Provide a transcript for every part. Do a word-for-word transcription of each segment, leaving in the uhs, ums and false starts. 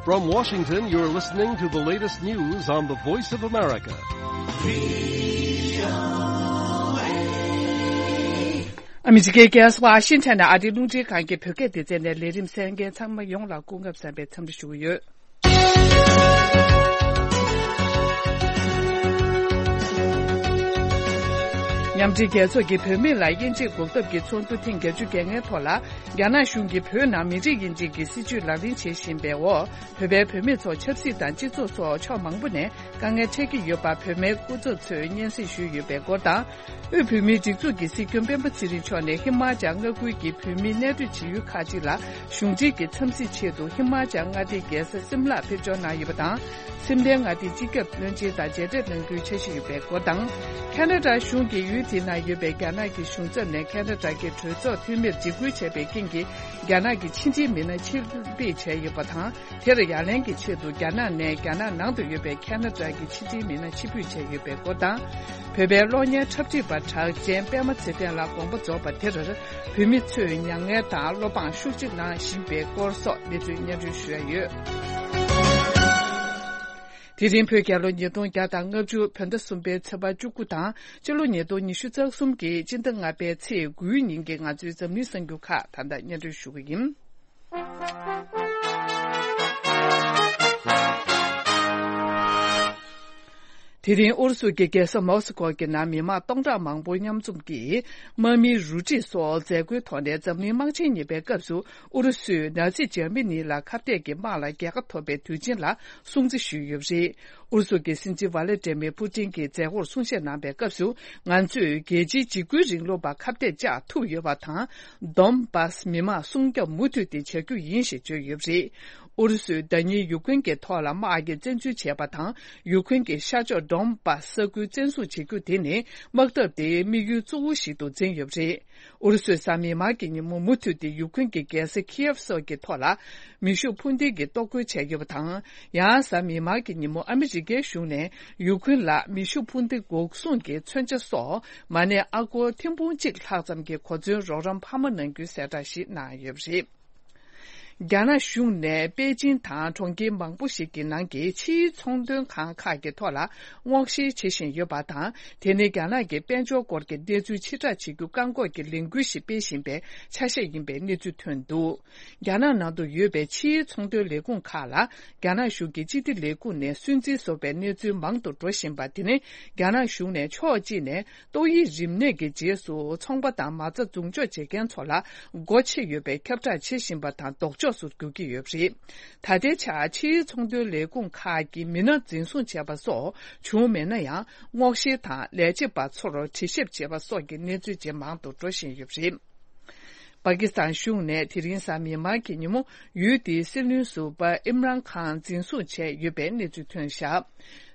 From Washington, you're listening to the latest news on the Voice of America. ཨ་མི་རི་ཀའི་རྒྱལ་ས་ཝ་ཤིང་ཊོན་ནས་ཨ་རིའི་རླུང་འཕྲིན་ཁང་གི་བོད་སྐད་སྡེ་ཚན་ནས་ལས་རིམ་གསན་མཁན་ཚང་མ་ཡོངས་ལ་སྐུ་ཁམས་བཟང་བའི་འཚམས་འདྲི་ཞུ་གི་ཡོད། མཉམ་འབྲེལ་རྒྱལ་ཚོགས་ཀྱིས་བོད་མི་ལ་དབྱེ་འབྱེད་འགོག་ཐབས་ཀྱི་ཚོགས་འདུ་ཐེངས་བརྒྱད་ཅུ་གྱ་ལྔའི་ཐོག་ལ། རྒྱ་ནག་གཞུང་གིས་བོད་ནང་མི་རིགས་དབྱེ་འབྱེད་ཀྱི་སྲིད་བྱུས་ལག་ལེན་བྱེད་བཞིན་པའི་འོག་བོད་པའི་བུད་མེད་ཚོ་ཆབ་སྲིད་དང་སྤྱི་ཚོགས་སོགས་ཕྱོགས་མང་པོ་ནས་དཀའ་ངལ་འཕྲད་ཀྱི་ཡོད་པ་བོད་མིའི་སྐུ་ཚབ་ཚོས་སྙན་སེང་ཞུས་ཡོད་པའི་སྐོར་དང་། དབུས་བོད་མིའི་སྒྲིག་འཛུགས་ཀྱི་སྲིད་སྐྱོང་སྤེན་པ་ཚེ་རིང་མཆོག་ནས་ཧི་མ་ཅལ་མངའ་ཁུལ་གྱི་བོད་མིའི་གནས་སྡོད་བྱེད་ཡུལ་ཁག་ཅིག་ལ་གཞུང་འབྲེལ་གྱི་འཚམས་གཟིགས་ཆེད་དུ་ཧི་མ་ཅལ་མངའ་སྡེའི་རྒྱལ་ས་སིམ་ལར་ཕེབས་འབྱོར་གནང་ཡོད་པ་དང་། སིམ་ལའི་མངའ་སྡེའི་སྤྱི་ཁྱབ་བློན་ཆེན་དང་མཇལ་འཕྲད་གནང་རྒྱུའི་འཆར་གཞི་ཡོད་པའི་སྐོར་དང་། ཁ་ན་ཌ་གཞུང་གིས་ཡུལ་དེའི་ནང་ཡོད་པའི་རྒྱ་ནག་གི་གཞུང་ཚབ་ནས་ཁ་ན་ཌ་གི་གྲོས་ཚོགས་འཐུས་མིར་འཇིགས་སྐུལ་བྱས་པའི་རྐྱེན་གྱིས་རྒྱ་ནག་གི་ཕྱི་འབྲེལ་མི་སྣ་ཕྱིར་འབུད་བྱས་ཡོད་པ་དང་། དེར་ཡ་ལན་གྱི་ཆེད་དུ་རྒྱ་ནག་ནས་རྒྱ་ནག་ནང་དུ་ཡོད་པའི་ཁ་ན་ཌ་གི་ཕྱི་འབྲེལ་མི་སྣ་ཕྱིར་འབུད་བྱས་ཡོད་པའི་སྐོར་དང་། བོད་པའི་གློག་བརྙན་འཁྲབ་ཁྲིད་པ་གྲགས་ཅན་པད་མ་ཚེ་བརྟན་ལགས་དགོངས་པ་རྫོགས་པ་དེར་བོད་མི་ཚོས་མྱ་ངན་དང་བློ་ཕངས་ཤུགས་ཆེ་གནང་བཞིན་པའི་སྐོར་སོགས་གནས་ཚུལ་སྙན་སྒྲོན་ཞུ་ཡ་ཡོད། དེ་རིང་བོད་རྒྱལ་ལོ་ཉིས་སྟོང་བརྒྱ་དང་ལྔ་བཅུ་བོད་ཟླ་གསུམ་པའི་ཚེས་པ་བཅུ་དགུ་དང་། སྤྱི་ལོ་ཉིས་སྟོང་ཉི་ཤུ་རྩ་གསུམ་གྱི་སྤྱི་ཟླ་ལྔ་པའི་ཚེས་དགུའི་ཉིན་གྱི་ང་ཚོའི་འཛམ་གླིང་གསར་འགྱུར་ཁག་ད་ལྟ་སྙན་སྒྲོན་ཞུ་གི་ཡིན། དེ་རིང་ཨུ་རུ་སུ་གྱི་རྒྱལ་ས་མོ་སི་ཀོ་གི་ནང་མི་མང་སྟོང་ཕྲག་མང་པོ་མཉམ་འཛོམས་ཀྱིས་དམག་མིའི་རུ་སྒྲིག་སོགས་མཛད་སྒོའི་ཐོག་ནས་འཛམ་གླིང་དམག་ཆེན་གཉིས་པའི་སྐབས་སུ་ཨུ་རུ་སུས་ནཱ་ཛི་འཇར་མ་ནི་ལ་ཁ་གཏད་ཀྱི་དམག་ལ་རྒྱལ་ཁ་ཐོབ་པའི་དུས་ཆེན་ལ་སྲུང་བརྩི་ཞུས་ཡོད་པ་རེད། ཨུ་རུ་སུ་གྱི་སྲིད་འཛིན་ཝ་ལེ་ཏྲེ་མེ་ཕུ་ཏིན་གྱིས་མཛད་སྒོར་གསུང་བཤད་གནང་པའི་སྐབས་སུ། ང་ཚོས་རྒྱལ་སྤྱིའི་འཇིགས་སྐུལ་རིང་ལུགས་པ་ཁ་གཏད་བཅག་ཐུབ་ཡོད་པ་དང་། དོན་བཱ་སི་མི་མང་སྲུང་སྐྱོབ་མུ་མཐུད་དེ་བྱ་རྒྱུ་ཡིན་ཞེས་བརྗོད་ཡོད་པ་རེད། ཨུ་རུ་སུས་ཟླ་ཉིན་ཡུ་ཁུན་གྱི་ཐོག་ལ་དམག་གི་བཙན་འཛུལ་བྱས་པ་དང་། ཡུ་ཁུན་གྱི་ཤར་ཕྱོགས་དོན་བཱ་སི་ས་ཁུལ་བཙན་བཟུང་བྱེད་རྒྱུ་དེ་ནི་དམག་འཐབ་དེའི་དམིགས་ཡུལ་གཙོ་བོ་ཞིག་ཏུ་འཛིན་ཡོད་པ་རེད། ཨུ་རུ་སུས་གཟའ་མིག་དམར་གྱི་ཉིན་མོ་མུ་མཐུད་དེ་ཡུ་ཁུན་གྱི་རྒྱལ་ས་ཁི་ཡེབ་སོགས་ཀྱི་ཐོག་ལ་མེ་ཤུགས་འཕུར་མདེལ་གྱིས་གཏོར་རྒོལ་བྱས་ཡོད་པ་དང་། ཡང་གཟའ་མིག་དམར་གྱི་ཉིན་མོ་ཨ་མི་རི་ཀའི་གཞུང་ནས་ཡུ་ཁུན་ལ་མེ་ཤུགས་འཕུར་མདེལ་འགོག་སྲུང་གི་མཚོན་ཆ་སོགས་མ་གནས་ཨ་སྒོར་ཐེར་འབུམ་གཅིག་ལྷག་ཙམ་གྱི་གོ་མཚོན་རོགས་རམ་འཕར་མ་གནང་རྒྱུའི་གསལ་བསྒྲགས་ཤིག་གནང་ཡོད་པ་རེད། རྒྱ་ནག་གཞུང་ནས་པེ་ཅིན་དང་གྲོང་ཁྱེར་མང་པོ་ཞིག་གི་ནང་གི་ཕྱིའི་ཚོང་དོན་ཁང་ཁག་གི་ཐོག་ལ་སྔོག་བཤེར་བྱེད་བཞིན་ཡོད་པ་དང་། དེ་ནི་རྒྱ་ནག་གི་དཔལ་འབྱོར་སྐོར་གྱི་གནས་ཚུལ་ཕྱིར་བསྒྲགས་བྱེད་རྒྱུ་བཀག་འགོག་གི་ལས་འགུལ་ཞིག་སྤེལ་བཞིན་པའི་ཆ་ཤས་ཡིན་པའི་གནས་ཚུལ་ཐོན་འདུག་རྒྱ་ནག་ནང་དུ་ཡོད་པའི་ཕྱིའི་ཚོང་དོན་ལས་ཁུངས་ཁག་ལ་རྒྱ་ནག་གཞུང་གི་སྤྱི་བདེ་ལས་ཁུངས་ནས་སུན་གཙེར་བཟོ་བའི་གནས་ཚུལ་མང་དུ་འགྲོ་བཞིན་པ་དེ་ནི་རྒྱ་ནག་གཞུང་ནས་ཕྱོགས་གཅིག་ནས། ཏོག་དབྱིབས་རིམས་ནད་ཀྱི་རྗེས་སུ་ཚོང་པ་དང་མ་རྩ་འཛུགས་འཇོག་བྱེད་མཁན་ཚོ་ལ་སྒོ་ཕྱེ་ཡོད་པའི་ཁྱབ་བསྒྲགས་བྱེད་བཞིན་པ་དང་ལྡོག་ཕྱོགས་སུ་འགྱུར་གྱི་ཡོད་པ་རེད། ད་ལྟའི་ཆར་ཕྱིའི་ཚོང་དོན་ལས་ཁུངས་ཁག་གིས་མི་སྣ་འཛིན་བཟུང་བྱས་པ་སོགས་བྱུང་མེད་ན་ཡང་སྔོག་བཤེར་དང་ལས་བྱེད་པ་ཚོར་དྲི་ཞིབ་བྱས་པ་སོགས་ཀྱི་གནས་ཚུལ་ཇེ་མང་དུ་འགྲོ་བཞིན་ཡོད་པ་རེད། པ་ཀི་སི་ཐན་གཞུང་ནས་དེ་རིང་གཟའ་མིག་དམར་གྱི་ཉིན་མོ་ཡུལ་དེའི་སྲིད་བློན་ཟུར་པ་ཨིམ་རཱན་ཁཱན་འཛིན་བཟུང་བྱས་ཡོད་པའི་གནས་ཚུལ་ཐོན་བཞག་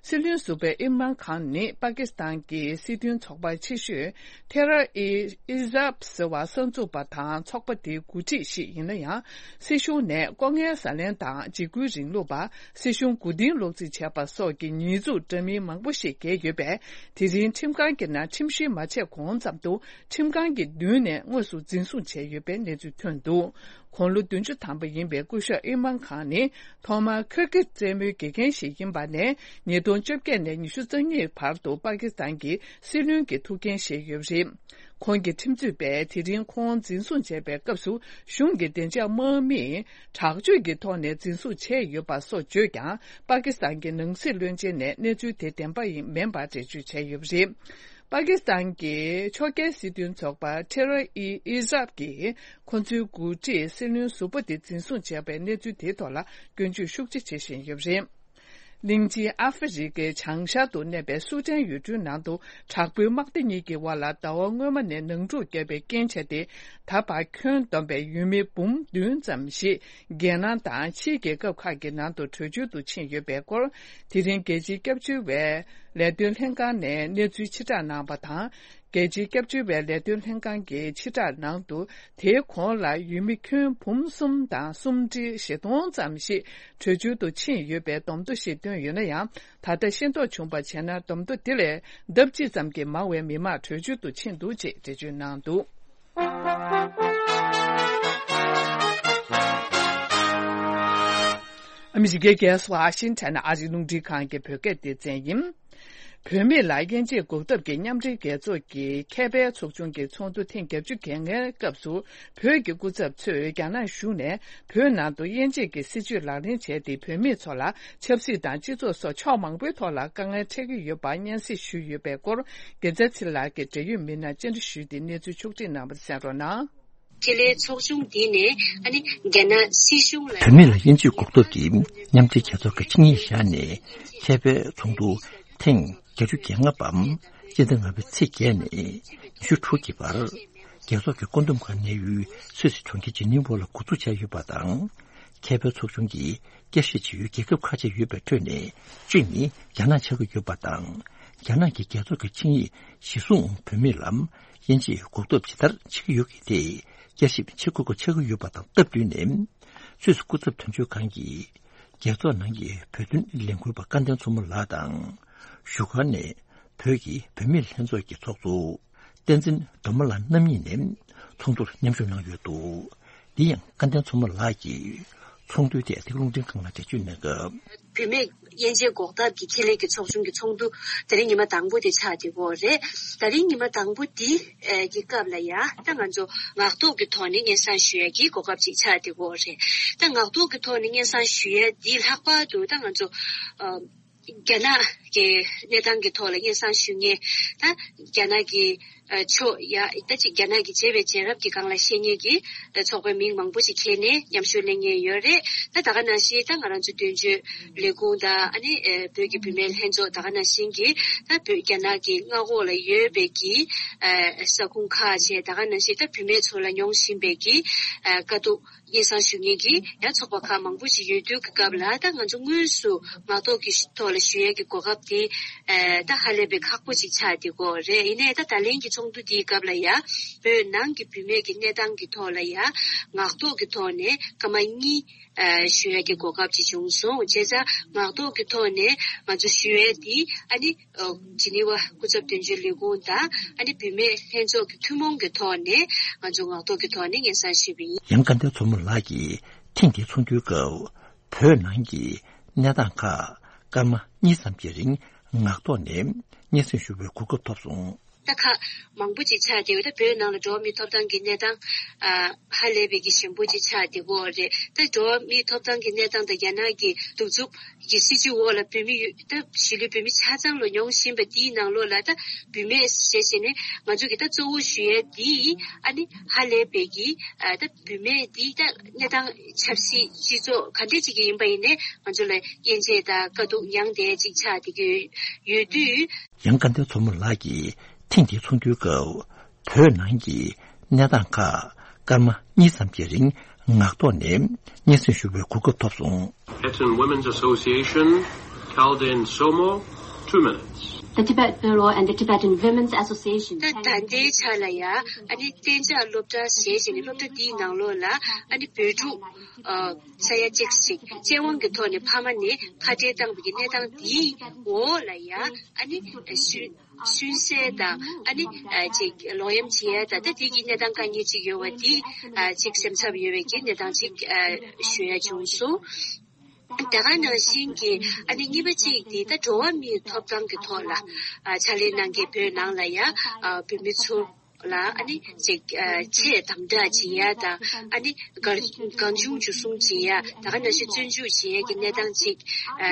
སྲིད་བློན་ཟུར་པ་ཨིམ་རཱན་ཁཱན་ནི་པ་ཀི་སི་ཐན་གྱི་སྲིད་དོན་ཚོགས་པ་ཆེ་ཤོས་ཐེ་ར་ཨི་ཨི་ཟབ་ཟེར་བ་གསར་འཛུགས་པ་དང་ཚོགས་པ་དེའི་འགོ་ཁྲིད་ཞིག་ཡིན་ན་ཡང་། སྲིད་གཞུང་ནས་ལྐོག་རྔན་ཟ་ལེན་དང་འཇིགས་སྐུལ་རིང་ལུགས་པ། སྲིད་གཞུང་མགོ་རྟིང་སློག་རྩིས་བྱས་པ་སོགས་ཀྱི་ཉེས་འཛུགས་འདྲ་མིན་མང་པོ་ཞིག་འགེལ་ཡོད་པས། དེ་རིང་ཁྲིམས་ཁང་གི་ནང་ཁྲིམས་ཞིབ་མ་བྱས་གོང་ཙམ་དུ། ཁྲིམས་ཁང་གི་མདུན་ནས་དངོས་སུ་འཛིན་བཟུང་བྱས་ཡོད་པའི་གནས་ཚུལ་ཐོན་འདུག་དགུང་ལོ་བདུན་ཅུ་ཐམ་པ་ཡིན་པའི་སྐུ་ཞབས་ཨིམ་རཱན་ཁཱན་ནི་ཐོག་མར་ཁིར་གིར་རྩེད་མོའི་དགེ་རྒན་ཞིག་ཡིན་པ་ནས་ཉིས་སྟོང་བཅོ་བརྒྱད་ནས་ཉི་ཤུ་རྩ་གཉིས་བར་དུ་པ་ཀི་སི་ཐན་གྱི་སྲིད་བློན་གྱི་ཐུགས་འགན་བཞེས་ཡོད་པ་རེད། ཁོང་གི་ཁྲིམས་རྩོད་པས་དེ་རིང་ཁོང་འཛིན་བཟུང་བྱས་པའི་སྐབས་སུ་གཞུང་གི་བདེ་འཇགས་དམག་མིས་དྲག་སྤྱོད་ཀྱི་ཐོག་ནས་འཛིན་བཟུང་བྱས་ཡོད་པ་སོགས་བརྗོད་ཀྱང་། པ་ཀི་སི་ཐན་གྱི་ནང་སྲིད་བློན་ཆེན་ནས་གནས་ཚུལ་དེ་བདེན་པ་ཡིན་མིན་པ་འགྲེལ་བརྗོད་བྱས་ཡོད་པ་རེད། པ་ཀི་སི་ཐན་གྱི་ཕྱོགས་འགལ་སྲིད་དོན་ཚོགས་པ་ཐེ་ར་ཨི་ཨི་ཟབ་ཀྱིས་ཁོ་ཚོའི་འགོ་ཁྲིད་སྲིད་བློན་ཟུར་པ་དེ་འཛིན་བཟུང་བྱས་པའི་གནས་ཚུལ་དེའི་ཐོག་ལ་སྐྱོན་བརྗོད་ཤུགས་ཆེ་བྱེད་བཞིན་ཡོད་པ་རེད། གླིང་ཆེན་ཨ་ཧྥེ་རི་ཁའི་བྱང་ཤར་དུ་གནས་པའི་སུ་ཏན་ཡུལ་གྲུའི་ནང་དུ་དྲག་པོའི་དམག་སྡེ་གཉིས་ཀྱི་དབར་ལ་ཟླ་བ་སྔོན་མ་ནས་ནང་འཁྲུག་བརྒྱབ་པའི་རྐྱེན་བྱས་ཏེ། ད་བར་ཁྱོན་བསྡོམས་པའི་ཡུལ་མི་འབུམ་བདུན་ཙམ་ཞིག་རྒྱལ་ནང་དང་ཕྱིའི་རྒྱལ་ཁབ་ཁག་གི་ནང་དུ་བྲོས་བྱོལ་དུ་ཕྱིན་ཡོད་པའི་སྐོར། དེ་རིང་རྒྱལ་སྤྱིའི་སྐྱབས་བཅོལ་བའི་ལས་དོན་ལྷན་ཁང་ནས་གནས་ཚུལ་ཕྱིར་བསྒྲགས་གནང་བ་དང་། རྒྱལ་སྤྱིའི་སྐྱབས་བཅོལ་བའི་ལས་དོན་ལྷན་ཁང་གི་ཕྱིར་བསྒྲགས་ནང་དུ། དེའི་གོང་ལ་ཡུལ་མི་ཁྱོན་འབུམ་གསུམ་དང་སུམ་ཁྲི་བཞི་སྟོང་ཙམ་ཞིག་བྲོས་བྱོལ་དུ་ཕྱིན་ཡོད་པའི་བསྡོམས་ཐོ་ཞིག་བཏོན་ཡོད་ན་ཡང་། ད་ལྟ་ཤེས་རྟོགས་བྱུང་བ་བྱས་ན་བསྡོམས་ཐོ་དེ་ལས་ལྡབ་གཅིག་ཙམ་གྱིས་མང་བའི་མི་མང་བྲོས་བྱོལ་དུ་ཕྱིན་འདུག་ཅེས་འགྲེལ་བརྗོད་གནང་འདུག་ཨ་ ཨ་མི་རི་ཀའི་རྒྱལ་ས་ཝ་ཤིང་ཊོན་ཨ་རིའི་རླུང་འཕྲིན་ཁང་གི་བོད་སྐད་སྡེ་ཚན་ཡིན། བུད་མེད་ལ་དབྱེ་འབྱེད་འགོག་ཐབས་ཀྱི་མཉམ་འབྲེལ་རྒྱལ་ཚོགས་ཀྱི་ཁེ་ཕན་ཚོགས་ཆུང་གི་ཚོགས་འདུ་ཐེངས་བརྒྱད་ཅུ་གྱ་ལྔའི་སྐབས་སུ། བོད་ཀྱི་སྐུ་ཚབ་ཚོས་རྒྱ་ནག་གཞུང་ནས་བོད་ནང་དུ་དབྱེ་འབྱེད་ཀྱི་སྲིད་བྱུས་ལག་ལེན་བྱས་ཏེ། བོད་མི་ཚོ་ལ་ཆབ་སྲིད་དང་སྤྱི་ཚོགས་སོགས་ཕྱོགས་མང་པོའི་ཐོག་ལ་དཀའ་ངལ་འཕྲད་ཀྱི་ཡོད་པར་སྙན་སེང་ཞུས་ཡོད་པའི་སྐོར། རྒྱལ་མཚན་ཚེ་རིང་ལགས་ཀྱིས་འབྲེལ་ཡོད་མི་སྣར་བཅར་འདྲི་ཞུས་ཏེ་གནས་ཚུལ་ཕྱོགས་སྒྲིག་གནང་བ་གསན་རོགས་གནང་། ཁེ་ལས་ཚོགས་ཆུང་འདི་ནས་ཨ་ནི་རྒྱ་ནག་སྲིད་གཞུང་ལ། བུད་མེད་ལ་དབྱེ་འབྱེད་འགོག་ཐབས་ཀྱི་མཉམ་འབྲེལ་རྒྱལ་ཚོགས་ཀྱི་ཆིངས་ཡིག་བཞག་ནས། ཁེ་ཕན་ཚོགས་འདུ་ཐེངས་བརྒྱད་ཅུ་གྱ་ལྔ་པའམ་སྤྱི་ཟླ་ལྔ་པའི་ཚེས་བརྒྱད་ནས་ཉི་ཤུ་དྲུག་གི་བར། རྒྱལ་ཚོགས་ཀྱི་བཀོད་འདོམས་ཁང་གནས་ཡུལ་སུད་སི་གྲོང་ཁྱེར་ཇི་ནི་ཝ་ལ་འགོ་འཛུགས་བྱས་ཡོད་པ་དང་། ཁེ་ཕན་ཚོགས་ཆུང་གིས་བསྐྱར་ཞིབ་བྱེད་ཡུལ་རྒྱལ་ཁབ་ཁ་ཤས་ཡོད་པའི་ཁྲོད་ནས་གཅིག་ནི་རྒྱ་ནག་ཆགས་ཀྱི་ཡོད་པ་དང་། རྒྱ་ནག་གི་རྒྱལ་ཚོགས་ཀྱི་ཆིངས་ཡིག་གཞིར་བཟུང་བུད་མེད་ལ་དབྱེ་འབྱེད་འགོག་ཐབས་ཇི་ལྟར་བྱེད་ཀྱི་ཡོད་ཀྱི་ཐད་བསྐྱར་ཞིབ་བྱེད་དགོས་པ་ཆགས་ཀྱི་ཡོད་པ་དང་སྟབས་བསྟུན་ནས། སུད་སི་སྐུ་ཚབ་དོན་གཅོད་ཁང་གིས་རྒྱལ་ཚོགས་ནང་གི་བོད་དོན་ལས་འགུལ་བ་སྐལ་ལྡན་མཚོ་མོ་ལགས་དང་། བཞུགས་སྒར་ནས་བོད་ཀྱི་བུད་མེད་ལྷན་ཚོགས་ཀྱི་ཚོགས་གཙོ་བསྟན་འཛིན་སྒྲོལ་མ་ལགས་རྣམ་གཉིས་ནས་ཚོགས་འདུར་མཉམ་ཞུགས་གནང་ཡོད་འདུག། འདི་ཡང་སྐལ་ལྡན་མཚོ་མོ་ལགས་ཀྱིས་ཚོགས་འདུའི་ཐད་འདི་ག་རླུང་འཕྲིན་ཁང་ལ་འགྲེལ་བརྗོད་གནང་སྐབས། བུད་མེད་དབྱེ་འབྱེད་འགོག་ཐབས་ཀྱི་ཁེ་ལས་ཀྱི་ཚོགས་ཆུང་གི་ཚོགས་འདུ་དེ་རིང་ཉི་མ་དང་པོ་དེ་ཆགས་བསྡད་ཡོད་རེད། དེ་རིང་ཉི་མ་དང་པོ་འདི་ཨེ་གི་སྐབས་ལ་ཡ་ད་ང་ཚོ་ངག་ཐོག་གི་ཐོག་ནས་སྙན་སེང་ཞུ་ཡ་གི་གོ་སྐབས་ཅིག་ཆགས་བསྡད་ཡོད་རེད། ད་ངག་ཐོག་གི་ཐོག་ནས་སྙན་སེང་ཞུ་ཡ་འདི་ལྷག་པར་དུ་ད་ང་ཚོ་ཨ་རྒྱ་ནག་གི་གནས་སྟངས་ཀྱི་ཐོག་ལ་སྙན་སེང་ཞུ་མཁན། ད་རྒྱ་ནག་གི་ཨ་ཕྱོགས་ཡ་ད་ཅིག་རྒྱ་ནག་གི་བྱས་པའི་རྗེས་རབས་ཀྱི་སྒང་ལ་བཤད་མཁན་གྱི་ཨ་ཚོགས་པའི་མིང་མང་པོ་ཞིག་འཁྱེར་ནས་མཉམ་ཞུགས་གནང་མཁན་ཡོད་རེད། ད་ད་ག་ནང་བཞིན་ད་ང་རང་ཚོ་དོན་གཅོད་ལས་ཁུངས་དང་ཨ་ནི་ཨ་བོད་ཀྱི་བུད་མེད་ལྷན་ཚོགས་ད་ག་ནང་བཞིན་གྱི་ད་བོད་རྒྱ་ནག་གི་མངའ་འོག་ལ་ཡོད་པའི་གི་ཨ་ས་ཁུངས་ཁག་བཅས་ད་ག་ནང་བཞིན་ད་བུད་མེད་ཚོ་ལ་མྱོང་བཞིན་པའི་གི་ཨ་དཀའ་སྡུག་སྙན་སེང་ཞུ་མཁན་གྱི་ཡང་ཚོགས་པ་ཁག་མང་པོ་ཞིག་ཡོད་དུས་ཀྱི་སྐབས་ལ་ད་ང་ཚོ་དངོས་སུ་ངག་ཐོག་གི་ཐོག་ལ་ཞུ་ཡས་ཀྱི་གོ་སྐབས་དེ་ཨེ་ད་ཧ་ལས་པའི་ཁག་པོ་ཞིག་ཆགས་བསྡད་ཡོད་རེད། ཡིན་ནའི་ད་ད་ལན་གྱི་ཚོགས་འདུ་དེའི་སྐབས་ལ་ཡ་བོད་ནང་གི་བུད་མེད་ཀྱི་གནས་སྟངས་ཀྱི་ཐོག་ལ་ཡ་ངག་ཐོག་གི་ཐོག་ནས་སྐར་མ་གཉིས་ཨེ་ཞུ་ཡས་ཀྱི་གོ་སྐབས་ཅིག་བྱུང་སོང་། བྱས་ཙང་ངག་ཐོག་གི་ཐོག་ནས་ང་ཚོ་ཞུ་ཡས་དེ་ཨ་ནི། ཨ་ཇི་ནི་ཝ་སྐུ་ཚབ་དོན་གཅོད་ལས་ཁུངས་དང་ཨ་ནི་བུད་མེད་ལྷན་ཚོགས་ཀྱི་ཐུན་མོང་གི་ཐོག་ནས་ང་ཚོ་ངག་ཐོག་གི་ཐོག་ནས་སྙན་སེང་ཞུས་པ་ཡིན། ཡང་སྐལ་ལྡན་མཚོ་མོ་ལགས་ཀྱིས་ཐེངས་འདིའི་ཚོགས་འདུའི་སྐབས་བོད་ནང་གི་གནས་སྟངས་ཁག་སྐར་མ་གཉིས་ཙམ་གྱི་རིང་ངག་ཐོག་ནས་སྙན་སེང་ཞུ་བའི་གོ་སྐབས་ཐོབ་སོང་། ད་ཁག་མང་པོ་ཅིག་ཆགས་བསྡད་ཡོད། ད་བོད་ནང་ལ་འགྲོ་བ་མིའི་ཐོབ་ཐང་གི་གནས་སྟངས་ཨ་ཧ་ལས་པའི་གི་ཞན་པོ་ཅིག་ཆགས་བསྡད་ཡོད་རེད། ད་འགྲོ་བ་མིའི་ཐོབ་ཐང་གི་གནས་སྟངས་དང་རྒྱ་ནག་གི་གདུག་རྩུབ་གི་སྲིད་བྱུས་འོག་ལ་བོད་མི་ཡོད་ད་གཞིས་ལུས་བོད་མི་ཆ་ཚང་ལ་མྱོང་བཞིན་པ་དེའི་ནང་ལོགས་ལ་ད་བུད་མེད་ཞེས་བྱས་ནས་ང་ཚོ་གི་ད་གཙོ་བོ་ཞུ་ཡས་དེ་ཨ་ནི་ཧ་ལས་པའི་གི་ཨ་ད་བུད་མེད་དེ་ད་གནས་སྟངས་ཆབ་སྲིད་སྤྱི་ཚོགས་ག་འདྲས་ཅིག་གི་ཡིན་པ་ཡིན་ནའི་ང་ཚོ་ལ་དབྱེ་འབྱེད་དང་དཀའ་སྡུག་མྱངས་བསྡད་ཅིག་ཆགས་བསྡད་ཀྱི་ཡོད་དུས། ཡང་སྐལ་ལྡན་མཚོ་མོ་ལགས་ཀྱིས་ཐེངས་འདིའི་ཚོགས་འདུའི་སྐབས་བོད་ནང་གི་གནས་སྟངས་ཁག་སྐར་མ་གཉིས་ཙམ་གྱི་རིང་ངག་ཐོག་ནས་སྙན་སེང་ཞུ་བའི་གོ་སྐབས་ཐོབ་སོང་། Tibetan Women's Association, Kaldin Somo, two minutes. The Tibet Bureau and the Tibetan Women's Association. ད་ད་ལྟའི་ཆ་ལ་ཡ་ཨ་ནི་གཏན་འཇགས་སློབ་གྲྭ་ཞེས་བྱས་ནས་སློབ་གྲྭ་འདིའི་ནང་ལོགས་ལ་ཨ་ནི་བོད་ཕྲུག་ཨ་ས་ཡ་གཅིག་ཅིག་བཙན་དབང་གི་ཐོག་ནས་ཕ་མ་ནས་ཁ་བྲལ་བཏང་བའི་གི་གནས་སྟངས་འདིའི་འོག་ལ་ཡ་ཨ་ནི་ཨ་ཤུལ། ཤུན་གསལ་དང་ཨ་ནི་ཨ་ཅིག་ལོག་གཡེམ་བྱེད་ཡ་དང་ད་དེ་གི་གནས་སྟངས་དཀའ་ངལ་ཅིག་ཡོད་པ་འདི་ཨ་ཅིག་སེམས་འཚབ་ཡོད་པའི་གི་གནས་སྟངས་ཅིག་ཨ་ཞུ་ཡ་བྱུང་སོང་། ད་ག་ནང་བཞིན་གྱི་ཨ་ནི་གཉིས་པ་གཅིག་འདི་ད་འགྲོ་བ་མིའི་ཐོབ་ཐང་གི་ཐོག་ལ་ཨ་ཕྱག་ལས་གནང་མཁན་བོད་ནང་ལ་ཡ་ཨ་བོད་མི་ཚོ་ལ་ཨ་ནི་ཅིག་ཨ་ཆེས་དམ་དྲག་བྱེད་ཡ་དང་ཨ་ནི་གང་གང་བྱུང་འཇུ་བཟུང་བྱེད་ཡ་ད་ག་ནང་བཞིན་བཙོན་འཇུག་བྱེད་ཡ་གི་གནས་སྟངས་ཅིག་ཨ་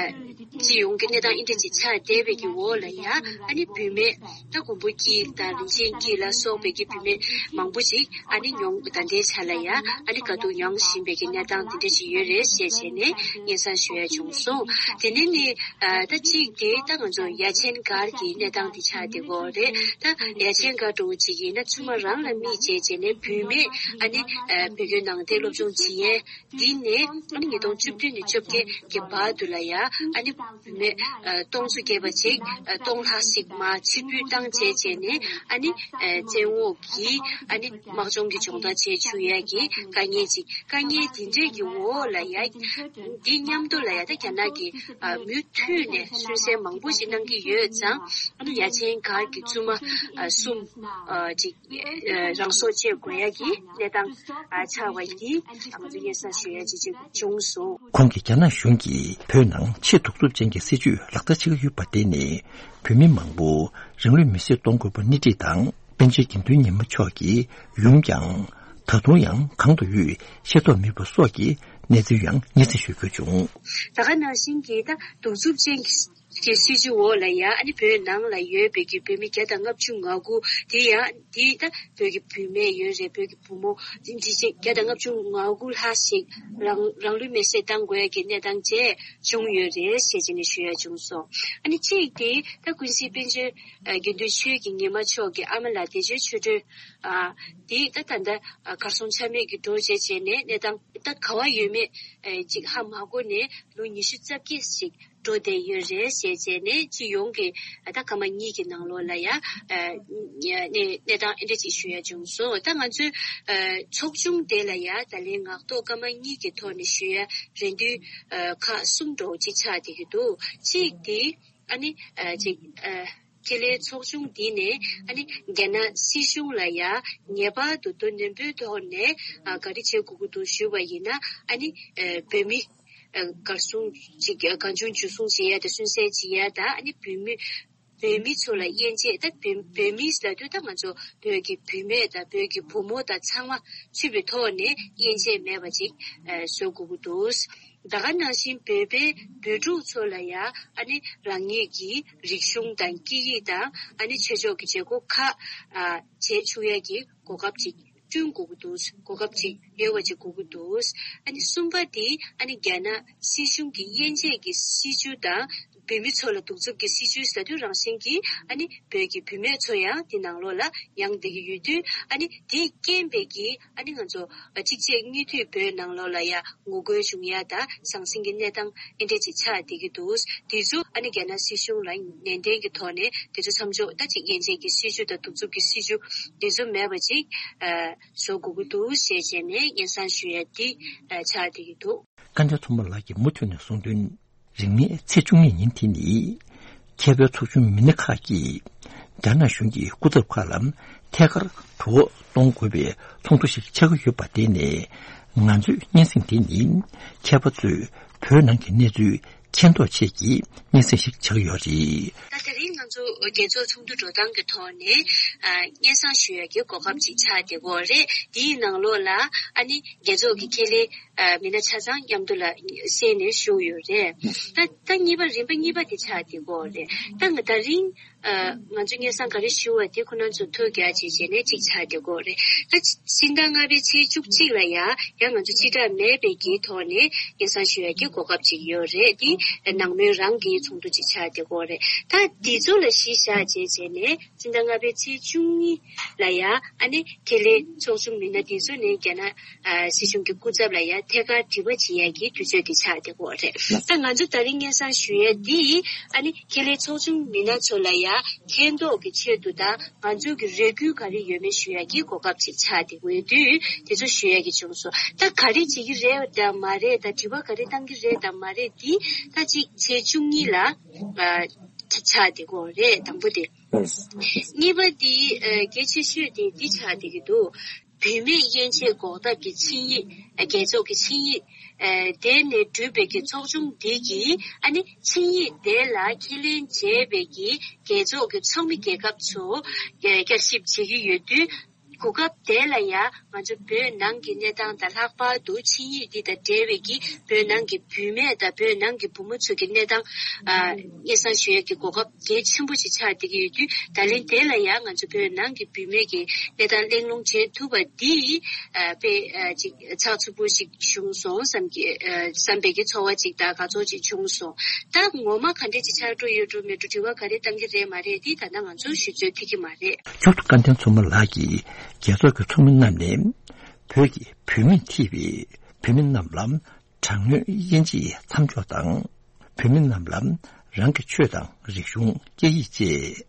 སྤྱི་ཡོངས་ཀྱི་གནས་སྟངས་འདི་འདྲ་ཅིག་ཆགས་བསྡད་པའི་གི་འོག་ལ་ཡ་ཨ་ནི་བུད་མེད་ད་མགོན་པོ་སྐྱིད་དང་རིན་ཆེན་སྐྱིད་ལ་སོགས་པའི་གི་བུད་མེད་མང་པོ་ཅིག་ཨ་ནི་མྱོང་ད་ལྟའི་ཆ་ལ་ཡ་ཨ་ནི་དཀའ་སྡུག་མྱོང་བཞིན་པའི་གི་གནས་སྟངས་འདི་འདྲ་ཅིག་ཡོད་རེད་ཞེས་བྱས་ནས་སྙན་སེང་ཞུ་ཡ་བྱུང་སོང་། དེ་ནས་ནི་ཨ་ད་གཅིག་དེ་ད་ང་ཚོ་ཡ་ཆེན་སྒར་གྱི་གནས་སྟངས་འདི་ཆགས་བསྡད་ཡོད་རེད། ད་ཡ་ཆེན་སྒར་འདྲ་བོ་ཅིག་ཡིན་ན་ཆུང་མ་རང་ལ་དམིགས་བྱས་བྱས་ནས་བུད་མེད་ཨ་ནི་ཨ་བོད་བརྒྱུད་ནང་བསྟན་སློབ་སྦྱོང་བྱེད་ཡས། འདི་ནས་ཉིས་སྟོང་བཅུ་བདུན་ནས་བཅོ་བརྒྱད་ཀྱི་བར་དུ་ལ་ཡ་ཨ་ནི་བུད་མེད་སྟོང་ཚོ་བརྒྱད་པ་ཅིག་སྟོང་ལྷག་ཞིག་མར་ཕྱིར་འབུད་བཏང་བྱས་བྱས་ནས་ཨ་ནི་བཙན་འོག་གི་ཨ་ནི་དམག་སྦྱོང་གི་སྦྱོང་བརྡར་བྱས་བཅུག་ཡ་གི་དཀའ་ངལ་ཅིག་དཀའ་ངལ་འདི་འདྲས་ཀྱི་འོག་ལ་ཡ་འདི་མཉམ་དུ་ལ་ཡ་ད་རྒྱ་ནག་གི་མུ་མཐུད་ནས་སུན་གཙེར་མང་པོ་ཞིག་གནང་གི་ཡོད་ཙང་ཨ་ནི་ཡ་ཆེན་སྒར་གྱི་བཙུན་མ་གསུམ། ཅིག་ཨ་རང་སྲོག་བཅད་དགོས་ཡ་གི་གནས་སྟངས་ཨ་ཆགས་པ་འདི་ང་ཚོ་སྙན་སེང་ཞུ་ཡ་ཅིག་ཅིག་བྱུང་སོང་། ཁོང་གིས་རྒྱ་ནག་གཞུང་གིས་བོད་ནང་ཆེས་གདུག་རྩུབ་ཅན་གྱི་སྲིད་བྱུས་ལག་བསྟར་བྱེད་ཀྱི་ཡོད་པ་དེ་ནི་བོད་མི་མང་པོ་རང་ལུས་མེར་སྲེག་གཏོང་དགོས་པ་སྣེ་ཁྲིད་དང་། པཎ་ཆེན་དགེ་འདུན་ཉི་མ་མཆོག་གིས་ཡུམ་ཀྱང་ད་དུང་ཡང་གང་དུ་ཡོད་ཤེས་རྟོགས་མེད་པ་སོགས་ཀྱི་གནས་ཚུལ་ཡང་སྙན་སེང་ཞུ་རྒྱུ་བྱུང་། ད་ག་ནང་བཞིན་གྱི་ད་གདུག་རྩུབ་ཅན་གྱི་གི་སྲིད་བྱུས་འོག་ལ་ཡ་ཨ་ནི་བོད་ནང་ལ་ཡོད་པའི་གི་བོད་མི་བརྒྱ་དང་ལྔ་བཅུ་ང་དགུ་དེ་ཡ་དེ་ད་བོད་ཀྱི་བུད་མེད་ཡོད་རེད། བོད་ཀྱི་བུ་མོ་དེ་འདི་ཅིག་བརྒྱ་དང་ལྔ་བཅུ་ང་དགུ་ལྷག་ཞིག་རང་རང་ལུས་མེར་སྲེག་བཏང་དགོས་ཀྱི་གནས་སྟངས་བཅས་བྱུང་ཡོད་རེད་ཞེས་བྱས་ནས་ཞུ་ཡ་བྱུང་སོང་། ཨ་ནི་གཅིག་དེ་ད་ཀུན་གཟིགས་པཎ་ཆེན་དགེ་འདུན་ཆོས་ཀྱི་ཉི་མ་མཆོག་གི་ཨ་མ་ལགས་བདེ་ཆེན་ཆོས་སྒྲོན་དེ་ད་ད་ལྟ་གར་སོང་ཆ་མེད་ཀྱི་འགྲོ་བྱས་བྱས་ནས་གནས་སྟངས་ད་ག་བ་ཡོད་མེད་ཅིག་ཧ་མ་གོ་ནས་ལོ་ཉི་ཤུ་རྩ་བརྒྱད་ཞིག་འགྲོ་བསྡད་ཡོད་རེད་ཞེས་བྱས་ནས་སྤྱི་ཡོངས་ཀྱི་ད་སྐར་མ་གཉིས་ཀྱི་ནང་ལོགས་ལ་ཡ་གནས་གནས་སྟངས་ཨེ་འདྲ་ཅིག་ཞུ་ཡ་བྱུང་སོང་། ད་ང་ཚོའི་ཚོགས་ཆུང་དེ་ལ་ཡ་ད་ལན་ངག་ཐོག་སྐར་མ་གཉིས་ཀྱི་ཐོག་ནས་ཞུ་ཡ་རེ་འདུན་ཁག་གསུམ་འདྲ་བོ་ཅིག་ཆགས་བསྡད་ཀྱི་འདུག་གཅིག་དེ་ཨ་ནི་ཅིག་ཁེ་ལས་ཚོགས་ཆུང་འདི་ནས་ཨ་ནི་རྒྱ་ནག་སྲིད་གཞུང་ལ་ཡ་ངེས་པར་དུ་དོ་ནན་པོའི་ཐོག་ནས་ག་རེ་བྱེད་དགོས་ཀྱི་འདུག་ཞུས་པ་ཡིན་ན་ཨ་ནི་བོད་མི་གར་སོང་ཅིག་གང་བྱུང་འཇུ་བཟུང་བྱེད་ཡ་དང་སུན་གཙེར་བྱེད་ཡ་དང་ཨ་ནི་བོད་མི་བོད་མི་ཚོ་ལ་དབྱེ་འབྱེད་ད་བོད་བོད་མི་ལབ་དུས་ད་ང་ཚོ་བོད་ཀྱི་བུད་མེད་དང་བོད་ཀྱི་བུ་མོ་དང་ཚང་མ་ཚུད་པའི་ཐོག་ནས་དབྱེ་འབྱེད་མེད་པ་ཅིག་བཟོ་དགོས་ཀྱི་འདུག་ད་ག་ནང་བཞིན་བོད་པའི་བོད་ཕྲུག་ཚོ་ལ་ཡ་ཨ་ནི་རང་ཉིད་ཀྱི་རིག་གཞུང་དང་སྐད་ཡིག་དང་ཨ་ནི་ཆོས་ཕྱོགས་ཀྱི་བྱེད་སྒོ་ཁག་བྱེད་ཆོག་ཡ་གི་གོ་སྐབས་ཅིག་བསྐྲུན་དགོས་ཀྱི་འདུག་གོ་སྐབས་ཅིག་ཡོད་པ་ཅིག་དགོས་ཀྱི་འདུག་ཨ་ནི་གསུམ་པ་དེ་ཨ་ནི་རྒྱ་ནག་སྲིད་གཞུང་གི་དབྱེ་འབྱེད་ཀྱི་སྲིད་བྱུས་དང་བོད་མི་ཚོ་ལ་གདུག་རྩུབ་ཀྱི་སྲིད་བྱུས་ཟེར་དུས་རང་བཞིན་གྱིས་ཨ་ནི་བོད་ཀྱི་བུད་མེད་ཚོ་ཡང་དེ་ནང་ལོགས་ལ་ཡང་བསྡད་ཀྱི་ཡོད་དུས་ཨ་ནི་དེས་རྐྱེན་པས་ཀྱིས་ཨ་ནི་ང་ཚོ་གཅིག་རྗེས་གཉིས་མཐུད་བོད་ནང་ལོགས་ལ་ཡ་ངོ་རྒོལ་བྱུང་ཡ་དང་ཟང་ཟིང་གི་གནས་སྟངས་ཨེ་འདྲས་ཅིག་ཆགས་བསྡད་ཀྱི་འདུག་དེ་ཚོ་ཨ་ནི་རྒྱ་ནག་སྲིད་གཞུང་ལ་ནན་ཏན་གྱི་ཐོག་ནས་དེ་ཚོ་མཚམས་འཇོག་ད་ཅིག་དབྱེ་འབྱེད་ཀྱི་སྲིད་བྱུས་དང་གདུག་རྩུབ་ཀྱི་སྲིད་བྱུས་དེ་ཚོ་མེད་པ་ཅིག་བཟོ་དགོས་ཀྱི་འདུག་ཞེས་བྱས་ནས་སྙན་སེང་ཞུ་ཡ་དེ་ཆགས་བསྡད་ཀྱི་འདུག་བཀའ་འདྲེན་ཚོགས་མ་ལགས་ཀྱིས་མུ་མཐུད་ནས་གསུངས་དོན། རིང་མིན་ཚེས་བཅུ་གཉིས་ཉིན་དེ་ནི་མཁས་པའི་ཚོགས་ཆུང་མི་སྣ་ཁག་གིས་རྒྱ་ནག་གཞུང་གི་སྐུ་ཚབ་ཁག་ལ་ཐད་ཀར་གྲོས་འོག་གཏོང་དགོས་པའི་ཚོགས་འདུ་ཞིག་ཆགས་ཀྱི་ཡོད་པ་དེ་ནས་ང་ཚོའི་སྙན་སེང་དེ་ནི་མཁས་པ་ཚོས་བོད་ནང་གི་གནས་ཚུལ་མཁྱེན་རྟོགས་ཆེད་ཀྱི་སྙན་སེང་ཞིག་ཆགས་ཀྱི་ཡོད་རེད། ད་དེ་རིང་ང་ཚོ་རྒྱལ་ཚོགས་ཚོགས་འདུ་འགྲོ་སྟངས་ཀྱི་ཐོག་ནས་ཨ་སྙན་སེང་ཞུ་ཡ་གི་གོ་སྐབས་ཅིག་ཆགས་བསྡད་ཀྱི་ཡོད་རེད། དེའི་ནང་ལོགས་ལ་ཨ་ནི་རྒྱལ་ཚོགས་ཀྱི་ཁེ་ལས་ཨ་མི་སྣ་ཆ་ཚང་མཉམ་དུ་ལ་གསན་ནས་ཞུ་ཡོད་རེད། ད་ད་གཉིས་པ་རིམ་པ་གཉིས་པ་དེ་ཆགས་བསྡད་ཀྱི་ཡོད་རེད། ད་ང་ད་རིང་ཨ་ང་ཚོ་སྙན་སེང་ག་རེ་ཞུ་བ་དེ་ཁོ་རང་ཚོ་ཐུགས་རྒྱ་ཆེ་བྱས་ནས་གཅིག་ཆགས་བསྡད་ཀྱི་ཡོད་རེད། ད་ཕྱི་ཟླ་ལྔ་པའི་ཚེས་བཅུ་གཅིག་ལ་ཡ་ཡང་ང་ཚོ་སྤྱི་བསྒྲགས་མེད་པའི་གི་ཐོག་ནས་སྙན་སེང་ཞུ་ཡ་གི་གོ་སྐབས་ཅིག་ཡོད་རེད། དེ་ནང་མོལ་རང་གི་ཚོགས་འདུ་ཅིག་ཆགས་བསྡད་ཀྱི་ཡོད་རེད། ད་དེ་ཚོ་ལ་གཞི་བཞག་བྱས་བྱས་ནས་ཕྱི་ཟླ་ལྔ་པའི་ཚེས་བཅུ་གཉིས་ལ་ཡ་ཨ་ནི་ཁེ་ལས་ཚོགས་ཆུང་མི་སྣ་དེ་ཚོ་ནས་རྒྱ་ནག་ཨ་སྲིད་གཞུང་གི་སྐུ་ཚབ་ལ་ཡ་ཐད་ཀར་དྲི་བ་དྲི་ཡ་གི་དུས་ཚོད་དེ་ཆགས་བསྡད་ཀྱི་ཡོད་རེད། ད་ང་ཚོ་ད་རིང་སྙན་སེང་ཞུ་ཡ་འདི་ཨ་ནི་ཁེ་ལས་ཚོགས་ཆུང་མི་སྣ་ཚོ་ལ་ཡ་མཁྱེན་རྟོགས་ཀྱི་ཆེད་དུ་དང་ང་ཚོ་གི་རེ་སྐུལ་ག་རེ་ཡོད་མེད་ཞུ་ཡ་གི་གོ་སྐབས་ཅིག་ཆགས་བསྡད་ཀྱི་ཡོད་དུས་དེ་ཚོ་ཞུ་ཡ་གི་བྱུང་སོང་། ད་ག་རེ་བྱེད་ཀྱི་རེད་དང་མ་རེད་དང་དྲི་བ་ག་རེ་བཏང་གི་རེད་དང་མ་རེད་འདི་ད་ཅིག་ཚེས་བཅུ་གཉིས་ལ་ཨ་ཆགས་བསྡད་ཀྱི་ཡོད་རེད། དང་པོ་དེ། གཉིས་པ་འདི་ཨ་གལ་ཆེ་ཤོས་དེ་འདི་ཆགས་བསྡད་ཀྱི་འདུག་བུད་མེད་དབྱེ་འབྱེད་འགོག་ཐབས་ཀྱི་ཆིངས་ཡིག་ཨ་རྒྱལ་ཚོགས་ཀྱི་ཆིངས་ཡིག་ཨ་དེ་ནས་གྲུབ་པའི་གི་ཚོགས་ཆུང་འདི་གིས་ཨ་ནི་ཆིངས་ཡིག་དེ་ལ་ཁས་ལེན་བྱས་པའི་གི་རྒྱལ་ཚོགས་ཀྱི་ཚོགས་མི་རྒྱལ་ཁབ་ཚོ་ཨ་བསྐྱར་ཞིབ་བྱེད་ཀྱི་ཡོད་དུས། གོ་སྐབས་དེ་ལ་ཡང་ང་ཚོ་བོད་ནང་གི་གནས་སྟངས་དང་ལྷག་པར་དུ་ཆིངས་ཡིག་འདི་དང་འབྲེལ་བའི་གི་བོད་ནང་གི་བུད་མེད་དང་བོད་ནང་གི་བུ་མོ་ཚོ་གི་གནས་སྟངས་ཨ་སྙན་སེང་ཞུ་ཡས་ཀྱི་གོ་སྐབས་གལ་ཆེན་པོ་ཞིག་ཆགས་བསྡད་ཀྱི་ཡོད་དུས། ད་ལན་དེ་ལ་ཡང་ང་ཚོ་བོད་ནང་གི་བུད་མེད་ཀྱི་གནས་སྟངས་གླེང་སློང་བྱེད་ཐུབ་པ་འདི་ཨ་དཔེ་ཨ་ཅིག་ཚགས་ཚུད་པོ་ཞིག་བྱུང་སོང་བསམ་གྱི་ཨ་བསམ་པའི་གི་ཚོར་བ་ཅིག་དང་དགའ་ཚོར་ཅིག་བྱུང་སོང་། ད་ངོ་མ་ག་འདྲས་ཅིག་ཆགས་འགྲོ་ཡོད་འགྲོ་མེད་འགྲོ། དྲི་བ་ག་རེ་བཏང་གི་རེད་མ་རེད་འདི་ད་ལྟ་ང་ཚོ་ཞུ་ཚོད་ཐིག་གི་མ་རེད། མཇུག་ཏུ་བཀའ་བསྟན་མཚོ་མོ་ལགས་ཀྱིས་རྒྱལ་ཚོགས་ཀྱི་ཚོགས་མི་རྣམས་ནས་བོད་ཀྱི་བུད་མེད་ཐེ་བའི་བུད་མེད་རྣམས་ལ་དྲག་གནོན་དབྱེ་འབྱེད་མཚམས་འཇོག་དང་། བུད་མེད་རྣམས་ལ་རང་གི་ཆོས་དང་རིག་གཞུང་། སྐད་ཡིག་བཅས་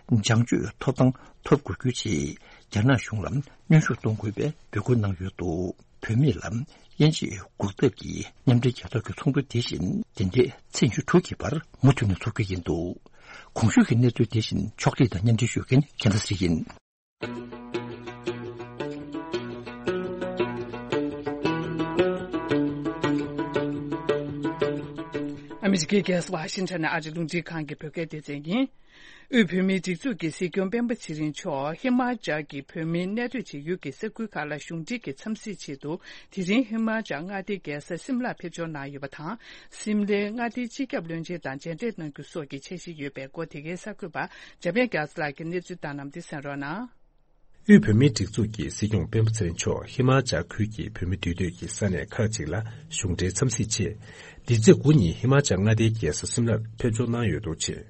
སྦྱང་སྤྱོད་ཐོབ་ཐང་ཐོབ་དགོས་རྒྱུའི་ཆེད་རྒྱ་ནག་གཞུང་ལ་གནོན་ཤུགས་གཏོང་དགོས་པའི་འབོད་སྐུལ་གནང་ཡོད་འདུག་བུད་མེད་ལ་དབྱེ་འབྱེད་འགོག་ཐབས་ཀྱི་མཉམ་འབྲེལ་རྒྱལ་ཚོགས་ཀྱི་ཚོགས་འདུ་དེ་བཞིན་འདི་ཟླའི་ཚེས་ཉི་ཤུ་དྲུག་གི་བར་མུ་མཐུད་ནས་འཚོགས་རྒྱུ་ཡིན་འདུག་གོང་ཞུས་ཀྱི་གནས་ཚུལ་དེ་བཞིན་ཕྱོགས་སྒྲིག་དང་མཉམ་འབྲེལ་ཞུ་མཁན་རྒྱལ་མཚན་ཚེ་རིང་ཡིན། ཨ་མི་རི་ཀའི་རྒྱལ་ས་ཝ་ཤིང་ཊོན་ནས་ཨ་རིའི་རླུང་འཕྲིན་ཁང་གི་བོད་སྐད་སྡེ་ཚན་ཡིན། དབུས་བོད་མིའི་སྒྲིག་འཛུགས་ཀྱི་སྲིད་སྐྱོང་སྤེན་པ་ཚེ་རིང་མཆོག་ཧི་མ་ཅལ་གྱི་བོད་མིའི་གནས་སྡོད་བྱེད་ཡུལ་གྱི་ས་ཁུལ་ཁག་ལ་གཞུང་འབྲེལ་གྱི་འཚམས་གཟིགས་ཆེད་དུ། དེ་རིང་ཧི་མ་ཅལ་མངའ་སྡེའི་རྒྱལ་ས་སིམ་ལར་ཕེབས་འབྱོར་གནང་ཡོད་པ་དང་། སིམ་ལའི་མངའ་སྡེའི་སྤྱི་ཁྱབ་བློན་ཆེན་དང་མཇལ་འཕྲད་གནང་རྒྱུ་སོགས་ཀྱི་འཆར་གཞི་ཡོད་པའི་སྐོར། དེ་གའི་གསར་འགོད་པ་འཇམ་དབྱངས་རྒྱ་མཚོ་ལགས་ཀྱིས་གནས་ཚུལ་བཏང་གནང་བ་འདི་གསན་རོགས་གནང་། དབུས་བོད་མིའི་སྒྲིག་འཛུགས་ཀྱི་སྲིད་སྐྱོང་སྤེན་པ་ཚེ་རིང་མཆོག་ཧི་མ་ཅལ་ཁུལ་གྱི་བོད་མི་འདུས་སྡོད་ཀྱི་ས་གནས་ཁག་ཅིག་ལ་གཞུང་འབྲེལ་འཚམས་གཟིགས་ཆེད། འདི་ཚེས་དགུ་ཉིན་ཧི་མ་ཅལ་མངའ་སྡེའི་རྒྱལ་ས་སིམ་ལར་ཕེབས་འབྱོར་གནང་ཡོད་འདུག་ཅིང་།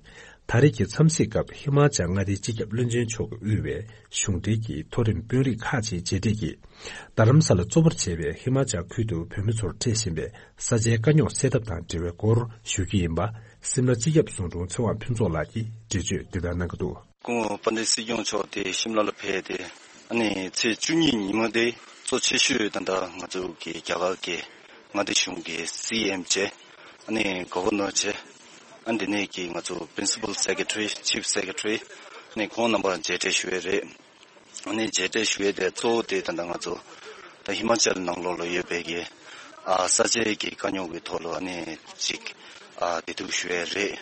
ད་རེས་ཀྱི་འཚམས་གཟིགས་སྐབས་ཧི་མ་ཅལ་མངའ་སྡེའི་སྤྱི་ཁྱབ་བློན་ཆེན་མཆོག་གིས་དབུས་པའི་གཞུང་འབྲེལ་གྱི་མཐོ་རིམ་དཔོན་རིགས་ཁག་ཅིག་མཇལ་འཕྲད་ཀྱིས། རྡ་རམ་ས་ལ་གཙོ་བོར་བྱས་པའི་ཧི་མ་ཅལ་ཁུལ་དུ་བོད་མི་ཚོར་འཕྲད་བཞིན་པའི་ས་ཆའི་དཀའ་རྙོག་སེལ་ཐབས་དང་འབྲེལ་བའི་སྐོར་ཞུ་རྒྱུ་ཡིན་པ། སིམ་ལ་སྤྱི་ཁྱབ་ཟུང་དྲུང་ཚེ་དབང་ཕུན་ཚོགས་ལགས་ཀྱིས་འགྲེལ་བརྗོད་འདི་ལྟར་གནང་གི་འདུག། སྐུ་ངོ་དཔལ་ལྡན་སྲིད་སྐྱོང་མཆོག་དེ་ཤིམ་ལ་ལ་ཕེབས་ཏེ། ཨ་ནི་ཚེས་བཅུ་གཉིས་ཉི་མ་དེ་གཙོ་ཆེ་ཤོས་ད་ལྟ་ང་ཚོ་གི་རྒྱ་གར་གྱི་མངའ་སྡེ་གཞུང་གི་སི་ཨེམ་བྱས། ཨ་ནི་གོ་བར་ནོར་བྱས། ཨ་འདི་ནས་ཀྱི་ང་ཚོ་Principal Secretary, Chief Secretary, ཨ་ནི་ཁོང་རྣམ་པ་མཇལ་འཕྲད་ཞུ་ཡས་རེད། ཨ་ནི་མཇལ་འཕྲད་ཞུ་ཡས་དེ་གཙོ་བོ་དེ་ད་ལྟ་ང་ཚོ་ད་ཧི་མ་ཅལ་ནང་ལོགས་ལ་ཡོད་པའི་གི་ཨ་ས་ཆའི་གི་དཀའ་རྙོག་གི་ཐོག་ལ་ཨ་ནི་ཅིག་ཨ་བདེ་སྡུག་ཞུ་ཡས་རེད།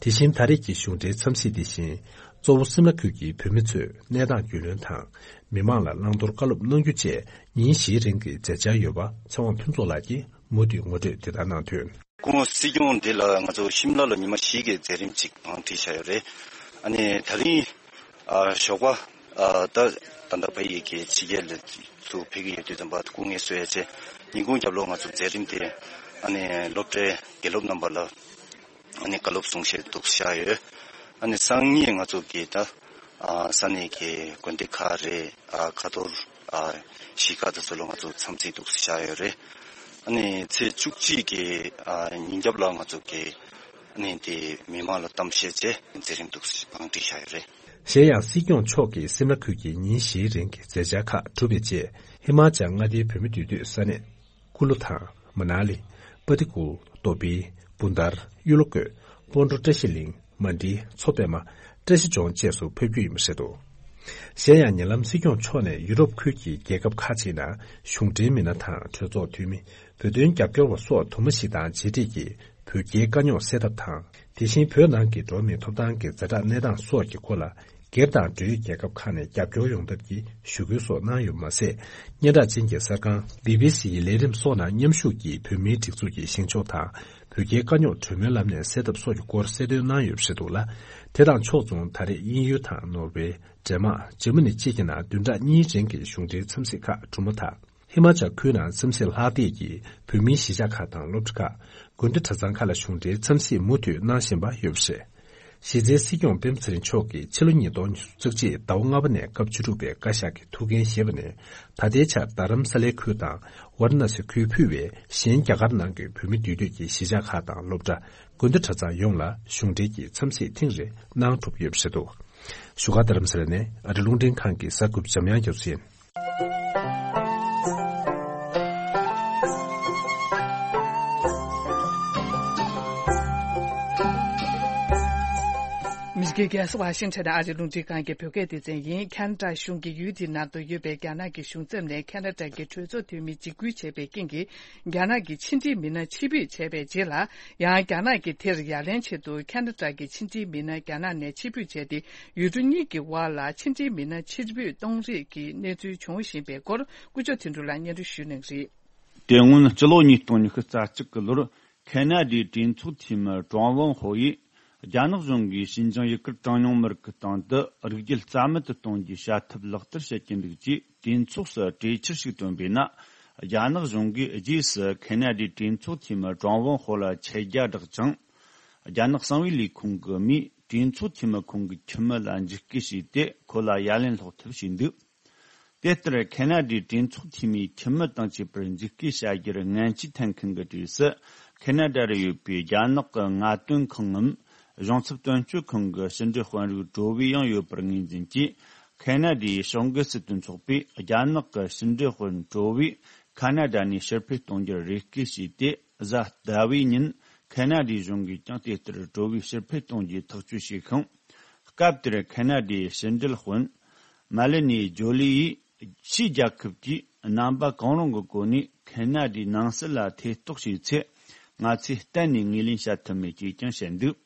དེ་བཞིན་ད་རེས་ཀྱི་གཞུང་འབྲེལ་འཚམས་གཟིགས་དེ་བཞིན། གཙོ་བོ་སིམ་ལ་ཁུལ་གྱི་བོད་མི་ཚོས་གནས་སྟངས་རྒྱུས་ལོན་དང་། མི་མང་ལ་བླང་དོར་བཀའ་སློབ་གནང་རྒྱུ་བཅས་ཉིན་བཞིའི་རིང་གི་མཛད་འཆར་ཡོད་པ་ཚེ་དབང་ཕུན་ཚོགས་ལགས་ཀྱིས་མུ་མཐུད་ངོ་སྤྲོད་དེ་ལྟར་གནང་དོན། སྐུ་ངོ་སྲིད་སྐྱོང་འདི་ལ་ང་ཚོ་ཤིམ་ལ་ལ་ཉི་མ་བཞི་གི་མཛད་རིམ་ཅིག་བང་བསྒྲིགས་བཞག་ཡོད་རེད། ཨ་ནི་ད་རིང་ཨ་ཞོགས་པ་ཨ་ད་ད་ལྟ་ཕ་ཡི་གི་ཕྱི་རྒྱལ་ལ་ཚུར་ཕེབས་ཀྱི་ཡོད་དུས་ཙམ་པ་སྐུ་ངལ་གསོ་ཡ་ཆེད། ཉིན་གུང་རྒྱབ་ལོགས་ང་ཚོ་མཛད་རིམ་དེ་ཨ་ནི་སློབ་གྲྭའི་དགེ་སློབ་རྣམ་པ་ལ་ཨ་ནི་བཀའ་སློབ་གསུང་བཤད་འདུག་བཞག་ཡོད། ཨ་ནི་སང་ཉིན་ང་ཚོ་གི་ད་ཨ་ས་གནས་ཀྱི་དགོན་སྡེ་ཁག་རེད། ཨ་ཁ་ཐོར་ཨ་གཞིས་ཁག་དེ་ཚོ་ལ་ང་ཚོ་འཚམས་གཟིགས་འདུག་བཞག་ཡོད་རེད། ཨ་ནི་ཚེས་བཅུ་གཅིག་གི་ཨ་ཉིན་རྒྱབ་ལ་ང་ཚོ་གི་ཨ་ནི་དེ་མི་མང་ལ་གཏམ་བཤད་བྱས་མཛད་རིམ་འདུག་བང་བསྒྲིགས་བཞག་ཡོད་རེད། གཞན་ཡང་སྲིད་སྐྱོང་མཆོག་གིས་སིམ་ལ་ཁུལ་གྱི་ཉིན་བཞིའི་རིང་གི་མཛད་འཆར་ཁག་གྲུབ་པའི་རྗེས། ཧི་མ་ཅལ་མངའ་སྡེའི་བོད་མི་འདུས་སྡོད་ས་གནས། ཀུ་ལུ་དང་། མ་ན་ལི། པ་ཏི་ཀུ། དོ་པི། བུན་དར། གཡུ་ལོ་བཀོད། སྤོན་གྲོ། བཀྲ་ཤིས་གླིང་། མན་ཌི། མཚོ་པད་མ། བཀྲ་ཤིས་ལྗོངས་བཅས་སུ་ཕེབས་རྒྱུ་ཡིན་པ་རེད་འདུག། གཞན་ཡང་ཉེ་ལམ་སྲིད་སྐྱོང་མཆོག་ནས་ཡུ་རོབ་ཁུལ་གྱི་རྒྱལ་ཁབ་ཁག་ཅིག་ནང་གཞུང་འབྲེལ་མི་སྣ་དང་གྲོས་ཚོགས་འཐུས་མི། བོད་དོན་རྒྱབ་སྐྱོར་བ་སོགས་དུ་མ་ཞིག་དང་མཇལ་འཕྲད་ཀྱིས། བོད་རྒྱའི་དཀའ་རྙོག་སེལ་ཐབས་དང་། དེ་བཞིན་བོད་ནང་གི་འགྲོ་བ་མིའི་ཐོབ་ཐང་གི་ཛ་དྲག་གནས་སྟངས་སོགས་ཀྱི་སྐོར་ལ། སྒེར་དང་འབྲེལ་ཡོད་རྒྱལ་ཁབ་ཁག་ནས་རྒྱབ་སྐྱོར་ཡོང་ཐབས་ཀྱི་ཞུ་སྐུལ་སོགས་གནང་ཡོད་པ་མ་ཟད། སྙན་གྲགས་ཅན་གྱི་གསར་ཁང་བི་བི་སི་ཡི་ལས་རིམ་སོགས་ནང་མཉམ་ཞུགས་ཀྱིས་བོད་མིའི་སྒྲིག་འཛུགས་ཀྱི་བཞེངས་ཕྱོགས་དང་། བོད་རྒྱའི་དཀའ་རྙོག་གྲོས་མོལ་ལམ་ནས་སེལ་ཐབས་སོགས་ཀྱི་སྐོར་གསལ་སྟོན་གནང་ཡོད་པ་རེད་འདུག་ལ། དེ་དང་ཕྱོགས་མཚུངས་ད་རེས་དབྱིན་ཡུལ་དང་ནོར་ཝེ། ཌེན་མཱག་འཇར་མ་ནི་བཅས་ཀྱི་ནང་བདུན་ཕྲག་གཉིས་རིང་གི་གཞུང་འབྲེལ་འཚམས་གཟིགས་ཁག་གྲུབ་མ་ཐག། ཧི་མ་ཅལ་ཁུལ་ནང་འཚམས་གཟིགས་ལྷག་བསྡད་ཀྱིས་བོད་མིའི་གཞིས་ཆགས་ཁག་དང་སློབ་གྲྭ་ཁག་དགོན་སྡེ་གྲྭ་ཚང་ཁག་ལ་གཞུང་འབྲེལ་འཚམས་གཟིགས་མུ་མཐུད་གནང་བཞིན་པ་ཡོད་པ་རེད། གཞི་རྩའི་སྲིད་སྐྱོང་སྤེན་པ་ཚེ་རིང་མཆོག་གིས་ཕྱི་ལོ་ཉིས་སྟོང་ཉི་ཤུ་རྩ་གཅིག་ཟླ་བ་ལྔ་པ་ནས་སྐབས་བཅུ་དྲུག་པའི་བཀའ་ཤག་གི་ཐུགས་འགན་བཞེས་པ་ནས་ད་ལྟའི་ཆར་རྡ་རམ་ས་ལའི་ཁུལ་དང་ཝཱ་ར་ཎ་སི་ཁུལ་ཕུད་པའི་གཞན་རྒྱ་གར་ནང་གི་བོད་མི་འདུས་སྡོད་ཀྱི་གཞིས་ཆགས་ཁག་དང་སློབ་གྲྭ། དགོན་སྡེ་གྲྭ་ཚང་ཡོངས་ལ་གཞུང་འབྲེལ་གྱི་འཚམས་གཟིགས་ཐེངས་རེ་གནང་གྲུབ་ཡོད་པ་རེད་འདུག། བཞུགས་སྒར་རྡ་རམ་ས་ལ་ནས་ཨ་རི་རླུང་འཕྲིན་ཁང་གི་གསར་འགོད་པ་འཇམ་དབྱངས་རྒྱ་མཚོ་ཡིན། མི་རིགས་རྒྱལ་ས་ཝ་ཤིང་ཊོན་ཨ་རིའི་རླུང་འཕྲིན་ཁང་གི་བོད་སྐད་སྡེ་ཚན་ཡིན། ཁ་ན་ཌ་གཞུང་གིས་ཡུལ་དེའི་ནང་དུ་ཡོད་པའི་རྒྱ་ནག་གི་གཞུང་ཚབ་ནས་ཁ་ན་ཌ་གི་གྲོས་ཚོགས་འཐུས་མི་འཇིགས་སྐུལ་བྱས་པའི་རྐྱེན་གྱིས། རྒྱ་ནག་གི་ཕྱི་འབྲེལ་མི་སྣ་ཕྱིར་འབུད་བྱས་པའི་རྗེས་ལ། ཡང་རྒྱ་ནག་གིས་དེར་ཡ་ལན་ཆེད་དུ་ཁ་ན་ཌ་གི་ཕྱི་འབྲེལ་མི་སྣ་རྒྱ་ནག་ནས་ཕྱིར་འབུད་བྱས་ཏེ། ཡུལ་གྲུ་གཉིས་ཀྱི་དབར་ལ་ཕྱི་འབྲེལ་མི་སྣ་ཕྱིར་འབུད་གཏོང་རེས་ཀྱི་གནས་ཚུལ་འབྱུང་བཞིན་པའི་སྐོར། ཀུན་སྤྱོད་དོན་གྲུབ་ལགས་སྙན་སྒྲོན་ཞུ་གནང་གི་རེད། དེ་སྔོན་སྤྱི་ལོ་ཉིས་སྟོང་ཉི་ཤུ་རྩ་གཅིག་གི་ལོར་ཁེ་ན་ཌའི་གྲོས་ཚོགས་འཐུས་མི་ཀྲང་ཝང་ཧོ་ཡིས། རྒྱ་ནག་གཞུང་གིས་ཞིན་ཅང་ཡུ་གུར་གྲངས་ཉུང་མི་རིགས་ཀྱི་སྟེང་དུ་རིགས་རྒྱུད་རྩ་མེད་དུ་གཏོང་རྒྱུའི་བྱ་ཐབས་ལག་བསྟར་བྱེད་ཀྱི་འདུག་ཅེས་གྲོས་ཚོགས་སུ་གྲོས་འཆར་ཞིག་བཏོན་པས་ན། རྒྱ་ནག་གཞུང་གིས་རྗེས་སུ་ཁེ་ན་ཌའི་གྲོས་ཚོགས་འཐུས་མི་ཀྲང་ཝང་ཧོ་ལ་ཆད་རྒྱ་བསྒྲགས་ཅིང་། རྒྱ་ནག་གསང་བའི་ལས་ཁུངས་ཀྱི་མིས་གྲོས་ཚོགས་འཐུས་མི་ཁོང་གི་ཁྱིམ་མི་ལ་འཇིགས་སྐུལ་བྱས་ཏེ། ཁོ་ལ་ཡ་ལན་སློག་ཐབས་བྱས་འདུག། དེ་ལྟར་ཁེ་ན་ཌའི་གྲོས་ཚོགས་འཐུས་མིའི་ཁྱིམ་མི་དང་བཅས་པར་འཇིགས་སྐུལ་བྱ་རྒྱུར་ངན་ཇུས་འཐེན་མཁན་གྱི་གྲས་སུ། ཁེ་ན་ཌ་རུ་ཡོད་པའི་རྒྱ་ནག་གི་ངལ་རྩོལ་ཁང་ངམ། གཞུང་ཚབ་དོན་གཅོད་ཁང་གི་ཕྱི་འབྲེལ་དཔོན་རིགས་གྲོ་བོས་ཡང་ཡོད་པར་ངོས་འཛིན་གྱིས། ཁེ་ན་ཌའི་གཞུང་གི་སྲིད་དོན་ཚོགས་པས་རྒྱ་ནག་གི་ཕྱི་འབྲེལ་དཔོན་གྲོ་བོས་ཁ་ན་ཌ་ནས་ཕྱིར་འཕུད་གཏོང་རྒྱུར་རེ་སྐུལ་བྱས་ཏེ། གཟའ་ཟླ་བའི་ཉིན་ཁེ་ན་ཌའི་གཞུང་གིས་ཀྱང་དེ་ལྟར་གྲོ་བོས་ཕྱིར་འཕུད་གཏོང་རྒྱུའི་ཐག་གཅོད་བྱས་ཤིང་། སྐབས་དེར་ཁེ་ན་ཌའི་ཕྱི་འབྲེལ་དཔོན་མ་ལི་ནི་ཇོ་ལི་ཡིས། ཕྱིའི་རྒྱལ་ཁབ་ཀྱིས་རྣམ་པ་གང་རུང་གི་སྒོ་ནས་ཁེ་ན་ཌའི་ནང་སྲིད་ལ་ཐེ་གཏོགས་བྱས་ཚེ། ང་ཚོས་གཏན་ནས་ངོས་ལེན་བྱ་ཐུབ་མེད་ཅེས་ཀྱང་བཤད་འདུག་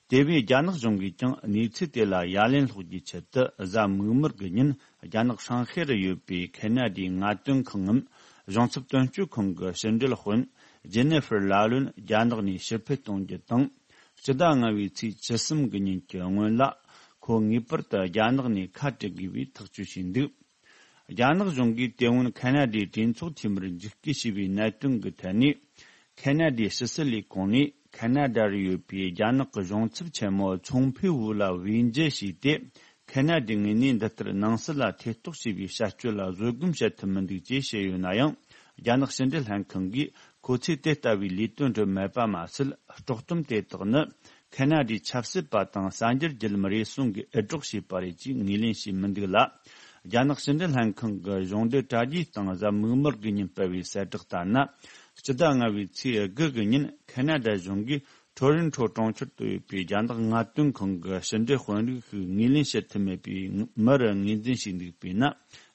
དེ་བས་རྒྱ་ནག་གཞུང་གིས་ཀྱང་གནས་ཚུལ་དེ་ལ་ཡ་ལན་སློག་རྒྱུའི་ཆེད་དུ། གཟའ་མིག་དམར་གྱི་ཉིན་རྒྱ་ནག་ཧྲང་ཧའེ་རུ་ཡོད་པའི་ཁེ་ན་ཌའི་ངལ་རྩོལ་ཁང་ངམ་གཞུང་ཚབ་དོན་གཅོད་ཁང་གི་ཕྱི་འབྲེལ་དཔོན་ཇེ་ནེ་ཧྥར་ལ་ལུན་རྒྱ་ནག་ནས་ཕྱིར་འཕུད་གཏོང་རྒྱུ་དང་། སྤྱི་ཟླ་ལྔ་བའི་ཚེས་བཅུ་གསུམ་གྱི་ཉིན་གྱི་སྔོན་ལ། ཁོ་ངེས་པར་དུ་རྒྱ་ནག་ནས་ཁ་བྲལ་དགོས་པའི་ཐག་གཅོད་བྱས་འདུག་རྒྱ་ནག་གཞུང་གིས་དེ་སྔོན་ཁེ་ན་ཌའི་གྲོས་ཚོགས་འཐུས་མིར་འཇིགས་སྐུལ་བྱས་པའི་གནད་དོན་གྱི་ཐད་ནས། ཁེ་ན་ཌའི་ཕྱི་སྲིད་ལས་ཁུངས་ནས་ཁེ་ན་ཌ་རུ་ཡོད་པའི་རྒྱ་ནག་གི་གཞུང་ཚབ་ཆེན་མོ་ཚོང་ཕུའུ་ཝུ་ལ་བེད་འཇལ་བྱས་ཏེ། ཁེ་ན་ཌའི་ངོས་ནས་འདི་ལྟར་ནང་སྲིད་ལ་ཐེ་གཏོགས་བྱས་པའི་བྱ་སྤྱོད་ལ་བཟོད་སྒོམ་བྱེད་ཐུབ་མི་འདུག་ཅེས་བཤད་ཡོད་ན་ཡང་། རྒྱ་ནག་ཕྱི་འབྲེལ་ལྷན་ཁང་གིས་ཁོ་ཚོས་དེ་ལྟ་བུའི་ལས་དོན་སྒྲུབ་མེད་པ་མ་ཟད། དཀྲོག་གཏམ་དེ་དག་ནི། ཁེ་ན་ཌའི་ཆབ་སྲིད་པ་དང་གསར་འགྱུར་བརྒྱུད་ལམ་རེ་ཟུང་གིས་འུད་སྒྲོག་བྱས་པ་རེད་ཅེས་ངོས་ལེན་བྱས་མི་འདུག་ལ། རྒྱ་ནག་ཕྱི་འབྲེལ་ལྷན་ཁང་གི་གཞུང་འབྲེལ་དྲ་རྒྱའི་སྟེང་གཟའ་མིག་དམར་གྱི་ཉིན་སྤེལ་བའི་གསལ་བསྒྲགས་ལྟར་ན། སྤྱི་ཟླ་ལྔ་བའི་ཚེས་དགུ་གི་ཉིན་ཁེ་ན་ཌ་གཞུང་གིས་ཊོ་རོན་ཊོ་གྲོང་ཁྱེར་དུ་ཡོད་པའི་རྒྱ་ནག་ངལ་རྩོལ་ཁང་གི་ཕྱི་འབྲེལ་དཔོན་རིགས་ཤིག་ངོས་ལེན་བྱེད་ཐུབ་མེད་པའི་མུར་ངོས་འཛིན་བྱས་འདུག་པས་ན།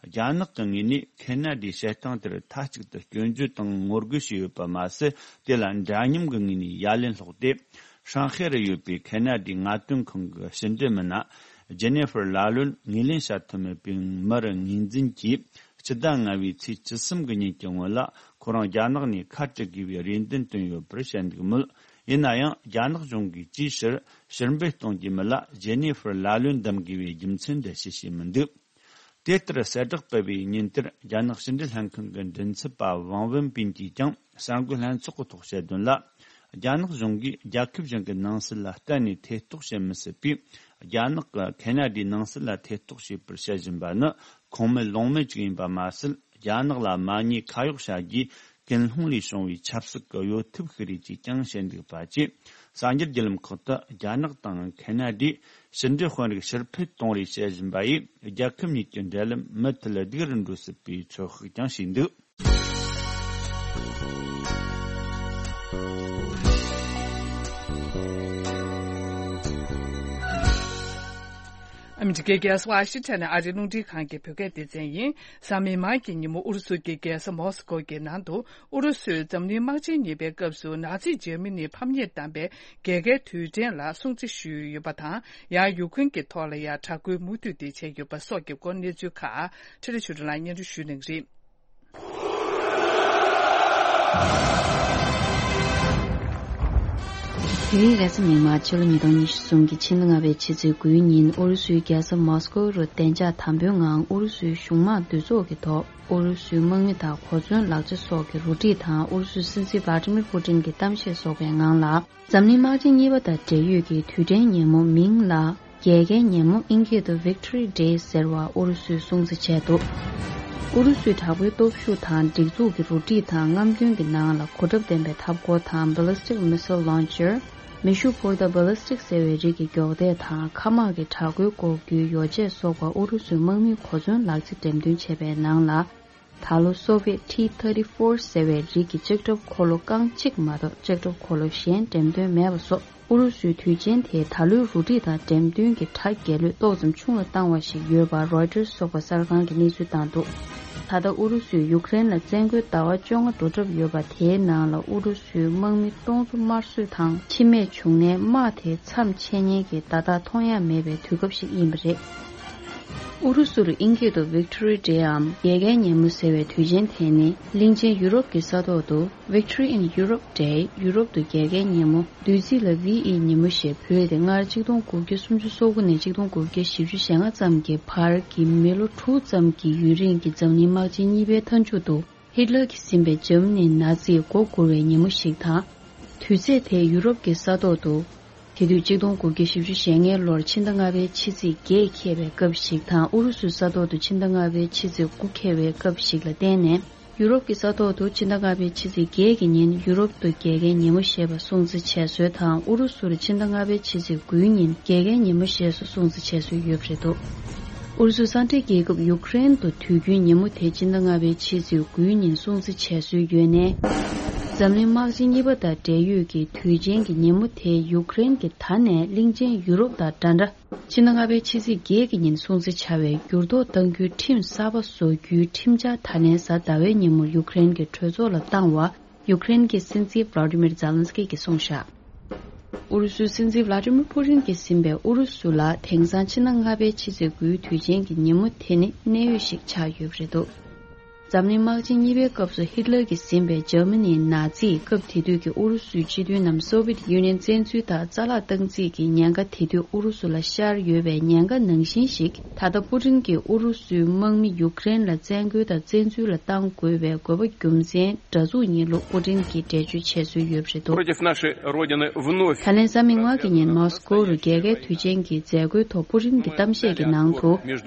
རྒྱ་ནག་གི་ངོས་ནས་ཁེ་ན་ཌའི་བྱེད་སྟངས་དེར་མཐའ་གཅིག་ཏུ་སྐྱོན་བརྗོད་དང་ངོ་རྒོལ་བྱས་ཡོད་པ་མ་ཟད། དེ་ལ་འདྲ་མཉམ་གྱི་ངོས་ནས་ཡ་ལན་སློག་སྟེ། ཧྲང་ཧའེ་རུ་ཡོད་པའི་ཁེ་ན་ཌའི་ངལ་རྩོལ་ཁང་གི་ཕྱི་འབྲེལ་མི་སྣ་ཇེ་ནེ་ཧྥར་ལ་ལུན་ངོས་ལེན་བྱ་ཐུབ་མེད་པའི་མུར་ངོས་འཛིན་གྱིས། སྤྱི་ཟླ་ལྔ་བའི་ཚེས་བཅུ་གསུམ་གྱི་ཉིན་གྱི་སྔོན་ལ་ཁོ་རང་རྒྱ་ནག་ནས་ཁ་བྲལ་དགོས་པའི་རེ་འདུན་བཏོན་ཡོད་པར་བཤད་འདུག་མོད། ཡིན་ན་ཡང་རྒྱ་ནག་གཞུང་གིས་ཅིའི་ཕྱིར་ཕྱིར་འབུད་གཏོང་རྒྱུ་མིན་ལ་ཇེ་ནེ་ཧྥར་ལ་ལུན་འདེམས་དགོས་པའི་རྒྱུ་མཚན་འགྲེལ་བཤད་བྱས་མི་འདུག་དེ་ལྟར་གསལ་བསྒྲགས་སྤེལ་བའི་ཉིན་དེར་རྒྱ་ནག་ཕྱི་འབྲེལ་ལྷན་ཁང་གི་མགྲིན་ཚབ་པ་ཝང་ཝུན་པིན་གྱིས་ཀྱང་གསར་འགོད་ལྷན་ཚོགས་ཀྱི་ཐོག་བཤད་དོན་ལ། རྒྱ་ནག་གཞུང་གིས་རྒྱལ་ཁབ་གཞན་གྱི་ནང་སྲིད་ལ་གཏན་ནས་ཐེ་གཏོགས་བྱེད་མི་སྲིད་པས། རྒྱ་ནག་གིས་ཁེ་ན་ཌའི་ནང་སྲིད་ལ་ཐེ་གཏོགས་བྱས་པར་བཤད་བཞིན་པ་ནི་ཁུངས་མེད་ལུང་མེད་ཅིག་ཡིན་པ་མ་ཟད། རྒྱ་ནག་ལ་མ་ཉེས་ཁ་གཡོག་བྱ་རྒྱུའི་ཀུན་སློང་ལས་བྱུང་བའི་ཆབ་སྲིད་ཀྱི་གཡོ་ཐབས་ཤིག་རེད་ཅེས་ཀྱང་བཤད་འདུག་པ་བཅས། གསར་འགྱུར་བརྒྱུད་ལམ་ཁག་ཏུ་རྒྱ་ནག་དང་ཁེ་ན་ཌས་ཕྱི་འབྲེལ་དཔོན་རིགས་ཕྱིར་འཕུད་གཏོང་རེས་བྱེད་བཞིན་པ་ཡིས་རྒྱལ་ཁབ་གཉིས་ཀྱི་འབྲེལ་ལམ་མུ་མཐུད་སྡུག་རུ་འགྲོ་སྲིད་པའི་ཚོད་དཔག་ཀྱང་བྱས་འདུག་ཨ་མི་རི་ཀའི་རྒྱལ་ས་ཝ་ཤིང་ཊོན་ནས་ཨ་རིའི་རླུང་འཕྲིན་ཁང་གི་བོད་སྐད་སྡེ་ཚན་ཡིན། གཟའ་མིག་དམར་གྱི་ཉིན་མོ་ཨུ་རུ་སུ་གྱི་རྒྱལ་ས་མོ་སི་ཀོ་གི་ནང་དུ། ཨུ་རུ་སུས་འཛམ་གླིང་དམག་ཆེན་གཉིས་པའི་སྐབས་སུ་ནཱ་ཛི་འཇར་མ་ནིའི་ཕམ་ཉེས་བཏང་པའི་རྒྱལ་ཁའི་དུས་དྲན་ལ་སྲུང་བརྩི་ཞུས་ཡོད་པ་དང་། ཡང་ཡུ་ཀེ་རེན་གྱི་ཐོག་ལ་ཡང་དྲག་རྒོལ་མུ་མཐུད་དེ་བྱས་ཡོད་པ་སོགས་ཀྱི་སྐོར་གནས་ཚུལ་ཁག་འཕྲིན་ལས་ཆོས་སྒྲོན་ལགས་སྙན་སྒྲོན་ཞུ་གནང་གི་རེད། དེ་རིང་རེས་གཟའ་མིག་དམར་ཕྱི་ལོ་ཉིས་སྟོང་ཉི་ཤུ་རྩ་གསུམ་གྱི་ཕྱི་ཟླ་ལྔ་པའི་ཕྱི་ཚེས་དགུའི་ཉིན་ཨུ་རུ་སུའི་རྒྱལ་ས་མོ་སི་ཀོ་རུ་བདེ་འཇགས་དམ་འབུལ་ངང་ཨུ་རུ་སུའི་གཞུང་དམངས་འདུས་ཚོགས་ཀྱི་ཐོག་ཨུ་རུ་སུའི་དམག་མི་དང་གོ་མཚོན་ལག་ཆ་སོགས་ཀྱི་རུ་སྒྲིག་དང་ཨུ་རུ་སུའི་སྲིད་འཛིན་ཝ་ཏི་མིར་ཕུ་ཏིན་གྱི་གཏམ་བཤད་སོགས་པའི་ངང་ལ། འཛམ་གླིང་དམག་ཆེན་གཉིས་པ་དང་འབྲེལ་ཡོད་ཀྱི་དུས་དྲན་ཉིན་མོ་མིང་ལ་རྒྱལ་ཁའི་ཉིན་མོ་ཨིན་སྐད་དུ་Victory Day ཟེར་བ་ཨུ་རུ་སུས་སྲུང་བརྩི་བྱས་འདུག་ཨུ་རུ་སུའི་དྲག་པོའི་སྟོབས་ཤུགས་དང་སྒྲིག་འཛུགས་ཀྱི་རུ་སྒྲིག་དང་རྔམ་སྟོན་གྱི་ནང་ལ་གོ་ཁྲབ་ལྡན་པའི་འཐབ་འཁོར་དང་Ballistic Missile Launcher། མེ་ཤུགས་འཕུར་མདའ་Ballistic ཟེར་བའི་རིགས་ཀྱི་མགྱོགས་དལ་དང་མཁའ་དམག་གི་དྲག་རྒོལ་འགོག་རྒྱུའི་ཡོ་བྱད་སོགས་པ་ཨུ་རུ་སུའི་དམག་མིའི་གོ་མཚོན་ལག་རྩལ་འགྲེམས་སྟོན་བྱས་པའི་ནང་ལ། ད་ལོ་Soviet T thirty-four ཟེར་བའི་རིགས་ཀྱི་ལྕགས་ཁྲབ་འཁོར་ལོ་རྐང་གཅིག་མ་གཏོགས་ལྕགས་ཁྲབ་འཁོར་ལོ་གཞན་འགྲེམས་སྟོན་མེད་པ་སོགས་ཨུ་རུ་སུའི་དུས་ཆེན་དེའི་ད་ལོའི་རུ་སྒྲིག་དང་འགྲེམས་སྟོན་གྱི་གྲ་རྒྱས་ལོས་ཏོག་ཙམ་ཆུང་རུ་བཏང་བ་ཞིག་ཡོད་པ་Reuters སོགས་པ་གསར་ཁང་གིས་གནས་ཚུལ་བཏང་འདུག་ད་ལྟ་ཨུ་རུ་སུས་ཡུཀ་རེན་ལ་བཙན་རྒོལ་ཟླ་བ་བཅོ་ལྔ་འགྲོ་གྲབས་ཡོད་པ་དེའི་ནང་ལ་ཨུ་རུ་སུའི་དམག་མི་སྟོང་ཚོ་དམར་གསོད་དང་འཆི་རྨས་བྱུང་ནའི་དམག་དེ་མཚམས་ཆད་མཁན་གྱི་བརྡ་རྟགས་མཐོང་ཡ་མེད་པའི་དུས་སྐབས་ཤིག་ཡིན་པ་རེད། ཨུ་རུ་སུར་ཨིན་སྐད་དུ་Victory Day འམ་རྒྱལ་ཁའི་ཉིན་མོ་ཟེར་བའི་དུས་ཆེན་དེ་ནི་གླིང་ཆེན་ཡུ་རོབ་ཀྱི་ས་ཐོག་ཏུ་Victory in Europe Day ཡུ་རོབ་ཏུ་རྒྱལ་ཁའི་ཉིན་མོ། བསྡུས་ཚིག་ལ་V E ཉིན་མོ་ཞེས་བོས་ཏེ། སྔར་ཆིག་སྟོང་དགུ་བརྒྱ་སུམ་ཅུ་སོ་དགུ་ནས་ཆིག་སྟོང་དགུ་བརྒྱ་བཞི་བཅུ་ཞེ་ལྔ་ཙམ་གྱི་བར་གྱི་མི་ལོ་དྲུག་ཙམ་གྱི་ཡུན་རིང་གི་འཛམ་གླིང་དམག་ཆེན་གཉིས་པའི་མཐའ་མཇུག་ཏུ། ཧིཊ་ལར་གྱིས་ཟིན་པའི་འཇར་མ་ནིའི་ནཱ་ཛི་མགོ་སྒུར་བའི་ཉིན་མོ་ཞིག་དང་། དུས་ཚོད་དེ་ཡུ་རོབ་ཀྱི་ས་ཐོག་ཏུ། དེ་དུས་ཆིག་སྟོང་དགུ་བརྒྱ་བཞི་བཅུ་ཞེ་ལྔའི་ལོར་ཕྱི་ཟླ་ལྔ་པའི་ཕྱི་ཚེས་བརྒྱད་འཁེལ་བའི་སྐབས་ཤིག་དང་། ཨུ་རུ་སུའི་ས་ཐོག་ཏུ་ཕྱི་ཟླ་ལྔ་པའི་ཕྱི་ཚེས་དགུ་འཁེལ་བའི་སྐབས་ཤིག་ལ་བརྟེན་ནས། ཡུ་རོབ་ཀྱི་ས་ཐོག་ཏུ་ཕྱི་ཟླ་ལྔ་པའི་ཕྱི་ཚེས་བརྒྱད་ཀྱི་ཉིན་ཡུ་རོབ་ཏུ་རྒྱལ་ཁའི་ཉིན་མོ་ཞེས་པ་སྲུང་བརྩི་བྱེད་སྲོལ་དང་། ཨུ་རུ་སུར་ཕྱི་ཟླ་ལྔ་པའི་ཕྱི་ཚེས་དགུའི་ཉིན་རྒྱལ་ཁའི་ཉིན་མོ་ཞེས་སུ་སྲུང་བརྩི་བྱེད་སྲོལ་ཡོད་པ་རེད་འདུག་ཨུ་རུ་སུའི་ས་འབྲེལ་རྒྱལ་ཁབ་ཡུཀ་རེན་དུ་དུས་རྒྱུན་ཉིན་མོ་དེ་ཕྱི་ཟླ་ལྔ་པའི་ཕྱི་ཚེས་དགུའི་ཉིན་སྲུང་བརྩི་བྱེད་སྲོལ་ཡོད་ནའི། འཛམ་གླིང་དམག་ཆེན་གཉིས་པ་དང་འབྲེལ་ཡོད་ཀྱི་དུས་ཆེན་གྱི་ཉིན་མོ་དེ་ཡུཀ་རེན་གྱི་ད་ནས་གླིང་ཆེན་ཡུ་རོབ་དང་འདྲ་འདྲ། ཕྱི་ཟླ་ལྔ་པའི་ཕྱི་ཚེས་བརྒྱད་ཀྱི་ཉིན་སྲུང་བརྩི་བྱ་བའི་འགྱུར་ལྡོག་གཏང་རྒྱུའི་ཁྲིམས་གསར་པ་བཟོ་རྒྱུའི་ཁྲིམས་འཆར་ད་ལན་གཟའ་ཟླ་བའི་ཉིན་མོར་ཡུཀ་རེན་གྱི་གྲོས་ཚོགས་ལ་བཏང་བ། ཡུཀ་རེན་གྱི་སྲིད་འཛིན་ཝ་ལ་ཏི་མིར་ཛེ་ལན་སི་ཀི་གིས་གསུངས་བཞག་ཨུ་རུ་སུའི་སྲིད་འཛིན་ཝ་ལ་ཏི་མིར་པུ་ཏིན་གྱིས་ཟིན་པའི་ཨུ་རུ་སུ་ལ་དེང་སང་ཕྱི་ཟླ་ལྔ་པའི་ཕྱི་ཚེས་དགུའི་དུས་ཆེན་གྱི་ཉིན་མོ་དེ་ནི་གནད་ཡོད་ཞིག་ཆགས་ཡོད་པ་རེད་འདུག་འཛམ་གླིང་དམག་ཆེན་གཉིས་པའི་སྐབས་སུ་ཧི་ཏི་ལར་གྱིས་ཟིན་པའི་འཇར་མ་ནིའི་ནཱ་ཛིའི་སྐབས་དེ་དུས་ཀྱི་ཨུ་རུ་སུའི་སྤྱི་མཐུན་ནམ་སོ་བྷི་ཡེ་ཊི་ཡུ་ནི་ཡན་བཙན་འཛུལ་དང་རྩ་བརླག་བཏང་རྩིས་ཀྱི་ཉེན་ཁ་དེ་དུས་ཨུ་རུ་སུ་ལ་ཤར་ཡོད་པའི་ཉེན་ཁ་ནང་བཞིན་ཞིག་ད་ལྟ་པུ་ཏིན་གྱིས་ཨུ་རུ་སུའི་དམག་མི་ཡུཀ་རེན་ལ་བཙན་རྒོལ་དང་བཙན་འཛུལ་ལ་བཏང་དགོས་པའི་དགོས་པ་རྒྱུ་མཚན་འདྲ་མཚུངས་ཡིན་ལུགས་པུ་ཏིན་གྱིས་འགྲེལ་བརྗོད་བྱས་སྲོལ་ཡོད་པ་རེད་འདུག Против нашей Родины вновь ད་ལན་གཟའ་མིག་དམར་གྱི་ཉིན་མོ་སི་ཀོ་རུ་རྒྱལ་ཁའི་དུས་ཆེན་གྱི་མཛད་སྒོའི་ཐོག་པུ་ཏིན་གྱི་གཏམ་བཤད་ཀྱི་ནང་དུ།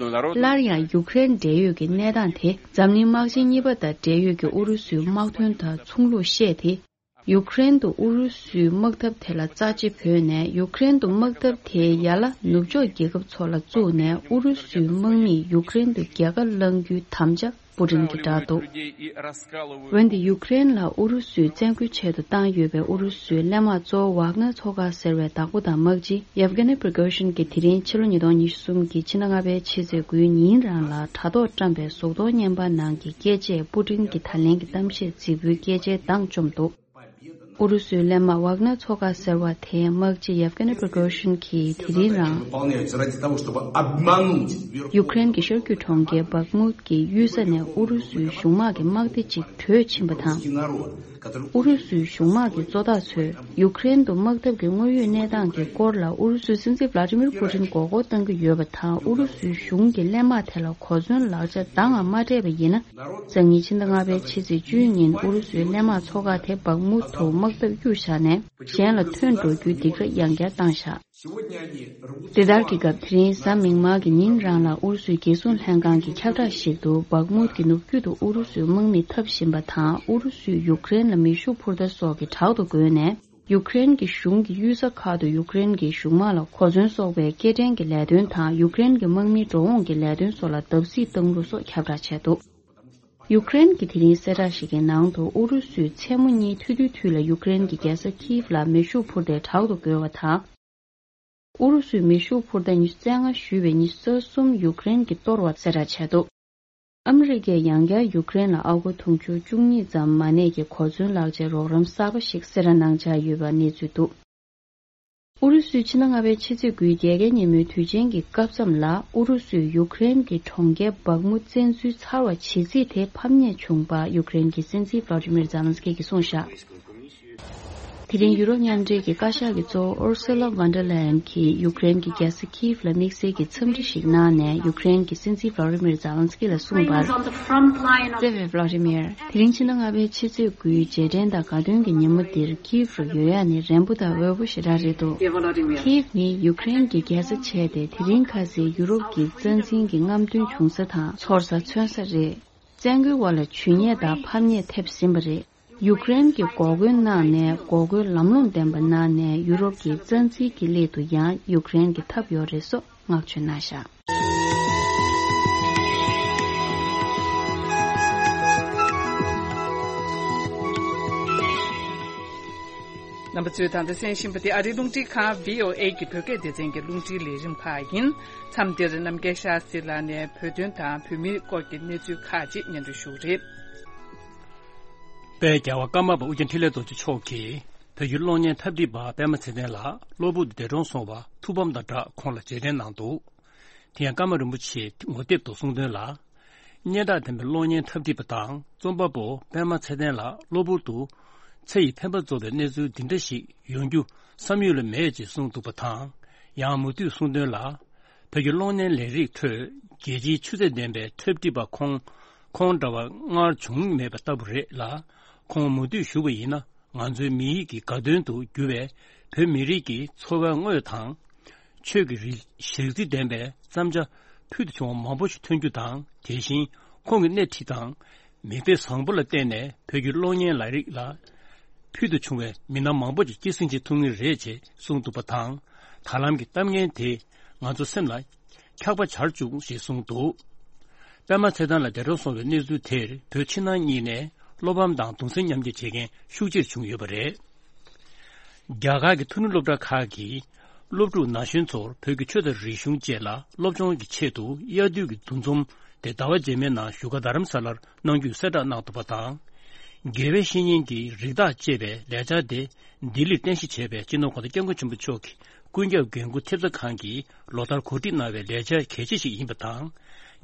སླར་ཡང་ཡུཀ་རེན་འབྲེལ་ཡོད་ཀྱི་གནས་སྟངས་དེ་འཛམ་གླིང་དམག་ཆེན་གཉིས་པ་དང་འབྲེལ་ཡོད་ཀྱི་ཨུ་རུ་སུའི་དམག་དོན་དང་ཚོང་ལུགས་བཤད་དེ། ཡུཀ་རེན་དུ་ཨུ་རུ་སུའི་དམག་འཐབ་དེ་ལ་རྩ་ཆེ་བོས་ནས་ཡུཀ་རེན་དུ་དམག་འཐབ་དེ་ཡར་ལ་ནུབ་ཕྱོགས་རྒྱལ་ཁབ་ཚོ་ལ་བཙུགས་ནས་ཨུ་རུ་སུའི་དམག་མིས་ཡུཀ་རེན་དུ་རྒྱལ་ཁ་བླང་རྒྱུའི་དམ་བཅའ་པུ་ཏིན་གྱིས་བསྒྲགས་འདུག་འོན་ཏེ་ཡུཀ་རེན་ལ་ཨུ་རུ་སུས་བཙན་རྒོལ་ཆེད་དུ་བཏང་ཡོད་པའི་ཨུ་རུ་སུའི་གླས་དམག་གཙོ་བོ་ཝག་ནར་ཚོགས་ཁག་ཟེར་བའི་བདག་པོ་དང་དམག་སྤྱི་ཡེབ་གྷ་ནི་པི་རི་གོ་ཤིན་གྱིས་དེ་རིང་ཕྱི་ལོ་ཉིས་སྟོང་ཉི་ཤུ་གསུམ་གྱི་ཕྱི་ཟླ་ལྔ་པའི་ཕྱི་ཚེས་དགུའི་ཉིན་རང་ལ་དྲ་ཐོག་བཀྲམ་པའི་གཟུགས་མཐོང་བརྙན་པར་ནང་གི་སྐད་ཆས་པུ་ཏིན་གྱི་ད་ལན་གྱི་གཏམ་བཤད་རྫིག་པོའི་སྐད་ཆའི་གདངས་བཅོམ་འདུག་ཨུ་རུ་སུའི་གླས་དམག་ཝག་ནར་ཚོགས་ཁག་ཟེར་བ་དེའི་དམག་སྤྱི་ཡེབ་གྷ་ནི་པི་རི་གོ་ཤིན་གྱིས་དེ་རིང་རང་ཡུཀ་རེན་གྱི་ཤར་རྒྱུད་གྲོང་ཁྱེར་བག་མུད་ཀྱི་གཡུལ་ས་ནས་ཨུ་རུ་སུའི་གཞུང་དམག་གི་དམག་སྡེ་གཅིག་བྲོས་ཕྱིན་པ་དང་། ཨུ་རུ་སུའི་གཞུང་དམག་གི་གཙོ་བདག་ཚོས་ཡུཀ་རེན་དུ་དམག་འཐབ་ཀྱི་དངོས་ཡོད་གནས་སྟངས་ཀྱི་སྐོར་ལ་ཨུ་རུ་སུའི་སྲིད་འཛིན་ཝ་ལ་ཏི་མིར་པུ་ཏིན་མགོ་སྐོར་གཏང་གི་ཡོད་པ་དང་ཨུ་རུ་སུའི་གཞུང་གིས་གླས་དམག་དེ་ལ་གོ་མཚོན་ལག་ཆ་འདང་ང་མ་སྤྲད་པ་ཡིན་ན། སང་ཉིན་ཕྱི་ཟླ་ལྔ་པའི་ཕྱི་ཚེས་བཅུའི་ཉིན་ཨུ་རུ་སུའི་གླས་དམག་ཚོ་ཁག་དེ་བག་མུད་དུ་དམག་འཐབ་གཡུག་བཞག་ནས་གཞན་ལ་ཐོན་འགྲོ་རྒྱུའི་སྡིགས་ར་ཡང་བསྐྱར་བཏང་བཞག་དེ་ལྟར་གྱི་སྐབས་དེ་རིང་གཟའ་མིག་དམར་གྱི་ཉིན་རང་ལ་ཨུ་རུ་སུའི་རྒྱལ་སྲུང་ལྷན་ཁང་གི་ཁྱབ་བསྒྲགས་ཤིག་ཏུ་བག་མུད་ཀྱི་ནུབ་རྒྱུད་དུ་ཨུ་རུ་སུའི་དམག་མི་འཐབ་བཞིན་པ་དང་ཨུ་རུ་སུས་ཡུཀ་རེན་ལ་མེ་ཤུགས་འཕུར་མདའ་སོགས་ཀྱི་དྲག་ཏུ་རྒོལ་ནས། ཡུཀ་རེན་གྱི་གཞུང་གི་གཡུལ་ས་ཁག་ཏུ་ཡུཀ་རེན་གྱི་གཞུང་དམག་ལ་གོ་མཚོན་སོགས་པའི་སྐྱེལ་འདྲེན་གྱི་ལས་དོན་དང་ཡུཀ་རེན་གྱི་དམག་མིའི་འགྲོ་འོང་གི་ལས་དོན་སོགས་ལ་བརྡབ་གསིག་བཏང་ལུགས་སོགས་ཁྱབ་བསྒྲགས་བྱས་འདུག་ཡུཀ་རེན་གྱི་དེ་རིང་གསལ་བསྒྲགས་ཤིག་གི་ནང་དུ་ཨུ་རུ་སུས་མཚན་མོ་གཉིས་ཐུ་དུས་དུས་ལ་ཡུཀ་རེན་གྱི་རྒྱལ་ས་ཁིབ་ལ་མེ་ཤུགས་འཕུར་མདའི་དྲག་ཏུ་རྒོལ་བ་དང་། ཨུ་རུ་སུས་མེ་ཤུགས་འཕུར་མདའ་ཉི་ཤུ་རྩ་ལྔ་གཞུས་པའི་ཉི་ཤུ་རྩ་གསུམ་ཡུཀ་རེན་གྱིས་གཏོར་བ་གསལ་བསྒྲགས་བྱས་འདུག་ཨ་མི་རི་ཀས་ཡང་བསྐྱར་ཡུཀ་རེན་ལ་ཨ་སྒོར་དུང་ཕྱུར་བཅུ་གཉིས་ཙམ་མ་གནས་ཀྱི་གོ་མཚོན་ལག་ཆའི་རོགས་རམ་གསར་པ་ཞིག་གསལ་བསྒྲགས་གནང་འཆར་ཡོད་པ་གནས་ཚུལ་འདུག་ཨུ་རུ་སུས་ཕྱི་ཟླ་ལྔ་པའི་ཕྱི་ཚེས་དགུའི་རྒྱལ་ཁའི་ཉིན་མོའི་དུས་ཆེན་གྱི་སྐབས་མཚམས་ལ་ཨུ་རུ་སུས་ཡུཀ་རེན་གྱི་གྲོང་ཁྱེར་བག་མུ་བཙན་འཛུལ་ཚར་བ་བྱེད་རྩིས་དེ་ཕམ་ཉེས་བྱུང་པ་ཡུཀ་རེན་གྱི་སྲིད་འཛིན་ཝ་ལ་ཏི་མིར་ཛེ་ལན་སི་ཀི་གིས་གསུངས་བཞག་དེ་རིང་ཡུ་རོབ་མཉམ་འབྲེལ་གྱི་བཀའ་ཤག་གི་གཙོ་བོ་ཨུར་སུ་ལ་ཝན་ཌར་ལ་ཡན་གྱིས་ཡུཀ་རེན་གྱི་རྒྱལ་ས་ཁིབ་ལ་དམིགས་བསལ་གྱི་འཚམས་འདྲི་ཞིག་གནང་ནས་ཡུཀ་རེན་གྱི་སྲིད་འཛིན་ཝ་ལ་ཏི་མིར་ཛེ་ལན་སི་ཀི་ལ་གསུངས་པར། བརྩེ་བའི་ཝ་ལ་ཏི་མིར། དེ་རིང་ཕྱི་ཟླ་ལྔ་པའི་ཕྱི་ཚེས་དགུའི་རྗེས་དྲན་དང་དགའ་སྟོན་གྱི་ཉིན་མོ་འདིར་ཁིབ་རུ་ཡོད་ཡག་ནི་རན་པོ་དང་འོས་པོ་ཞེ་དྲག་རེད་འདུག་ཁིབ་ནི་ཡུཀ་རེན་གྱི་རྒྱལ་ས་བྱས་ཏེ་དེ་རིང་ཁ་སང་ཡུ་རོབ་ཀྱི་རྩ་འཛིན་གྱི་རྔམ་སྟོན་བྱུང་ས་དང་ཚོར་ས་མཚོན་ས་རེད། བཙན་རྒོལ་བ་ལ་ཇུས་ཉེས་དང་ཕམ་ཉེས་ཐེབས་ཟིན་པ་རེད། ཡུཀ་རེན་གྱིས་འགོག་རྒོལ་གནང་ནས་འགོག་རྒོལ་ལམ་ལྷོང་ལྡན་པ་གནང་ནས་ཡུ་རོབ་ཀྱི་རྩ་འཛིན་གྱི་སླད་དུ་ཡང་ཡུཀ་རེན་གྱི་ཐབས་ཡོད་རེད་སོགས་བསྔགས་བརྗོད་གནང་བཞག་རྣམ་པ་ཚོས་ད་ལྟ་གསན་བཞིན་པ་དེ་ཨ་རིའི་རླུང་འཕྲིན་ཁང་བྷི་ཨོ་ཨེ་གི་བོད་སྐད་སྡེ་ཚན་གྱི་རླུང་འཕྲིན་ལས་རིམ་ཁག་ཡིན། མཚམས་འདིར་རྣམ་རྒྱལ་ཤཱ་སྟྲི་ལགས་ནས་བོད་དོན་དང་བོད་མིའི་སྐོར་གྱི་གནས་ཚུལ་ཁག་ཅིག་སྙན་སྒྲོན་ཞུ་གི་རེད། དཔལ་རྒྱལ་བ་ཀརྨ་པ་ཨོ་རྒྱན་འཕྲིན་ལས་རྡོ་རྗེ་མཆོག་གིས་བོད་ཀྱི་གློག་བརྙན་འཐབ་འཁྲིད་པ་པད་མ་ཚེ་བརྟན་ལགས་གློ་བུར་དུ་འདས་གྲོངས་སོང་བར་ཐུགས་ཕམ་དང་སྦྲགས་ཁོང་ལ་རྗེས་དྲན་གནང་འདུག་དེ་ཡང་ཀརྨ་རིན་པོ་ཆེས་ངོ་དེབ་ཏུ་གསུངས་དོན་ལ། སྙན་གྲགས་ལྡན་པའི་གློག་བརྙན་འཐབ་འཁྲིད་པ་དང་རྩོམ་པ་པོ་པད་མ་ཚེ་བརྟན་ལགས་གློ་བུར་དུ་ཚེ་ཡི་འཕེན་པ་རྫོགས་པའི་གནས་ཚུལ་འདི་འདྲ་ཞིག་ཡོང་རྒྱུ་བསམ་ཡུལ་ལ་མེད་ཅེས་གསུངས་འདུག་པ་དང་། ཡང་མུ་མཐུད་གསུངས་དོན་ལ། བོད་ཀྱི་གློག་བརྙན་ལས་རིགས་ཁྲོད་རྒྱལ་སྤྱིའི་ཆུ་ཚད་ལྡན་པའི་འཁྲབ་ཁྲིད་པ་ཁོང་ཁོང་འདྲ་བ་སྔར་བྱུང་མེད་པ་ལྟ་བུ་རེད་ལ། ཁོང་མུ་མཐུད་ཞུ་བ་ཡིན་ན་ང་ཚོའི་མི་ཡིད་ཀྱི་དགའ་སྟོན་དུ་གྱུར་བའི་བོད་མི་རིགས་ཀྱི་འཚོ་བའི་དངོས་དང་། ཆོས་ཀྱི་རིགས་ཞག་རྩི་ལྡན་པའི་བརྩམ་བྱ་ཕུལ་དུ་བྱུང་བ་མང་པོ་ཞིག་ཐོན་རྒྱུ་དང་། དེ་བཞིན་ཁོང་གི་སྣེ་ཁྲིད་དང་མིག་དཔེ་བཟང་པོ་ལ་བརྟེན་ནས་བོད་ཀྱི་གློག་བརྙན་ལས་རིགས་ལ་ཕུལ་དུ་བྱུང་བའི་མི་སྣ་མང་པོ་ཞིག་སྐྱེད་སྲིང་བྱེད་ཐུབ་ངེས་རེད་ཅེས་གསུངས་འདུག་པ་དང་། ད་ལམ་གྱི་གཏམ་ངན་དེ་ང་ཚོ་སེམས་ལ་འཁྱག་པ་འབྱར་བཅུག་ཞེས་གསུངས་འདུག་པད་མ་ཚེ་བརྟན་ལགས་འདས་གྲོངས་སོང་བའི་གནས་ཚུལ་དེར་བོད་ཕྱི་ནང་གཉིས་ནས་བློ་ཕམ་དང་གདུང་སེམས་མཉམ་སྐྱེད་བྱེད་མཁན་ཤུགས་ཆེར་བྱུང་ཡོད་པ་རེད། རྒྱ་གར་གྱི་མཐོ་རིམ་སློབ་གྲྭ་ཁག་གིས་སློབ་ཕྲུག་ན་གཞོན་ཚོར་བོད་ཀྱི་ཆོས་དང་རིག་གཞུང་བཅས་ལ་སློབ་སྦྱོང་གི་ཆེད་དུ་དབྱར་དུས་ཀྱི་འདུ་འཛོམས་དེ་ཟླ་བ་རྗེས་མའི་ནང་བཞུགས་སྒར་རྡ་རམ་ས་ལར་གནང་རྒྱུའི་གསལ་བསྒྲགས་གནང་འདུག་པ་དང་། དགེ་བའི་བཤེས་གཉེན་གྱི་རིགས་བདག་ཅེས་པའི་ལས་འཆར་དེ་ལྡི་ལིར་རྟེན་གཞི་བྱས་པའི་སྤྱི་ནོར་གོང་ས་སྐྱབས་མགོན་ཆེན་པོ་མཆོག་གི་ཀུན་ཁྱབ་འགན་འཁུར་ཐེབས་རྩ་ཁང་གིས་ལོ་ལྟར་གོ་སྒྲིག་གནང་བའི་ལས་འཆར་གལ་ཆེ་ཞིག་ཡིན་པ་དང་།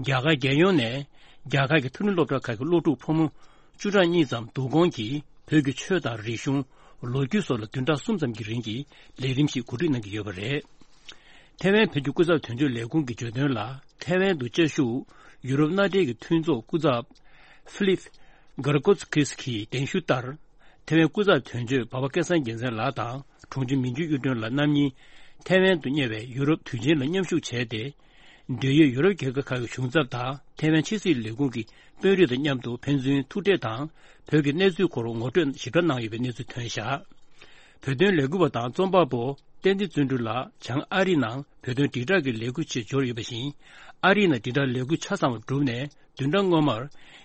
རྒྱ་གར་རྒྱལ་ཡོངས་ནས་རྒྱ་གར་གྱི་མཐོ་རིམ་སློབ་གྲྭ་ཁག་གི་སློབ་ཕྲུག་ཕོ་མོ་བཅུ་ཕྲག་གཉིས་ཙམ་བསྡུ་སྐོང་གིས་བོད་ཀྱི་ཆོས་དང་རིག་གཞུང་། ལོ་རྒྱུས་སོགས་ལ་བདུན་ཕྲག་གསུམ་ཙམ་གྱི་རིང་གི་ལས་རིམ་ཞིག་གོ་སྒྲིག་གནང་གི་ཡོད་པ་རེད། ཐེ་ཝན་བོད་ཀྱི་སྐུ་ཚབ་དོན་གཅོད་ལས་ཁུངས་ཀྱིས་བརྗོད་དོན་ལ། ཐེ་ཝན་དུ་བཅའ་བཞུགས་ཡུ་རོབ་མནའ་འབྲེལ་གྱི་མཐུན་ཚོགས་སྐུ་ཚབ་ཧྥི་ལིབ་གྷར་ཀོ་སི་ཁིས་ཀྱིས་གདན་ཞུ་ལྟར། ཐེ་ཝན་སྐུ་ཚབ་དོན་གཅོད་འབའ་པ་སྐལ་བཟང་རྒྱལ་མཚན་ལགས་དང་དྲུང་ཆེ་མིན་ཅུ་གཡུ་སྒྲོན་ལགས་རྣམ་གཉིས་ཐེ་ཝན་དུ་གཉེར་བའི་ཡུ་རོབ་དུས་ཆེན་ལ་མཉམ་ཞུགས་བྱས་ཏེ། འབྲེལ་ཡོད་ཡུ་རོབ་རྒྱལ་ཁབ་ཁག་གི་གཞུང་ཚབ་དང་ཐེ་ཝན་ཕྱི་སྲིད་ལས་ཁུངས་ཀྱི་དཔོན་རིགས་དང་མཉམ་དུ་ཕན་ཚུན་ཐུག་འཕྲད་དང་བོད་ཀྱི་གནས་ཚུལ་སྐོར་ངོ་སྤྲོད་ཞིབ་ཕྲ་གནང་ཡོད་པའི་གནས་ཚུལ་ཐོན་བཞག་བོད་དོན་ལས་འགུལ་བ་དང་རྩོམ་པ་པོ་བསྟན་འཛིན་བརྩོན་འགྲུས་ལགས་བྱང་ཨ་རིའི་ནང་བོད་དོན་དྲིལ་བསྒྲགས་ཀྱི་ལས་འགུལ་ཆེད་འབྱོར་ཡོད་པ་བཞིན། ཨ་རིའི་ནང་དྲིལ་བསྒྲགས་ལས་འགུལ་ཆ་ཚང་བ་བསྒྲུབས་ནས་བདུན་ཕྲག་སྔོན་མར་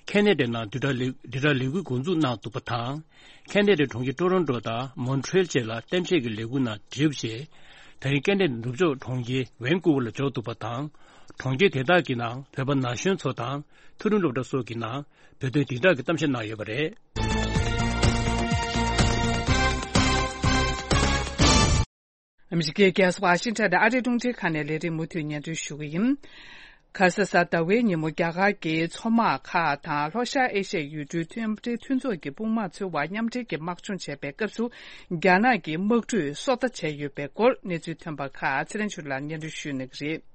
ཁེ་ན་ཌའི་ནང་དྲིལ་བསྒྲགས་ལས་དྲིལ་བསྒྲགས་ལས་འགུལ་འགོ་འཛུགས་གནང་འདུག་པ་དང་། ཁེ་ན་ཌའི་གྲོང་ཁྱེར་ཀྲོ་རོན་ཀྲོ་དང་མོན་ཊི་རེལ་བཅས་ལ་གཏམ་བཤད་ཀྱི་ལས་འགུལ་ནང་འབྲེལ་བ་བྱས། ད་རིང་ཁེ་ན་ཌའི་ནུབ་ཕྱོགས་གྲོང་ཁྱེར་ཝན་ཀུ་ཝར་ལ་འབྱོར་འདུག་པ་དང་། གྲོང་ཁྱེར་དེ་དག་གི་ནང་བོད་པ་ན་གཞོན་ཚོ་དང་མཐོ་རིམ་སློབ་གྲྭ་སོགས་ཀྱི་ནང་བོད་དོན་དྲིལ་བསྒྲགས་ཀྱི་གཏམ་བཤད་གནང་ཡོད་པ་རེད། ཨ་མི་རི་ཀའི་རྒྱལ་ས་ཝ་ཤིང་ཊོན་དུ་ཨ་རིའི་རླུང་འཕྲིན་ཁང་ནས་ལས་རིམ་མུ་མཐུད་སྙན་སྒྲོན་ཞུ་གི་ཡིན། ཁ་ས་གཟའ་ཟླ་བའི་ཉིན་མོ་རྒྱ་གར་གྱི་མཚོ་དམག་ཁག་དང་ལྷོ་ཤར་ཨེ་ཤ་ཡའི་ཡུལ་གྲུའི་མཐུན་སྒྲིལ་མཐུན་ཚོགས་ཀྱི་དཔུང་དམག་ཚོའི་བར་མཉམ་འབྲེལ་གྱི་དམག་སྦྱོང་བྱས་པའི་སྐབས་སུ། རྒྱ་ནག་གི་དམག་གྲུས་སོ་ལྟ་བྱས་ཡོད་པའི་སྐོར་གནས་ཚུལ་ཐོན་པ་ཁག་ཚེ་རིང་ཆོས་ལགས་སྙན་སྒྲོན་ཞུ་གནང་གི་རེད།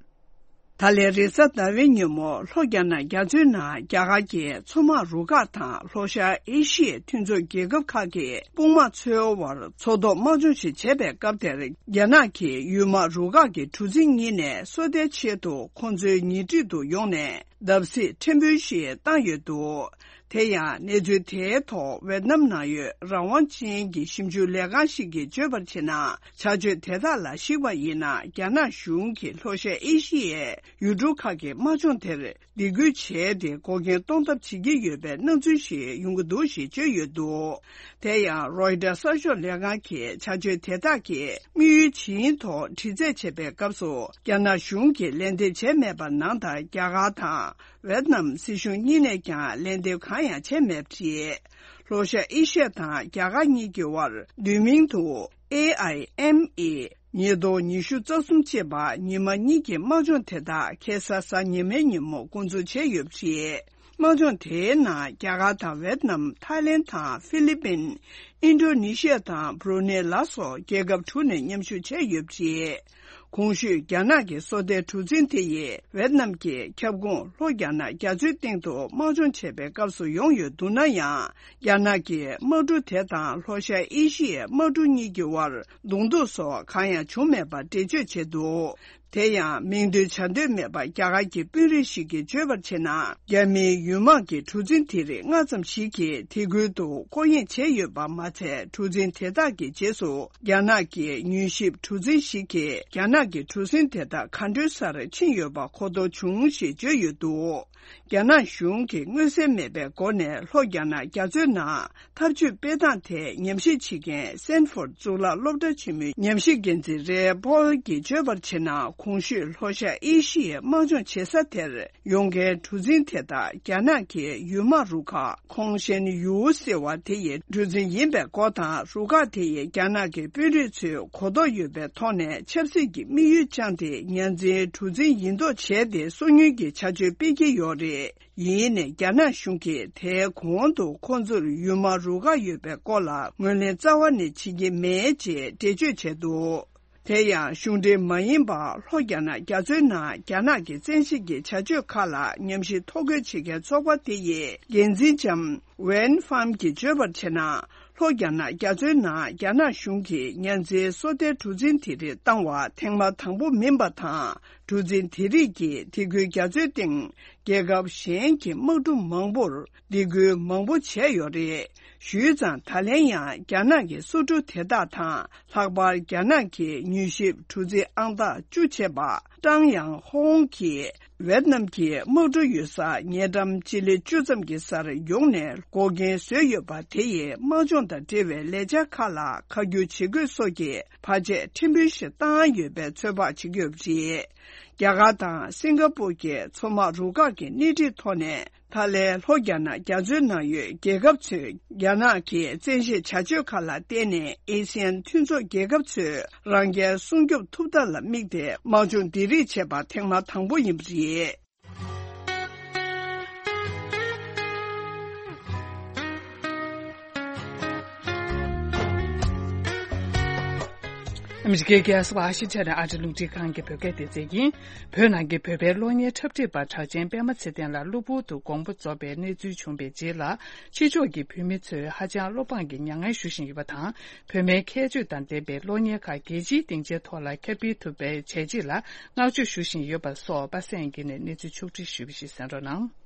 ད་ལན་རེས་གཟའ་ཟླ་བའི་ཉིན་མོ་ལྷོ་རྒྱ་ནག་རྒྱ་མཚོའི་ནང་རྒྱ་གར་གྱི་མཚོ་དམག་རུ་ཁག་དང་ལྷོ་ཤར་ཨེ་ཤི་ཡའི་མཐུན་ཚོགས་རྒྱལ་ཁབ་ཁག་གི་དཔུང་དམག་ཚོའི་དབར་མཚོ་ཐོག་དམག་སྦྱོང་ཞིག་བྱས་པའི་སྐབས་དེར། རྒྱ་ནག་གི་ཡུལ་དམག་རུ་ཁག་གི་གྲུ་གཟིངས་གཉིས་ནས་སོ་ལྟའི་ཆེད་དུ་ཁོང་ཚོའི་ཉེ་འཁྲིས་དུ་ཡོང་ནས་བརྡབ་གསིག་ཕྲན་བུ་ཞིག་བཏང་ཡོད་འདུག་དེ་ཡང་གནས་ཚུལ་དེའི་ཐོག་ཝེ་ཏི་ནམ་ནང་ཡོད་རང་དབང་ཅན་གྱི་ཞིབ་འཇུག་ལས་ཁང་ཞིག་གིས་བརྗོད་པར་བྱས་ན། བྱ་སྤྱོད་དེ་དག་ལ་གཞིགས་པ་ཡིན་ན། རྒྱ་ནག་གཞུང་གིས་ལྷོ་ཤར་ཨེ་ཤི་ཡའི་ཡུལ་གྲུ་ཁག་གི་དམག་སྦྱོང་དེར་སྡིགས་སྐུལ་བྱས་ཏེ་འགོག་རྐྱེན་གཏོང་ཐབས་བྱེད་ཀྱི་ཡོད་པའི་སྣང་ཚུལ་ཞིག་ཡོང་གི་འདུག་ཞེས་བརྗོད་ཡོད་འདུག་དེ་ཡང་རོའི་ཊར་གསར་ཤོག་ལས་ཁང་གིས་བྱ་སྤྱོད་དེ་དག་གིས་དམིགས་ཡུལ་ཇི་ཡིན་ཐོག་དྲི་རྩད་བྱས་པའི་སྐབས་སུ། རྒྱ་ནག་གཞུང་གིས་ལན་འདེབས་བྱས་མེད་པ་ནང་ལྟར། རྒྱ་གར་དང་ཝེ་ཏི་ནམ་སྲིད་གཞུང་གཉིས་ནས་ཀྱང་ལན་འདེབས་གང་ཡང་བྱས་མེད་པ་རེད། ལྷོ་ཤར་ཨེ་ཤི་ཡ་དང་རྒྱ་གར་གཉིས་ཀྱི་དབར་བསྡུས་མིང་དུ་ཨེ་ཨའི་ཨེམ་ཨི་ཉིས་སྟོང་ཉི་ཤུ་རྩ་གསུམ་ཅེས་པ་ཉི་མ་གཉིས་ཀྱི་དམག་སྦྱོང་དེ་དག་ཁ་སང་གཟའ་ཉི་མའི་ཉིན་མོ་འགོ་འཛུགས་བྱས་ཡོད་པ་རེད། དམག་སྦྱོང་དེའི་ནང་རྒྱ་གར་དང་ཝེ་ཏི་ནམ། ཐའི་ལེན་དང་ཧྥི་ལི་པིན། ཨིན་ཌོ་ནེ་ཤི་ཡ་དང་བྷུ་རུ་ནེ་ལ་སོགས་རྒྱལ་ཁབ་དྲུག་ནས་མཉམ་ཞུགས་བྱས་ཡོད་པ་རེད། གོང་ཞུས་རྒྱ་ནག་གི་སོ་ལྟའི་གྲུ་གཟིངས་དེ་ཡིས་ཝེ་ཏི་ནམ་གྱི་ཁྱབ་ཁོངས་ལྷོ་རྒྱ་ནག་རྒྱ་མཚོའི་སྟེང་དུ་དམག་སྦྱོང་བྱས་པའི་སྐབས་སུ་ཡོང་ཡོད་འདུག་ན་ཡང་། རྒྱ་ནག་གི་དམག་གྲུ་དེ་དང་ལྷོ་ཤར་ཨེ་ཤི་ཡའི་དམག་གྲུ་གཉིས་ཀྱི་དབར་གདོང་ཐུག་སོགས་གང་ཡང་བྱུང་མེད་པར་འགྲེལ་བརྗོད་བྱས་འདུག་དེ་ཡང་མིང་འདོན་བྱ་འདོད་མེད་པ་རྒྱ་གར་གྱི་དཔོན་རིགས་ཤིག་གིས་བརྗོད་པར་བྱས་ན། རྒྱ་མིའི་ཡུལ་དམག་གི་གྲུ་གཟིངས་དེ་རིགས་ལྔ་ཙམ་ཞིག་གིས་དེ་ཁུལ་དུ་སྐོར་གཡེང་བྱས་ཡོད་པ་མ་ཚད། གྲུ་གཟིངས་དེ་དག་གི་རྗེས་སུ་རྒྱ་ནག་གི་མྱུལ་ཞིབ་གྲུ་གཟིངས་ཤིག་གིས་རྒྱ་ནག་གི་གྲུ་གཟིངས་དེ་དག་ག་འདྲའི་སར་ཕྱིན་ཡོད་པ་གོ་རྟོགས་བྱུང་ཞེས་བརྗོད་ཡོད་འདུག་རྒྱ་ནག་གཞུང་གིས་མངོན་གསལ་མེད་པའི་སྒོ་ནས་ལྷོ་རྒྱ་ནག་རྒྱ་མཚོའི་ནང་འཐབ་ཇུས་སྤེལ་སྟངས་ཐད་ཉམས་ཞིབ་བྱེད་མཁན་སེན་ཧྥོར་གཙུག་ལག་སློབ་གྲྭ་ཆེན་མོའི་ཉམས་ཞིབ་འགན་འཛིན་རེ་པོལ་གྱིས་བརྗོད་པར་བྱས་ན། གོང་ཞུས་ལྷོ་ཤར་ཨེ་ཤི་ཡའི་དམག་སྦྱོང་བྱེད་ས་དེར་ཡོང་མཁན་གྲུ་གཟིངས་དེ་དག་རྒྱ་ནག་གི་ཡུལ་དམག་རུ་ཁག་ཁོང་ཤན་ཡུའུ་ཟེར་བ་དེ་ཡི་གྲུ་གཟིངས་ཡིན་པའི་སྐོར་དང་། རུ་ཁག་དེ་ཡི་རྒྱ་ནག་གི་དཔོན་རིགས་ཚོས་གོ་རྟོགས་ཡོད་པའི་ཐོག་ནས་ཆབ་སྲིད་ཀྱི་དམིགས་ཡུལ་བཅངས་ཏེ་ཉ་འཛིན་གྲུ་གཟིངས་ཡིན་མདོག་བྱས་ཏེ་སོ་ཉུལ་གྱི་བྱ་སྤྱོད་སྤེལ་གྱི་ཡོད་རེད། ཡིན་ནའི་རྒྱ་ནག་གཞུང་གིས་དེའི་གོང་དུ་ཁོང་ཚོར་ཡུལ་དམག་རུ་ཁག་ཡོད་པའི་སྐོར་ལ་ངོས་ལེན་རྩ་བ་ནས་བྱེད་ཀྱི་མེད་ཅེས་འགྲེལ་བརྗོད་བྱས་འདུག་དེ་ཡང་གཞུང་འབྲེལ་མ་ཡིན་པ་ལྷོ་རྒྱ་ནག་རྒྱ་མཚོའི་ནང་རྒྱ་ནག་གི་བཙན་ཤེད་ཀྱི་བྱ་སྤྱོད་ཁག་ལ་ཉམས་ཞིབ་ཐོ་འགོད་བྱེད་མཁན་ཚོགས་པ་དེ་ཡི་འགན་འཛིན་ལྕམ་ཝན་ཧྥམ་གྱིས་བརྗོད་པར་བྱས་ན། ལྷོ་རྒྱ་ནག་རྒྱ་མཚོའི་ནང་རྒྱ་ནག་གཞུང་གིས་ཉ་འཛིན་སོ་ལྟའི་གྲུ་གཟིངས་དེ་རིགས་བཏང་བ་ཐེངས་མ་དང་པོ་མིན་པ་དང་། གྲུ་གཟིངས་དེ་རིགས་ཀྱིས་དེ་ཁུལ་རྒྱ་མཚོའི་སྟེང་རྒྱལ་ཁབ་གཞན་གྱི་དམག་གྲུ་མང་པོར་སྡིགས་སྐུལ་མང་པོ་བྱས་ཡོད་རེད། ཞུས་ཙང་། ད་ལན་ཡང་རྒྱ་ནག་གི་སོ་གྲུ་དེ་དག་དང་། ལྷག་པར་རྒྱ་ནག་གི་མྱུལ་ཞིབ་གྲུ་གཟིངས་ཨང་རྟགས་བཅུ་བྱས་པ་ཀྲང་ཡང་ཧོང་གིས་ཝེ་ཏི་ནམ་གྱི་དམག་གྲུ་ཡོད་ས་ཉེ་འགྲམ་སྤྱི་ལེ་བཅུ་ཙམ་གྱི་སར་ཡོང་ནས་འགོག་རྐྱེན་བཟོས་ཡོད་པ་དེ་ཡིས་དམག་སྦྱོང་དང་འབྲེལ་བའི་ལས་འཆར་ཁག་ལ་ཁ་བསྒྱུར་བྱེད་དགོས་སོགས་ཀྱི་བར་ཆད་ཕྲན་བུ་ཞིག་བཏང་ཡོད་པའི་ཚོད་དཔག་བྱེད་ཀྱི་ཡོད་པ་རེད། རྒྱ་གར་དང་སིང་ག་པུར་གྱི་མཚོ་དམག་རུ་ཁག་གི་སྣེ་ཁྲིད་ཐོག་ནས། ད་ལན་ལྷོ་རྒྱ་ནག་རྒྱ་མཚོའི་ནང་ཡོད་རྒྱལ་ཁབ་ཚོས་རྒྱ་ནག་གི་བཙན་ཤེད་བྱ་སྤྱོད་ཁག་ལ་བརྟེན་ནས་ཨེ་སི་ཡན་མཐུན་ཚོགས་རྒྱལ་ཁབ་ཚོས་རང་རྒྱལ་སྲུང་སྐྱོབ་ཐུབ་ཐབས་ལ་དམིགས་ཏེ་དམག་སྦྱོང་འདི་རིགས་བྱས་པ་ཐེངས་མ་དང་པོ་ཡིན་པ་རེད། ཨ་མི་རི་ཀའི་རྒྱལ་ས་ཝ་ཤིང་ཊོན་ནས་ཨ་རི་རླུང་འཕྲིན་ཁང་གི་བོད་སྐད་སྡེ་ཚན་ཡིན། བོད་ནང་གི་བོད་པའི་གློག་བརྙན་འཁྲབ་ཁྲིད་པ་གྲགས་ཅན་པད་མ་ཚེ་བརྟན་ལགས་གློ་བུར་དུ་དགོངས་པ་རྫོགས་པའི་གནས་ཚུལ་བྱུང་བའི་རྗེས་ལ། ཕྱི་ཕྱོགས་ཀྱི་བོད་མི་ཚོས་ཧ་ཅང་བློ་ཕངས་ཀྱི་མྱ་ངན་ཞུ་བཞིན་ཡོད་པ་དང་། བོད་མིའི་ཁྱད་ཆོས་དང་ལྡན་པའི་གློག་བརྙན་ཁག་རྒྱལ་སྤྱིའི་སྡིངས་ཆའི་ཐོག་ལ་ཁྱབ་སྤེལ་ཐུབ་པའི་བྱས་རྗེས་ལ་བསྔགས་བརྗོད་ཞུ་བཞིན་ཡོད་པ་སོགས་པ་སངས་སྐྱིད་ནས་གནས་ཚུལ་ཕྱོགས་བསྒྲིགས་ཞུས་པ་ཞིག་གསན་རོགས་གནང་།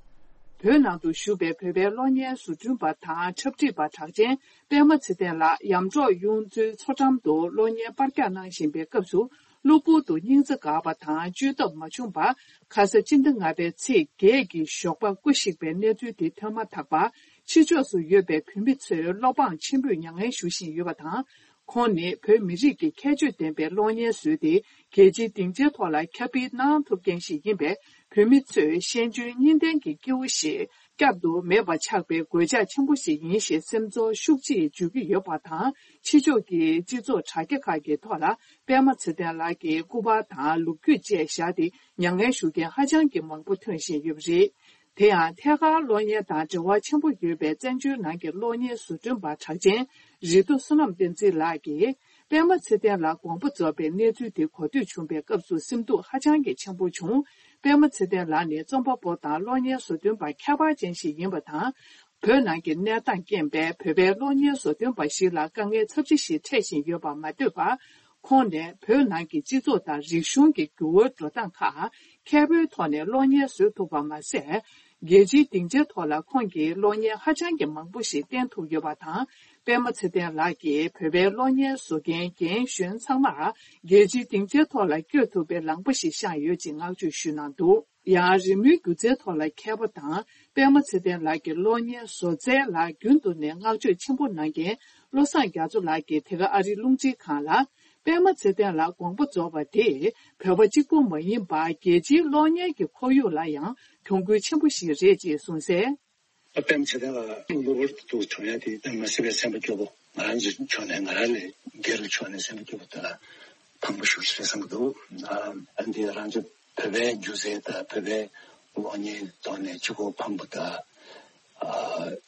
བོད་ནང་དུ་བཞུགས་པའི་བོད་པའི་གློག་བརྙན་བཟོ་སྐྲུན་པ་དང་འཁྲབ་ཁྲིད་པ་གྲགས་ཅན་པད་མ་ཚེ་བརྟན་ལགས་ཡམ་འབྲོག་གཡུ་མཚོའི་མཚོ་འགྲམ་དུ་གློག་བརྙན་པར་རྒྱག་གནང་བཞིན་པའི་སྐབས་སུ། གློ་བུར་དུ་སྙིང་རྩ་འགག་པ་དང་བཅོས་ཐབས་མ་བྱུང་བར། ཁ་ས་སྤྱི་ཟླ་ལྔ་པའི་ཚེས་བརྒྱད་ཀྱི་ཞོགས་པ་སྐུ་གཤེགས་པའི་གནས་ཚུལ་དེ་ཐོན་མ་ཐག་པར། ཕྱི་ཕྱོགས་སུ་ཡོད་པའི་བོད་མི་ཚོས་བློ་ཕངས་ཆེན་པོས་མྱ་ངན་ཞུ་བཞིན་ཡོད་པ་དང་། ཁོང་ནི་བོད་མི་རིགས་ཀྱི་ཁྱད་ཆོས་ལྡན་པའི་གློག་བརྙན་བཟོས་ཏེ། རྒྱལ་སྤྱིའི་སྡིངས་ཆའི་ཐོག་ལ་ཁྱབ་སྤེལ་གནང་ཐུབ་མཁན་ཞིག་ཡིན་པས། བོད་མི་ཚོས་ཤེས་འཇོན་གཉིས་ལྡན་གྱི་སྐྱེ་བོ་ཞིག་བསྐྱར་དུ་མེད་པ་ཆགས་པའི་གོད་ཆག་ཆེན་པོ་ཞིག་ཡིན་ཞེས་སེམས་ཚོར་ཤུགས་ཆེ་བརྗོད་ཀྱི་ཡོད་པ་དང་། ཕྱི་ཕྱོགས་ཀྱི་སྤྱི་ཚོགས་དྲ་རྒྱ་ཁག་གི་ཐོག་ལ་པད་མ་ཚེ་བརྟན་ལགས་ཀྱི་སྐུ་པར་དང་ལོ་རྒྱུས་བཅས་བཞག་སྟེ། མྱ་ངན་ཞུ་མཁན་ཧ་ཅང་གི་མང་པོ་ཐོན་བཞིན་ཡོད་པ་རེད། དེ་ཡང་ཐད་ཀར་གློག་བརྙན་དང་འབྲེལ་བ་ཆེན་པོ་ཡོད་པའི་བཙན་བྱོལ་ནང་གི་གློག་བརྙན་བཟོ་སྐྲུན་པ་གྲགས་ཅན་རི་མཐོ་བསོད་ནམས་བསྟན་འཛིན་ལགས་ཀྱིས། པད་མ་ཚེ་བརྟན་ལགས་དགོངས་པ་རྫོགས་པའི་གནས་ཚུལ་དེ་གོ་ཐོས་བྱུང་བའི་སྐབས་སུ་སེམས་སྡུག་ཧ་ཅང་གི་ཆེན་པོ་བྱུང་། པད་མ་ཚེ་བརྟན་ལགས་ནི་རྩོམ་པ་པོ་དང་གློག་བརྙན་བཟོ་སྐྲུན་པ་ཁྱད་པར་ཅན་ཞིག་ཡིན་པ་དང་། བོད་ནང་གི་གནས་སྟངས་རྐྱེན་པས་བོད་པའི་གློག་བརྙན་བཟོ་སྐྲུན་པ་ཞིག་ལ་དཀའ་ངལ་ཚབས་ཆེ་ཞིག་འཕྲད་བཞིན་ཡོད་པར་མ་ལྟོས་པར། ཁོང་ནས་བོད་ནང་གི་སྤྱི་ཚོགས་དང་རིག་གཞུང་གི་འགྱུར་བའི་འགྲོ་སྟངས་ཁག་མཁས་པོའི་ཐོག་ནས་གློག་བརྙན་བཟོ་ཐུབ་པ་མ་ཟད། རྒྱལ་སྤྱིའི་སྡིངས་ཆའི་ཐོག་ལ་ཁོང་གིས་གློག་བརྙན་ཧ་ཅང་གི་མང་པོ་ཞིག་བསྟན་ཐུབ་ཡོད་པ་དང་། པད་མ་ཚེ་བརྟན་ལགས་ཀྱིས་བོད་པའི་གློག་བརྙན་བཟོ་མཁན་རྒན་གཞོན་ཚང་མར་རྒྱལ་སྤྱིའི་སྡིངས་ཆའི་ཐོག་ལ་བསྐྱོད་ཐུབ་པའི་ལངས་པ་ཞིག་བཤངས་ཡོད་ཅེས་བསྔགས་བརྗོད་ཞུས་གནང་འདུག་ཡང་རི་མོའི་སྒྱུ་རྩལ་ཐོག་ལ་མཁས་པ་དང་པད་མ་ཚེ་བརྟན་ལགས་ཀྱི་གློག་བརྙན་བཟོ་རྩལ་ལ་རྒྱུན་དུ་ནས་བསྔགས་བརྗོད་ཆེན་པོ་གནང་མཁན་བློ་བཟང་རྒྱ་མཚོ་ལགས་ཀྱིས་དེ་ག་ཨ་རིའི་རླུང་འཕྲིན་ཁང་ལ། པད་མ་ཚེ་བརྟན་ལགས་དགོངས་པ་རྫོགས་པ་དེ་བོད་པ་གཅིག་པུ་མ་ཡིན་པར་རྒྱལ་སྤྱིའི་གློག་བརྙན་གྱི་ཁོར་ཡུག་ལ་ཡང་གྱོང་གུན་ཆེན་པོ་ཞིག་རེད་ཅེས་གསུངས་གསལ། པད་མ་ཚེ་བརྟན་ལགས་གློ་བུར་དུ་གྲོངས་ཡ་དེ་ད་མ་སྲིད་པའི་སེམས་པ་སྐྱོ་པོ། ང་རང་ཚོའི་ཕྱོགས་ནས་ང་རང་ལས་སྒེར་གྱི་ཕྱོགས་ནས་སེམས་པ་སྐྱོ་པོ་དེ་ལ་ཕངས་པོ་ཞེ་པོ་ཅིག་རེད་བསམ་གྱི་འདུག་ཨ་འདི་རང་ཚོ་བོད་པའི་སྒྱུ་རྩལ་དང་བོད་པའི་གློག་བརྙན་ཐོག་ནས་གཅིག་པོ་ཕངས་པོ་དང་། ཨ་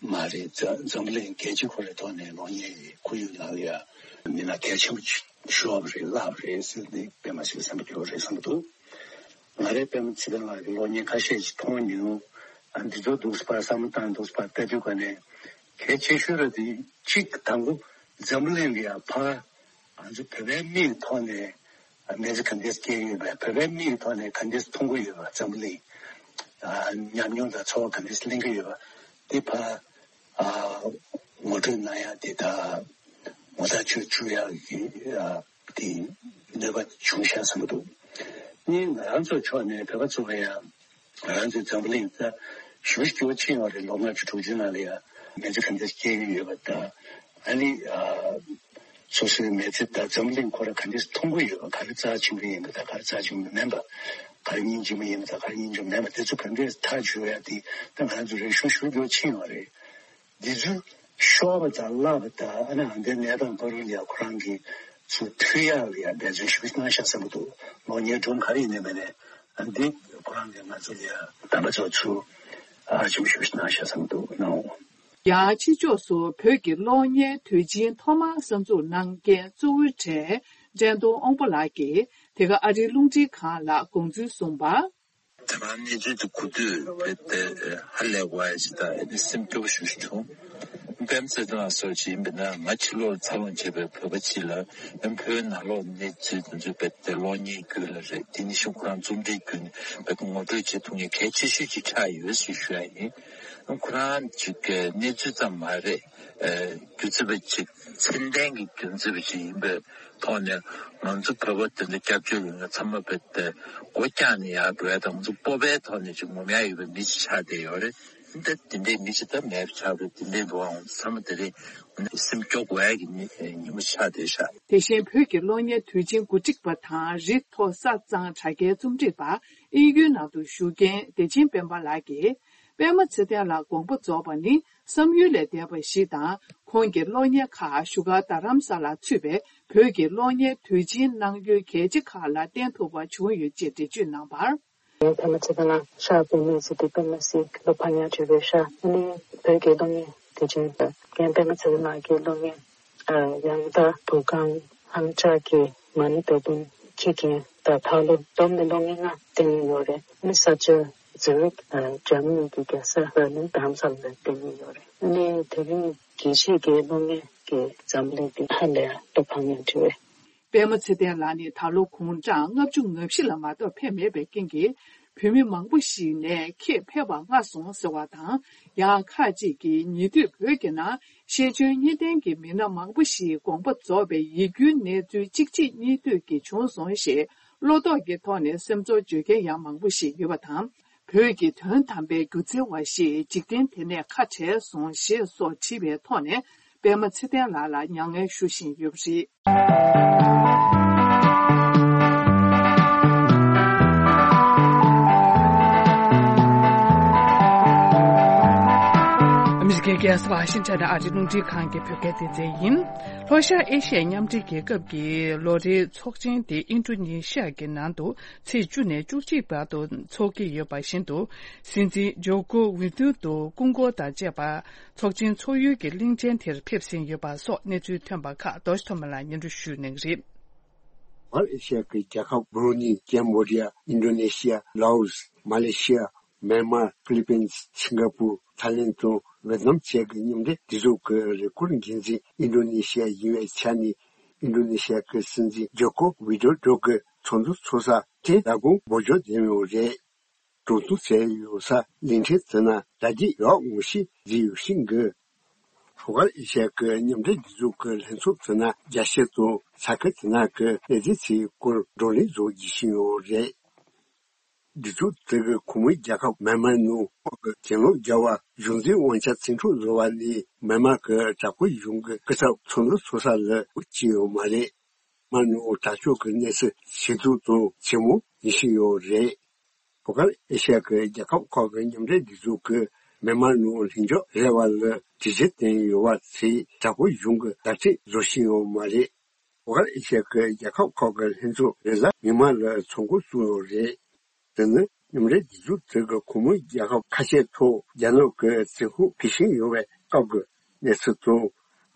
མ་རེད། འཛམ་འཛམ་གླིང་རྒྱལ་སྤྱི་ཁོ་རའི་ཐོག་ནས་གློག་བརྙན་གྱི་ཁོར་ཡུག་ནང་ལ་ཡ་མི་སྣ་གལ་ཆེན་པོ་ཞིག་ཤོར་བ་རེད། བརླག་པ་རེད་ཟེར་ནས་དཔེ་མ་སྲིད་པའི་སེམས་པ་སྐྱོ་བོ་རེད་བསམ་གྱི་འདུག་ང་རའི་པད་མ་ཚེ་བརྟན་ལགས་ཀྱི་གློག་བརྙན་ཁ་ཤས་ཤིག་མཐོང་མྱོང་། ཨ་འདི་ཚོ་འདུག་སེ་ཕར་བསམ་བློ་བཏང་འདུག་སེ་ཕར་ལྟ་དུས་ག་ནས་གལ་ཆེ་ཤོས་ར་དེ་གཅིག་དང་པོ་འཛམ་གླིང་ལ་ཡ་ཕར་ང་ཚོ་བོད་པའི་མིའི་ཐོག་ནས་ཨ་མི་ཚེ་ག་འདྲས་སྐྱེལ་ཡོད་པ། བོད་པའི་མིའི་ཐོག་ནས་ག་འདྲས་མཐོང་གི་ཡོད་པ། འཛམ་གླིང་ཨ་ཉམས་མྱོང་དང་ཚོར་བ་ག་འདྲས་ལེན་གྱི་ཡོད་པ་དེ་ཕར་ཨ་ངོ་སྤྲོད་གནང་ཡ་དེ་ད་ངོ་ཐག་ཆོད་བཅུག་ཡག་གི་ཨ་དེ་ནུས་པ་བྱུང་ཤག་བསམ་གྱི་འདུག་གཉིས། ང་རང་ཚོའི་ཕྱོགས་ནས་བོད་པ་ཚོ་ལ་ཡང་ང་རང་ཚོའི་འཛམ་བུ་གླིང་ད་ཞེ་པོ་ཞེ་པོ་ཕྱིན་ཡོད་རེད། ལོ་ལྔ་བཅུ་དྲུག་ཅུའི་ནང་ལ་ཡང་མི་ཚེ་ག་འདྲ་སྐྱེལ་གྱི་ཡོད་པ་དང་། ཨ་ནི་ཨ་སོ་སོའི་མི་ཚེ་ད་འཛམ་བུ་གླིང་ཁོ་རང་ག་འདྲ་མཐོང་གི་ཡོད་པ། ག་རེ་རྩ་ཆེན་པོ་ཡིན་པ་དང་ག་རེ་རྩ་ཆེན་པོ་མིན་པ། ག་རེ་སྙིང་རྗེ་མོ་ཡིན་པ་དང་ག་རེ་སྙིང་རྗེ་མོ་མིན་པ། དེ་ཚོ་ག་འདྲས་ཐག་གཅོད་ཡ་དེ་ད་ང་རང་ཚོ་རིག་གཞུང་ཞེ་པོ་ཕྱིན་ཡོད་རེད། འདི་ཚོ་ཤོར་བ་དང་བརླག་པ་དང་། ཨ་ནི་ཨ་འདི་གནས་སྟངས་བར་ལ་ཡ་ཁོ་རང་གིས་ཚུར་མཐུད་ཡག་ལ་ཡ་འབད་བརྩོན་ཞེ་པོ་གནང་ཤག་བསམ་གྱི་འདུག་ལོ་ཉེར་དྲུག་ག་རེ་ཡིན་ནའི་མིན་ནའི་ཨ་འདི་ཁོ་རང་གིས་ང་ཚོ་ལ་ཡ་དམ་པ་ཚོ་ཚུར་ཨ་ཞེ་པོ་ཞེ་པོ་གནང་ཤག་བསམ་གྱི་འདུག་ནའོ། ཡང་ཕྱི་ཕྱོགས་སུ་བོད་ཀྱི་གློག་བརྙན་དུས་ཆེན་ཐོག་མར་གསར་འཛུགས་གནང་མཁན་གཙོ་བོའི་གྲས་བཀྲས་མཐོང་དབང་པོ་ལགས་ཀྱིས་དེ་ག་ཨ་རིའི་རླུང་འཕྲིན་ཁང་ལ་དགོངས་ཚུལ་གསུངས་པ། དེ་རིང་གནས་ཚུལ་དེ་གོ་དུས་རྦད་དེ་ཧ་ལས་པ་ཞིག་དང་ཨ་ནི་སེམས་སྐྱོ་པོ་ཞེ་པོ་ཞིག་བྱུང་། པད་མ་ཚེ་བརྟན་ལགས་སོགས་ཅིག་ཡིན་པ་ན་ང་ཕྱི་ལོགས་ལ་འཚར་ལོངས་བྱས་པའི་བོད་པ་ཅིག་ལ་ཨ་ནི་བོད་ནང་ལོགས་གནས་ཚུལ་དེ་ཚོ་རྦད་དེ་གློག་བརྙན་བརྒྱུད་ལ་རེད། དེ་ནི་གཞུང་ཁོ་རང་རྩོམ་སྒྲིག་བརྒྱུད་ནས་རྦད་དེ་ངོ་སྤྲོད་བྱེད་ཐུབ་མཁན་གལ་ཆེ་ཤོས་ཅིག་ཆགས་ཡོད་ཞེས་ཞུ་ཡ་ཡིན། ཨ་ནི་ཁོ་རང་ཅིག་གནས་ཚུལ་ཙམ་མ་རེད། སྒྱུ་རྩལ་པ་ཅིག་མཚན་ལྡན་གྱི་སྒྱུ་རྩལ་པ་ཅིག་ཡིན་པའི་ཐོག་ནས་ང་ཚོ་བོད་པ་དེ་འདྲ་སྐྱབས་བཅོལ་ཡོད་མཁན་ཚང་མ་རྦད་དེ་སྒོ་བཀྱགས་ནས་ཡར་འགྲོ་ཡ་དང་། ང་ཚོ་སྤོབས་པའི་ཐོག་ནས་ཅིག་ངོམ་ཡ་ཡོད་པའི་མི་ཅིག་ཆགས་བསྡད་ཡོད་རེད། འདི་འདྲ་དེ་འདྲའི་མི་ཅིག་ད་མེད་པ་ཆགས་རེད། དེ་འདྲའི་འགྲོ་འོང་ཚང་མ་དེ་རིང་སེམས་སྐྱོ་དགོས་ཡ་གི་ཉི་ཉིན་མོ་ཆགས་བསྡད་ཤག་དེ་བཞིན་བོད་ཀྱི་གློག་བརྙན་དུས་ཆེན་གོ་སྒྲིག་པ་དང་རི་མཐོ་ས་གཙང་དྲ་རྒྱའི་རྩོམ་སྒྲིག་པ་དབྱིན་ཡུལ་ནང་དུ་བཞུགས་མཁན་བདེ་ཆེན་སྤེན་པ་ལགས་ཀྱིས། པདྨ་ཚེ་བརྟན་ལགས་དགོངས་པ་རྫོགས་པ་ནི་བསམ་ཡུལ་ལས་འདས་པ་ཞིག་དང་། ཁོང་གི་གློག་བརྙན་ཁག་བཞུགས་སྒར་རྡ་རམ་ས་ལར་ཚུད་པའི་བོད་ཀྱི་གློག་བརྙན་དུས་ཆེན་གནང་ཡུལ་གལ་ཆེ་ཁག་ལ་བརྟེན་ཐུབ་པ་བྱུང་ཡོད་ཅེས་འགྲེལ་བརྗོད་གནང་བར། རྒན་པདྨ་ཚེ་བརྟན་ལགས་ཧྲ་པདྨའི་ཚེ་འདི་པདྨ་སྲིད་ལོ་ཕ་ཉག་བྲིས་པའི་ཧྲ་ཨ་ནི་བོད་ཀྱི་གློག་བརྙན་དུས་ཆེན་དང་རྒན་པདྨ་ཚེ་བརྟན་ལགས་ཀྱི་གློག་བརྙན་ཡང་ལྟ་བུ་གང་ཧང་ཅག་གི་མ་ཎི་བདག་འཛིན་བྱེད་མཁན་དང་ད་ལོ་བསྡོམས་ནས་གློག་བརྙན་ལྔ་བསྟན་ཡོད་རེད། ཨ་ནི་ས་ཆ་ཛུ་རིག་འཇར་མ་ནི་གི་རྒྱལ་ས་བྷར་ལིན་དྷ་རམ་ས་ལ་བསྟན་ཡོད་རེད། ཨ་ནི་དེ་རིང་དགེ་བཤེས་ཀྱི་གློག་བརྙན་གྱི་འཛམ་གླིང་འདི་ཧ་ལས་ལོ་ཕ་ཉག་བྲིས་པའི། པདྨ་ཚེ་བརྟན་ལགས་ནི་ད་ལོ་དགུང་གྲངས་ལྔ་བཅུ་ང་བཞི་ལ་མ་གཏོགས་ཕེབས་མེད་པའི་རྐྱེན་གྱིས། བོད་མི་མང་པོ་ཞིག་ནས་ཁྱེད་ཕེབས་པ་སྔ་སོང་ཟེར་བ་དང་། ཡང་ཁག་ཅིག་གིས་ཉེ་དུས་བོད་ཀྱི་ནང་ཤེས་འཇོན་གཉིས་ལྡན་གྱི་མི་སྣ་མང་པོ་ཞིག་དགོངས་པ་རྫོགས་པའི་ཡིད་སྐྱོའི་གནས་ཚུལ་གཅིག་རྗེས་གཉིས་མཐུད་ཀྱིས་བྱུང་སོང་ཞེས་བློ་དོགས་ཀྱི་ཐོག་ནས་སེམས་ཚོར་བརྗོད་མཁན་ཡང་མང་པོ་ཞིག་ཡོད་པ་དང་། བོད་ཀྱི་དོན་དམ་པའི་སྒྱུ་རྩལ་བ་ཞིག་འཇིག་རྟེན་དེ་ནས་ཁ་བྲལ་སོང་ཞེས་སོགས་བྲིས་པའི་ཐོག་ནས། པདྨ་ཚེ་བརྟན་ལགས་ལ་མྱ་ངན་ཞུ་བཞིན་ཡོད་པ་རེད། ཨ་མི་རི་ཀའི་རྒྱལ་ས་ཝ་ཤིང་ཊོན་ནས་ཨ་རིའི་རླུང་འཕྲིན་ཁང་གི་བོད་སྐད་སྡེ་ཚན་ཡིན། ལྷོ་ཤར་ཨེ་ཤི་ཡའི་མཉམ་འབྲེལ་རྒྱལ་ཁབ་ཀྱི་ལོ་རེའི་ཚོགས་ཆེན་དེ་ཨིན་ཌོ་ནེ་ཤི་ཡ་གི་ནང་དུ་ཚེས་བཅུ་ནས་བཅུ་གཅིག་བར་དུ་འཚོགས་ཀྱི་ཡོད་པ་བཞིན་དུ། སྲིད་འཛིན་ཇོ་ཀོ་ཝི་དོ་རོ་སྐུ་འཁོར་དང་བཅས་པ། ཚོགས་ཆེན་ཚོགས་ཡུལ་གྱི་གླིང་ཕྲན་དེར་ཕེབས་ཟིན་ཡོད་པ་སོགས་གནས་ཚུལ་ཐོན་པ་ཁག་རྡོ་རྗེ་ཐོགས་མེད་ལགས་སྙན་སྒྲོན་ཞུ་གནང་གི་རེད། ལྷོ་ཨེ་ཤི་ཡ་གི་རྒྱལ་ཁབ་བྷུ་རུ་ནི། ཀེམ་བྷོ་ཌི་ཡ། ཨིན་ཌོ་ནེ་ཤི་ཡ། ལའོ་སི། མ་ལེ་ཤི་ཡ། མེན་མར། ཕི་ལི་པིན། སིང་ག་པུར། ཐའི་ལེན་དང་ཝེ་ཏི་ནམ་བཅས་ཀྱི་མཉམ་འབྲེལ་སྒྲིག་འཛུགས་ཀྱི་རེས་སྐུལ་འགན་འཛིན་ཨིན་ཌོ་ནེ་ཤི་ཡ་ཡིན་པའི་ཆ་ནས། ཨིན་ཌོ་ནེ་ཤི་ཡ་གི་སྲིད་འཛིན་ཇོ་ཀོ་ཝི་དོ་རོ་གི་ཚོགས་འདུ་ཚོགས་ས་དེ་ལ་དགོངས་འབོར་འཇོག་ལྡན་ཡོད་རེད། གྲོས་བསྡུར་བྱས་ཡོད་ས་གླིང་ཕྲན་དེ་ན་དྲ་རྒྱའི་ཡག་ངོ་ཤེས་བྱེད་ཡོད་ཤིང་གི། ལྷོ་ཤར་ཨེ་ཤ་ཡ་གི་མཉམ་འབྲེལ་སྒྲིག་འཛུགས་ཀྱི་ལྷན་ཚོགས་དེ་ན་རྒྱ་ཤེས་དང་ས་ཁུལ་དེ་ན་གི་གནད་དོན་ཚོའི་སྐོར་བགྲོ་གླེང་བཟོ་བགྱིད་བཞིན་ཡོད་རེད། སྒྲིག་འཛུགས་དེ་གི་ཁོངས་མི་རྒྱལ་ཁབ་མེན་མར་ནང་ཁོག་གི་གྱེན་ལོག་རྒྱལ་བ་གཞུང་འཛིན་དབང་ཆ་བཙན་འཕྲོག་བཟོ་བ་ནི་མེན་མར་གི་དྲག་པོའི་གཞུང་གི་སྐུ་ཚབ་ཚོགས་འདུ་ཚོགས་ས་ལ་བྱས་ཡོད་མ་རེད། མ་ནུ་དྲག་སྤྱོད་ཀྱི་གནས་ཚུལ་ཇེ་སྡུག་དང་ཇེ་མང་ཡིན་བཞིན་ཡོད་རེད། ལྷོ་ཤར་ཨེ་ཤ་ཡ་གི་རྒྱལ་ཁབ་ཁག་གི་མཉམ་འབྲེལ་སྒྲིག་འཛུགས་ཀྱིས་མེན་མར་ནང་ལྷིང་འཇགས་རེ་བ་ལ་གྲོས་གཞི་བཏོན་ཡོད་པ་ཚོས་དྲག་པོའི་གཞུང་གི་བརྡ་སྤྲོད་བཟོ་བཞིན་ཡོད་མ་རེད། ལྷོ་ཤར་ཨེ་ཤ་ཡ་གི་རྒྱལ་ཁབ་ཁག་གི་ལྷན་ཚོགས་རེས་གཟའ་མིག་དམར་ལ་ཚོགས་འགོ་བཙུགས་ཡོད་རེད། དེ་ནི་མཉམ་འབྲེལ་སྒྲིག་འཛུགས་དེ་གི་ཁོངས་མི་རྒྱལ་ཁབ་ཁ་ཤས་ཐོག་རྒྱ་ནག་གི་བཙན་ཤུགས་འཕེལ་བཞིན་ཡོད་པའི་སྐབས་ཀྱི་གནས་ཚུལ་དང་།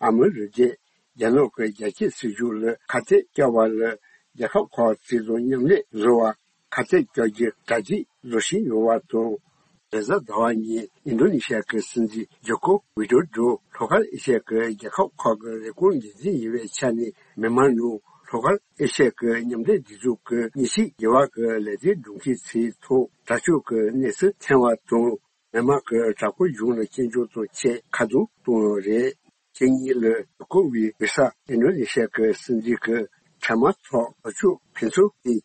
ཨ་མི་རི་ཀས་རྒྱ་ནག་གི་རྒྱ་སྐྱེད་སྲིད་ཇུས་ལ་ཁ་གཏད་བཅག་པ་ལ་རྒྱལ་ཁབ་ཁག་ཅིག་དང་མཉམ་ལས་བཟོ་བར་ཁ་གཏད་བཅག་རྒྱུའི་གྲ་སྒྲིག་བཟོ་བཞིན་ཡོད་པ་དང་། རེས་གཟའ་ཟླ་བ་ཉིན་ཨིན་ཌོ་ནེ་ཤི་ཡ་གི་སྲིད་འཛིན་ཇོ་ཀོ་ཝི་དོ་རོ་ལྷོ་ཤར་ཨེ་ཤ་ཡ་གི་རྒྱལ་ཁབ་ཁག་གི་རེས་སྐུལ་འགན་འཛིན་ཡིན་པའི་ཆ་ནས་མེན་མར་ནང་ལྷོ་ཤར་ཨེ་ཤ་ཡ་གི་མཉམ་འབྲེལ་སྒྲིག་འཛུགས་ཀྱི་མཉམ་ཞུགས་རྒྱས་པ་གི་ལས་དོན་སྒྲུབ་མཁན་ཚོའི་ཐོག་དྲག་སྤྱོད་ཀྱི་གནས་ཚུལ་ཐོན་པ་དང་། མེན་མར་གྱི་དྲག་པོའི་གཞུང་ལ་སྐྱོན་བརྗོད་དང་བཅས་ཁ་རྡུང་བཏང་ཡོད་རེད། ཁ་ཉིན་ལ་ཇོ་ཀོ་ཝི་དགོས་ས་ཨིན་ཌོ་ནེ་ཤི་ཡ་གི་སྲིད་འཛིན་གྱི་འཕྲལ་མ་ཐོག་དྲག་སྤྱོད་ཕུན་སུམ་ཡིན།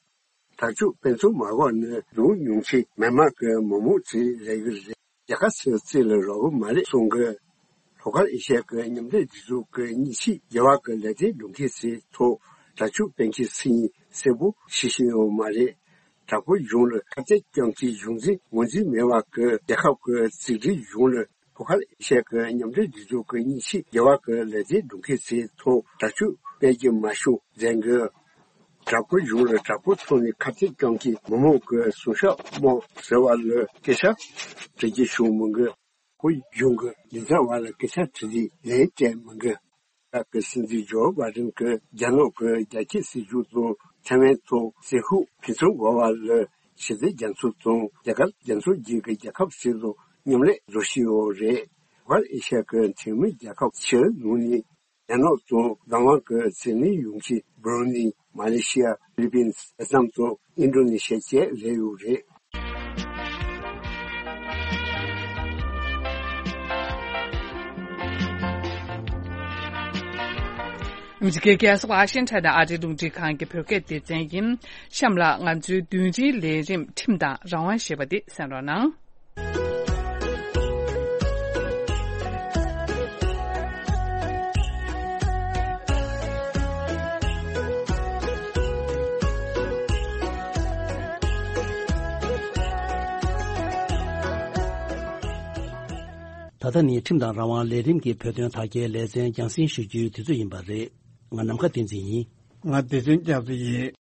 དྲག་སྤྱོད་ཕུན་སུམ་མ་འགོག་ནི་ལུང་ཉུང་ཆེ་མེན་མར་གྱི་མི་མང་ཚོའི་ལས་འགུལ་རེད། རྒྱལ་ཁ་ཚོའི་རྩིས་ལ་རག་གི་མ་རེད་གསུང་གི། ལྷོ་ཤར་ཨེ་ཤ་ཡ་གི་མཉམ་འབྲེལ་སྒྲིག་འཛུགས་ཀྱི་མཉམ་ཞུགས་རྒྱས་པ་གི་ལས་དོན་སྒྲུབ་མཁན་ཚོའི་ཐོག་དྲག་སྤྱོད་སྤེལ་མཁན་ཚོས་གསལ་པོ་ཤེས་བཞིན་ཡོད་མ་རེད། དྲག་པོའི་གཞུང་ལ་ཁ་གཏད་གཅོག་མཁན་གཞུང་འཛིན་ངོས་འཛིན་མེད་པ་གི་རྒྱལ་ཁབ་ཀྱི་རྩིས་ཁྲའི་གཞུང་ལ་ལྷོ་ཤར་ཨེ་ཤ་ཡ་གི་མཉམ་འབྲེལ་སྒྲིག་འཛུགས་ཀྱི་མཉམ་ཞུགས་རྒྱས་པ་གི་ལས་དོན་སྒྲུབ་མཁན་ཚོའི་ཐོག་དྲག་སྤྱོད་སྤེལ་གྱི་མ་བྱུང་ཟེར་གི། དྲག་པོའི་གཞུང་ལ་དྲག་པོའི་ཐོག་ནས་ཁ་གཏད་གཅོག་མཁན་མི་མང་གི་སྲུང་སྐྱོབ་དམག་ཟེར་བ་ལ་སྐད་ཆ་དྲི་རྒྱུ་བྱུང་མི་འདུག་ཁོའི་གཞུང་གི་ལས་བྱེད་པ་ལ་སྐད་ཆ་དྲི་རྒྱུ་ལན་སྤྲད་མི་འདུག་ཨ་རི་གི་སྲིད་འཛིན་ཇོ་བྷའི་ཌེན་གྱིས་རྒྱ་ནག་གི་རྒྱ་སྐྱེད་སྲིད་ཇུས་དང་ཐའེ་ཝན་ཐོག་བཙན་ཤུགས་ཕུན་སུམ་འགོག་པ་ལ་ཞི་བདེ་རྒྱ་མཚོ་དང་རྒྱ་གར་རྒྱ་མཚོ་རྒྱུད་ཀྱི་རྒྱལ་ཁབ་ཞིག་དང་མཉམ་ལས་བཟོ་བཞིན་ཡོད་རེད། ལྷོ་ཤར་ཨེ་ཤ་ཡ་གི་འཐུས་མི་རྒྱལ་ཁབ་ཕྱིའི་ནང་ནས་རྒྱ་ནག་དང་བདག་དབང་གི་འཛིན་ལུགས་ཡོང་ཆེད་བྷུ་རུ་ནི། མ་ལེ་ཤི་ཡ། ཧྥི་ལི་པིན། ཝེ་ཏི་ནམ་དང་ཨིན་ཌོ་ནེ་ཤི་ཡ་བཅས་རེད་ཡོད་རེད། ཨ་མི་རི་ཀའི་རྒྱལ་ས་ཝ་ཤིང་ཊོན་ནས་ཨ་རིའི་རླུང་འཕྲིན་ཁང་གི་བོད་སྐད་སྡེ་ཚན་ཡིན། གཤམ་ལ་ང་ཚོའི་བདུན་རེའི་ལས་རིམ་ཁྲིམས་དང་རང་དབང་ཞེས་པ་འདི་གསན་རོགས་གནང་། ད་ལྟ་ནི་ཁྲིམས་དང་རང་དབང་ལས་རིམ་གྱི་བོད་དོན་དར་རྒྱས་ལེ་ཚན་རྒྱང་སྲིང་ཞུ་རྒྱུའི་དུས་ཚོད་ཡིན་པ་རེད། ང་ནམ་མཁའ་བསྟན་འཛིན་ཡིན། ང་བདེ་ཆེན་སྐྱབས་མཚོ་ཡིན།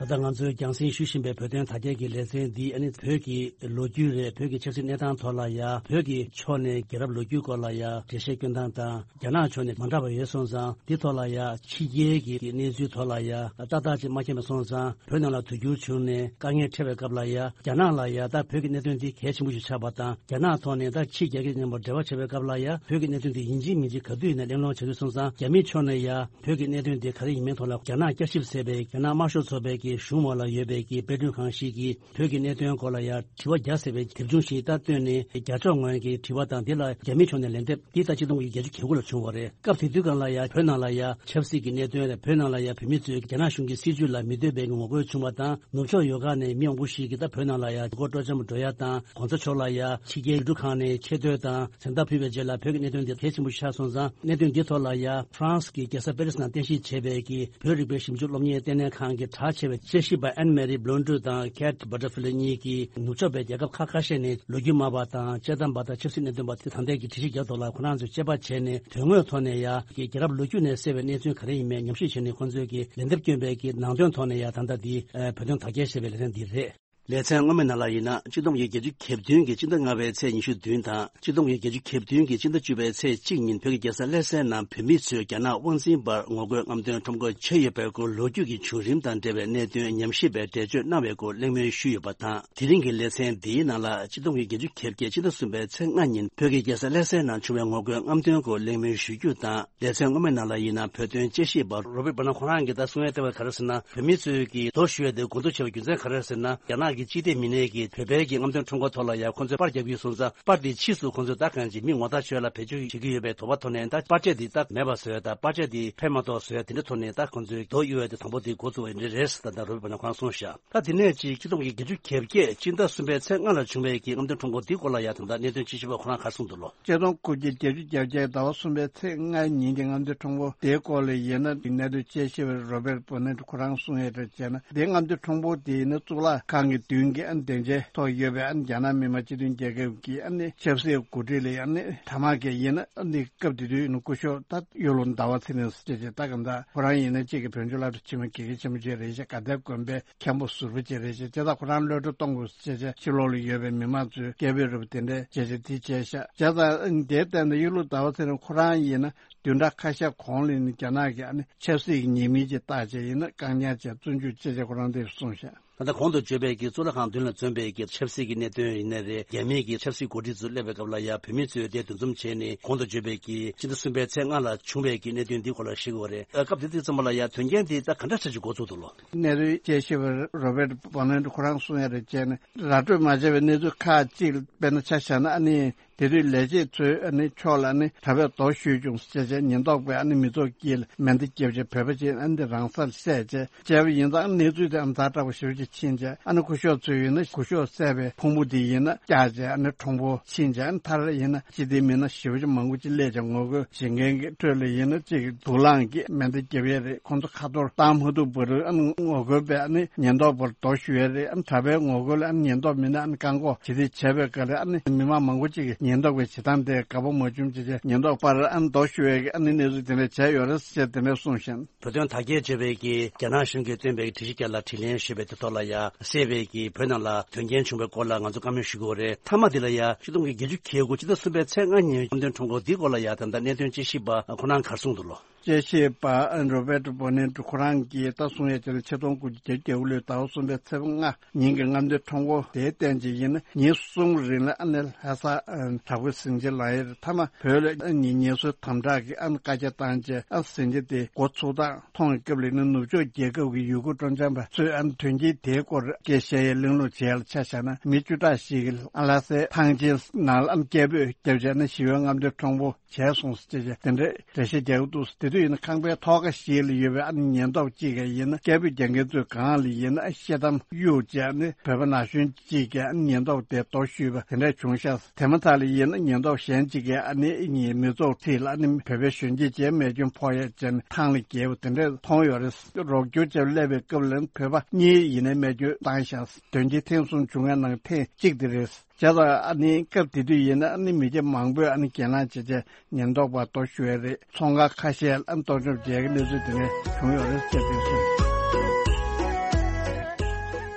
ད་ལྟ་ང་ཚོས་རྒྱང་སྲིང་ཞུ་བཞིན་པའི་བོད་དོན་དར་རྒྱས་ཀྱི་ལེ་ཚན་འདི་ཨ་ནི་བོད་ཀྱི་ལོ་རྒྱུས་རེད། བོད་ཀྱི་ཆབ་སྲིད་གནས་སྟངས་ཐོག་ལ་ཡ། བོད་ཀྱི་ཕྱོགས་ནས་རྒྱལ་རབས་ལོ་རྒྱུས་སྐོར་ལ་ཡ་འགྲེལ་བཤད་སྐྱོན་སྟངས་དང་། རྒྱ་ནག་ཕྱོགས་ནས་མ་འདྲ་བ་ཡོད་སོང་ཙང་། འདི་ཐོག་ལ་ཡ་ཕྱི་རྒྱལ་གྱི་གནས་ཚུལ་ཐོག་ལ་ཡ་ཏག་ཏག་ཅིག་མ་མཁྱེན་པ་སོང་ཙང་། བོད་ནང་ལ་དུས་འགྱུར་བྱུང་ནས་དཀའ་ངལ་འཕྲད་པའི་སྐབས་ལ་ཡ། རྒྱ་ནག་ལ་ཡ་ད་བོད་ཀྱི་གནད་དོན་འདི་གལ་ཆེན་པོ་ཞིག་ཆགས་པ་དང་། རྒྱ་ནག་ཐོག་ནས་ད་ཕྱི་རྒྱལ་ཁབ་མཉམ་པོ་འབྲེལ་བ་བྱེད་པའི་སྐབས་ལ་ཡ། བོད་ཀྱི་གནད་དོན་འདི་ཡིན་གཅིག་མིན་གཅིག་ག་དུས་ཡིན་ན་གླེང་སློང་བྱ་དུས་སོང་ཙང་། རྒྱ་མིའི་ཕྱོགས་ནས་ཡ་བོད་ཀྱི་གནད་དོན་འདི་ག་རེ་ཡིན་མིན་ཐོག་ལ། རྒྱ་ནག་བསྐྱར་ཞིབ་ཟེར་བའི་རྒྱ་ནག་དམར་ཤོག་ཚོགས་པའི་གི་གཞུང་འོག་ལ་ཡོད་པའི་གི་དཔེ་སྐྲུན་ཁང་ཞིག་གིས། བོད་ཀྱི་གནད་དོན་སྐོར་ལ་ཡང་དྲི་བ་བརྒྱ་ཟེར་བའི་དེབ་ཆུང་ཞིག་ད་བཏོན་ནས། རྒྱ་ཕྱོགས་ངོས་ཀྱི་དྲི་བ་དང་། འདི་ལ་རྒྱ་མིའི་ཕྱོགས་ནས་ལན་འདེབས་འདི་ད་ཆིག་སྟོང་དགུ་བརྒྱ་བརྒྱད་ཅུ་གྱ་དགུ་ལ་བྱུང་བ་རེད། སྐབས་དེ་དུས་སྒང་ལ་ཡང་བོད་ནང་ལ་ཡང་ཆབ་སྲིད་ཀྱི་གནད་དོན་རེད། བོད་ནང་ལ་ཡང་བོད་མི་ཚོས་རྒྱ་ནག་གཞུང་གི་སྲིད་བྱུས་ལ་མི་འདོད་པའི་ངོ་རྒོལ་བྱུང་བ་དང་། ནུབ་ཕྱོགས་ཡོལ་ག་ནས་མི་མང་པོ་ཞིག་གིས་ད་བོད་ནང་ལ་ཡང་གོ་སྤྲོ་འཆམ་འགྲོ་ཡ་དང་། གོང་ས་མཆོག་ལ་ཡང་ཕྱི་རྒྱལ་ཡུལ་གྲུ་ཁག་ནས་ཆེ་བསྟོད་དང་མཚན་རྟགས་ཕུལ་བའི་རྗེས་ལ། བོད་ཀྱི་གནད་དོན་འདི་གལ་ཆེན་པོ་ཆགས་སོང་ཙང་། གནད་དོན་འདི་ཐོག་ལ་ཡང་ཧྥ་རན་སི་གི་རྒྱལ་ས་པེ་རི་སི་ནང་རྟེན་གཞི་བྱས་པའི་གི་བོད་རིག་པའི་ཞིབ་འཇུག་སློབ་གཉེར་ལྟེ་གནས་ཁང་གི་གྲགས་ཆེ་བའི་དཔྱད་ཞིབ་པ་ཨན་མེ་རི་བྷི་ལོན་ཌུ་དང་ཁེ་ཊི་བྷ་ཊར་ཕི་ལི་གཉིས་ཀྱིས། ནུབ་ཕྱོགས་པའི་རྒྱལ་ཁབ་ཁག་ཁ་ཤས་ནས་ལོ་རྒྱུས་སྨྲ་བ་དང་། དཔྱད་གཏམ་པ་དང་། ཆབ་སྲིད་གནད་དོན་པ་དེ་ད་ལྟའི་གི་དྲི་གཞི་རྒྱག་ཐོག་ལ། ཁོ་རང་ཚོས་དཔྱད་པ་བྱས་ནས། དོན་དངོས་ཐོག་ནས་ཡ་གི་རྒྱལ་རབས་ལོ་རྒྱུས་ནས་གསལ་བའི་གནས་ཚུལ་ག་རེ་ཡིན་མིན་ཉམས་ཞིབ་བྱས་ནས། ཁོང་ཚོས་ཀྱི་ལན་འདེབས་བསྐྱོན་པའི་གི་ནང་དོན་ཐོག་ནས་ཡ། ད་ལྟ་འདི་བོད་དོན་དར་རྒྱས་ཞེས་པའི་ལེ་ཚན་འདི་རེད། ལེ་ཚན་སྔོན་མའི་ནང་ལ་ཡིན་ན། ཆིག་སྟོང་དགུ་བརྒྱ་བརྒྱད་ཅུ་གྱ་བདུན་གྱི་སྤྱི་ཟླ་ལྔ་པའི་ཚེས་ཉི་ཤུ་བདུན་དང་། ཆིག་སྟོང་དགུ་བརྒྱ་བརྒྱད་ཅུ་གྱ་བདུན་གྱི་སྤྱི་ཟླ་བཅུ་པའི་ཚེས་གཅིག་ཉིན། བོད་ཀྱི་རྒྱལ་ས་ཀླད་སའི་ནང་བོད་མི་ཚོས་རྒྱ་ནག་དབང་འཛིན་པར་ངོ་རྒོལ་རྔམ་སྟོན་ཁྲོམ་སྐོར་བྱས་ཡོད་པའི་སྐོར། ལོ་རྒྱུས་ཀྱི་བྱུང་རིམ་དང་འབྲེལ་བའི་གནད་དོན་ཉམས་ཞིབ་པས་འགྲེལ་བརྗོད་གནང་བའི་སྐོར་གླེང་མོལ་ཞུས་ཡོད་པ་དང་། དེ་རིང་གི་ལེ་ཚན་འདིའི་ནང་ལ། ཆིག་སྟོང་དགུ་བརྒྱ་བརྒྱད་ཅུ་གྱ་བརྒྱད་སྤྱི་ཟླ་གསུམ་པའི་ཚེས་ལྔ་ཉིན། བོད་ཀྱི་རྒྱལ་ས་ཀླད་སའི་ནང་བྱུང་བའི་ངོ་རྒོལ་རྔམ་སྟོན་སྐོར་གླེང་མོལ་ཞུ་རྒྱུ་དང་། ལེ་ཚན་སྔོན་མའི་ནང་ལ་ཡིན་ན། བོད་དོན་དཔྱད་ཞིབ་པ་རོ་བེར་བྷ་ནར་ཁོ་རང་གིས་ད་གསུང་ཡ་བཏོན་པ་ག་རེ་ཟེར་ན། བོད་མི་ཚོས་ཀྱིས་རྡོ་གཞུ་ཡ་དེ་འགོ་འཛུགས་བྱས་པའི་རྒྱུ་མཚན་ག་རེ་ཟེར་ན། རྒྱ་ནག་གི་སྤྱི་བདེ་མི་སྣས་ཀྱིས་བོད་པའི་གི་རྔམ་སྟོན་ཁྲོམ་སྐོར་ཐོག་ལ་ཡ་ཁོང་ཚོས་པར་རྒྱག་གི་ཡོད་སོང་ཙང་། པར་དེ་ཕྱིས་སུ་ཁོང་ཚོས་ད་གང་ཅི་མི་ངོ་རྟགས་ཆོད་ལ་བེད་སྤྱོད་བྱེད་ཀྱི་ཡོད་པའི་དོགས་པ་ཐོག་ནས། ད་པར་ཆས་དེ་ད་མེད་པ་བཟོ་ཡ་དང་། པར་ཆས་དེ་ཕན་མ་ཐོགས་བཟོ་ཡ། དེ་འདྲ་ཐོག་ནས་ད་ཁོང་ཚོས་རྡོ་གཡུག་ཡ་དེ་དང་པོ་དེ་འགོ་བཙུགས་པ་འདི་རེད་ཟེར། ད་ད་རོ་བེར་བྷ་ནར་ཁོ་རང་གསུངས་ཤག་ད་དེ་ནས་ཅིག་ཆིག་སྟོང་དགུ་བརྒྱ་བརྒྱད་ཅུ་གྱ་བརྒྱད་སྤྱི་ཟླ་གསུམ་པའི་ཚེས་ལྔ་ལ་བྱུང་བའི་གི་རྔམ་སྟོན་ཁྲོམ་སྐོར་འདིའི་སྐོར་ལ་ཡ། ད་ལྟ་གནད་དོན་དཔྱད་ཞིབ་པ་ཁོ་རང་ག་རེ་གསུངས་འདུག་ལོ། ཆིག་སྟོང་དགུ་བརྒྱ་བརྒྱད་ཅུ་གྱ་བརྒྱད་ཟླ་བ་གསུམ་པའི་ཚེས་ལྔ་ཉིན་གྱི་རྔམ་སྟོན་ཁྲོམ་སྐོར་དེའི་སྐོར་ལ་ཡིན་ན། གནད་དོན་དཔྱད་ཞིབ་པ་རོ་བེར་བྷ་ནར་ཁོ་རང་གསུང་ཡ་རེད་བྱས་ན། དེའི་རྔམ་སྟོན་ཁྲོམ་སྐོར་དེ་ཡིན་ན་གཙུག་ལག་ཁང་གི་མདུན་གྱི་ཨ་ནི་སྡིངས་ཆའི་ཐོག་ཡོད་པའི་ཨ་ནི་རྒྱ་ནག་མི་དམངས་སྤྱི་མཐུན་རྒྱལ་ཁབ་ཀྱི་ཨ་ནི་ཆབ་སྲིད་འགོ་ཁྲིད་ལ་ཡ། ཨ་ནི་ཐ་མག་གིས་ཡིན་ན། ཨ་ནི་སྐབས་དེ་དུས་ཡིན་ན་སྐུ་ཞབས་ད་གཡུ་ལོ་ཟླ་བ་ཚེ་རིང་ཟེར་བྱས་ད་གང་ལྟར་ཁོ་རང་ཡིན་ན་གཅིག་གི་བོད་ལྗོངས་སློབ་གྲྭ་ཆེན་མོའི་དགེ་རྒན་ཆེན་པོ་ཅིག་རེད་ཤག་དགའ་ལྡན་དགོན་པའི་མཁན་པོ་ཟུར་པ་ཅིག་རེད་ཤག་བྱས་ཙང་ཁོ་རང་གློད་གྲོལ་གཏོང་དགོས་ཟེར་བྱས། ཕྱི་ལོགས་ལ་ཡོད་པའི་མི་མང་ཚོས་སྐད་འབོད་རུ་དེ་འདྲའི་བྱས་བྱས་དེ་བྱས་ཤག་བྱས་ཙང་དེ་ལྟར་ན་གཡུ་ལོ་ཟླ་བ་ཚེ་རིང་ཁོ་རང་ཡིན་ན་བདུན་ཕྲག་ཁ་ཤས་གོང་ལ་ཡིན་ན་རྒྱ་ནག་གི་ཨ་ནི་ཆབ་སྲིད་ཀྱི་ཉེས་མིང་ཅིག་བཏགས་བྱས་ཡིན་ན་བཀག་ཉར་བྱས་བཙོན་འཇུག་བྱས་བྱས་ཁོ་རང་དེ་གསུངས་ཤག་ད་ལྟ་གོང་དུ་བརྗོད་པའི་གི་གཙུག་ལག་ཁང་མདུན་ལ་འཛོམས་པའི་གི་ཆབ་སྲིད་ཀྱི་གནད་དོན་ཡིན་ནའི་རེད། རྒྱ་མིའི་གི་ཆབ་སྲིད་འགོ་ཁྲིད་ཚོ་སླེབས་པའི་སྐབས་ལ་ཡ་བོད་མི་ཚོས་དེ་འདུ་འཛོམས་བྱས་ནས། གོང་དུ་བརྗོད་པའི་གི་སྤྱི་ཟླ་གསུམ་པའི་ཚེས་ལྔ་ལ་བྱུང་བའི་གི་གནད་དོན་འདི་སྐོར་ལ་བཤད་དགོས་པ་རེད། ཨ། སྐབས་དེ་དུས་ཙམ་པ་ལ་ཡ་དོན་རྐྱེན་འདི་ད་ག་འདྲ་ཆགས་ཀྱི་འགོ་བཙུགས་འདུག་ལོ། གནད་དོན་དཔྱད་ཞིབ་པ་རོ་བེར་བྷ་ནར་ཁོ་རང་གསུང་ཡ་རེད་བྱས་ན། ར་སྤྲོད་མ་བྱས་པའི་གནས་ཚུལ་ཁག་ཅིག་དཔེར་ན་ཆ་བཞག་ན། ཨ་ནི་དེ་དུས་ལས་བྱེད་ཚོས་ཨ་ནི་ཕྱོགས་ལ་ཨ་ནི་གྲྭ་པས་རྡོ་གཞུས་བྱུང་ཟེར་བྱས་ཉེན་རྟོག་པས་ཨ་ནི་མི་ཚོགས་དཀྱིལ་མེ་མདའ་བརྒྱབ་བྱས་བོད་པ་ཅིག་ཨ་ནི་རང་སར་བསད་བྱས་བྱས་པ་ཡིན་ཙང་། གནས་ཚུལ་དེ་ཨ་ནི་ཛ་དྲག་པོ་ཞེ་པོ་ཅིག་ཕྱིན་བྱས། ཨ་ནི་སྐུ་ཞབས་ཚོས་ཡིན་ན་སྐུ་ཞབས་བསད་པའི་ཕུང་པོ་དེ་ཡིན་ན་བཀྱགས་བྱས་ཨ་ནི་ཁྲོམ་སྐོར་ཕྱིན་བྱས། ཨ་ནི་མཐར་ཡིན་ན་སྤྱི་བདེ་མི་སྣ་ཞེ་པོ་ཅིག་མང་པོ་ཅིག་སླེབས་བྱས་ངོ་རྒོལ་བྱེད་མཁན་གྱི་ཁྲོད་ལ་ཡིན་ན་ཅིག་དུག་རླངས་ཀྱིས་མེ་མདའ་བརྒྱབ་ཡས་རེད། ཁོང་ཚོ་ཁ་ཐོར་བཏང་མ་ཐུབ་བར་ཨ་ནི་ངོ་རྒོལ་པས་ཨ་ནི་ཉེན་རྟོག་པར་རྡོ་གཞུ་ཡས་རེད། ཨ་ནི་གྲྭ་པའི་ངོ་རྒོལ་ལ་ཨ་ནི་ཉེན་རྟོག་མི་སྣས་ཨ་ནི་བཀག་འགོག་བྱེད་རྩིས་བྱས་པའི་སྐབས་ལ་ཨ་ནི་མི་མང་མང་པོ་ཅིག་གིས་ཉེན་རྟོག་པའི་བྱེད་སྟངས་དེ་དགའ་པོ་མ་བྱུང་བྱས་བྱས་ཉེན་རྟོག་པར་ཨ་ནི་རྡོ་གཞུ་ཡས་ཀྱི་ཨ་ནི་གནས་ཚུལ་དེ་འདྲ་བྱས་ཡོད་རེད་ཟེར་དེ་འདྲ་གསུངས་ཤིང་། བོད་དོན་དར་རྒྱས་བརྗོད་པའི་གི་རྒྱ་ནག་གཞུང་གིས་བཏོན་པའི་དྲི་གཞི་བརྒྱ་ལ་དྲིས་ལན་ཞུས་པའི་དེ་ཐོག་ལ་ཡ། གསལ་བའི་གི་བོད་ནང་ལ་དོན་རྐྱེན་བྱུང་བའི་སྐོར་ལ་ང་ཚོ་བཀའ་མོལ་ཞུ་དགོས་རེད། མཐའ་མ་དེ་ལ་ཡ་ཆིག་སྟོང་དགུ་བརྒྱ་བརྒྱད་ཅུ་གྱ་དགུ་སྤྱི་ཟླ་གསུམ་པའི་ཚེས་ལྔ་ཉིན་རྔམ་སྟོན་ཁྲོམ་སྐོར་འདིའི་སྐོར་ལ་ཡ། ད་ལྟ་གནད་དོན་དཔྱད་ཞིབ་པ་ཁོ་རང་ག་རེ་གསུངས་འདུག་ལོ། དཔྱད་ཞིབ་པ་རོ་བེར་ཏོ་བྷོ་ནེ་ཏོ་ཁོ་རང་གིས་ད་གསུང་ཡས་བྱས་ན། ཆིག་སྟོང་དགུ་བརྒྱ་བརྒྱད་ཅུ་གྱ་དགུ་ལོའི་ཟླ་བ་གསུམ་པའི་ཚེས་པ་ལྔ་ཉིན་གྱི་རྔམ་སྟོན་ཁྲོམ་སྐོར་དེའི་སྟེང་ཅིག་ཡིན་ན་ཉིན་གསུམ་རིང་ལ་ཨ་ནི་ལྷ་ས་བྲག་ཕུག་གཟིམ་ཆེན་ལ་ཡོད་རེད། མཐའ་མ་བོད་ལ་ཨ་ནི་ངལ་གསོའི་དམ་དྲག་གི་ཨ་ནི་བཀའ་རྒྱ་བཏང་རྗེས་ཨ་གཟིམ་ཆེན་དེ་འགོ་ཚུགས་སྟངས་མཐོང་བའི་སྐབས་ལ་ནི་ནུབ་ཕྱོགས་རྒྱལ་ཁབ་ཀྱི་ཡུལ་སྐོར་སྤྲོ་འཆམ་པ་ཚོས་ཨ་ནི་དོན་རྐྱེན་དེའི་སྐོར་སྐད་བཤད་ཡས་གླེང་སློང་བྱས་ལ་ཆ་བཞག་ན། མི་བཅུ་ཕྲག་ཞིག་གིས་ཨ་ལྷ་སའི་ཐང་ཆེན་ནང་ལ་ཨ་ནི་སྐད་འབོད་བརྒྱབ་བྱས་ན་ཞི་བའི་རྔམ་སྟོན་ཁྲོམ་སྐོར་བྱས་སོང་ཟེར་བྱས་དེ་འདྲའི་འགྲེལ་བཤད་རྒྱག་གི་འདུག་ཟེར། དེ་ དུས་ཡིན་ན་ཁང་པའི་ཐོག་ཁ་ཞིག་ལ་ཡོད་པའི་ཨ་ནི་ཉེན་རྟོག་ཅིག་གིས་ཡིན་ན་སྐད་འབོད་རྒྱག་མཁན་ཚོའི་སྒང་ལ་ཡིན་ན་ཤེལ་དམ་གཡུགས་བྱས་ཨ་ནི་བོད་པ་ན་གཞོན་ཅིག་གིས་ཨ་ནི་ཉེན་རྟོག་དེ་རྡོ་གཞུས་པ་དེ་འདྲ་བྱུང་ཤག་དེ་མ་ཐག་ལ་ཡིན་ན་ཉེན་རྟོག་གཞན་ཅིག་གིས་ཨ་ནི་ཉིད་མི་ཚོགས་ཁྲིད་ལ་ཨ་ནི་བོད་པའི་གཞོན་སྐྱེས་བཅས་རྨས་སྐྱོན་ཕོག་ཡས་བྱས་ནས་ཐང་ལ་བརྒལ་བ་དེ་འདྲ་མཐོང་ཡོད་རེད། རོགས་སྐྱོར་བྱས་སླེབས་པའི་སྐབས་ལ་བོད་པ་གཉིས་ཡིན་ནའི་རྨས་སྐྱོན་བཏང་ཤག་དོན་རྐྱེན་ཐེངས་གསུམ་བྱུང་བའི་ནང་ཐེངས་གཅིག་དེ་རེད། བྱས་ཙང་ཨ་ནི་སྐབས་དེ་དུས་ཡིན་ན་ཨ་ནི་མི་སྐྱ་མང་པོས་ཨ་ནི་གྱེན་ལངས་བྱས་བྱས་ཉེན་རྟོག་པ་རྡོ་གཞུ་ཡས་རེད། ཚོང་ཁང་ཁ་ཤས་ལ་ཨ་ནི་གཏོར་བཅོམ་བྱས་ཀྱི་གནས་ཚུལ་དེ་འདྲ་བྱུང་ཡོད་རེད་ཅེས་དེ་གསུངས།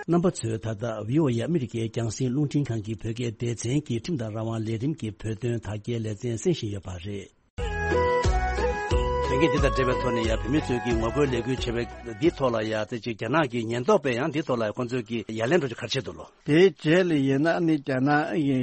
རྣམ་པ་ཚོས་ད་ལྟ་བི་ཨོ་ཨེ་ཨ་མི་རི་ཀའི་རྒྱང་སྲིང་རླུང་འཕྲིན་ཁང་གི་བོད་སྐད་སྡེ་ཚན་གྱི་ཁྲིམས་དང་རང་དབང་ལས་རིམ་གྱི་བོད་དོན་དག་སྐྱེལ་ལེ་ཚན་གསན་བཞིན་ཡོད་པ་རེད། དོན་རྐྱེན་འདི་དང་འབྲེལ་བའི་ཐོག་ནས་ཡང་བོད་མི་ཚོས་ཀྱིས་ངོ་རྒོལ་ལས་འགུལ་བྱས་པའི་འདིའི་ཐོག་ལ་ཡང་དེ་ཅིག་རྒྱ་ནག་གི་ཉེན་རྟོག་པས་ཡང་འདིའི་ཐོག་ལ་ཁོང་ཚོས་ཀྱིས་ཡ་ལན་འགྲོ་རྒྱུ་ག་རེ་བྱས་འདུག་ལོ། དེའི་རྗེས་ལ་ཡིན་ན་ཨ་ནི་རྒྱ་ནག་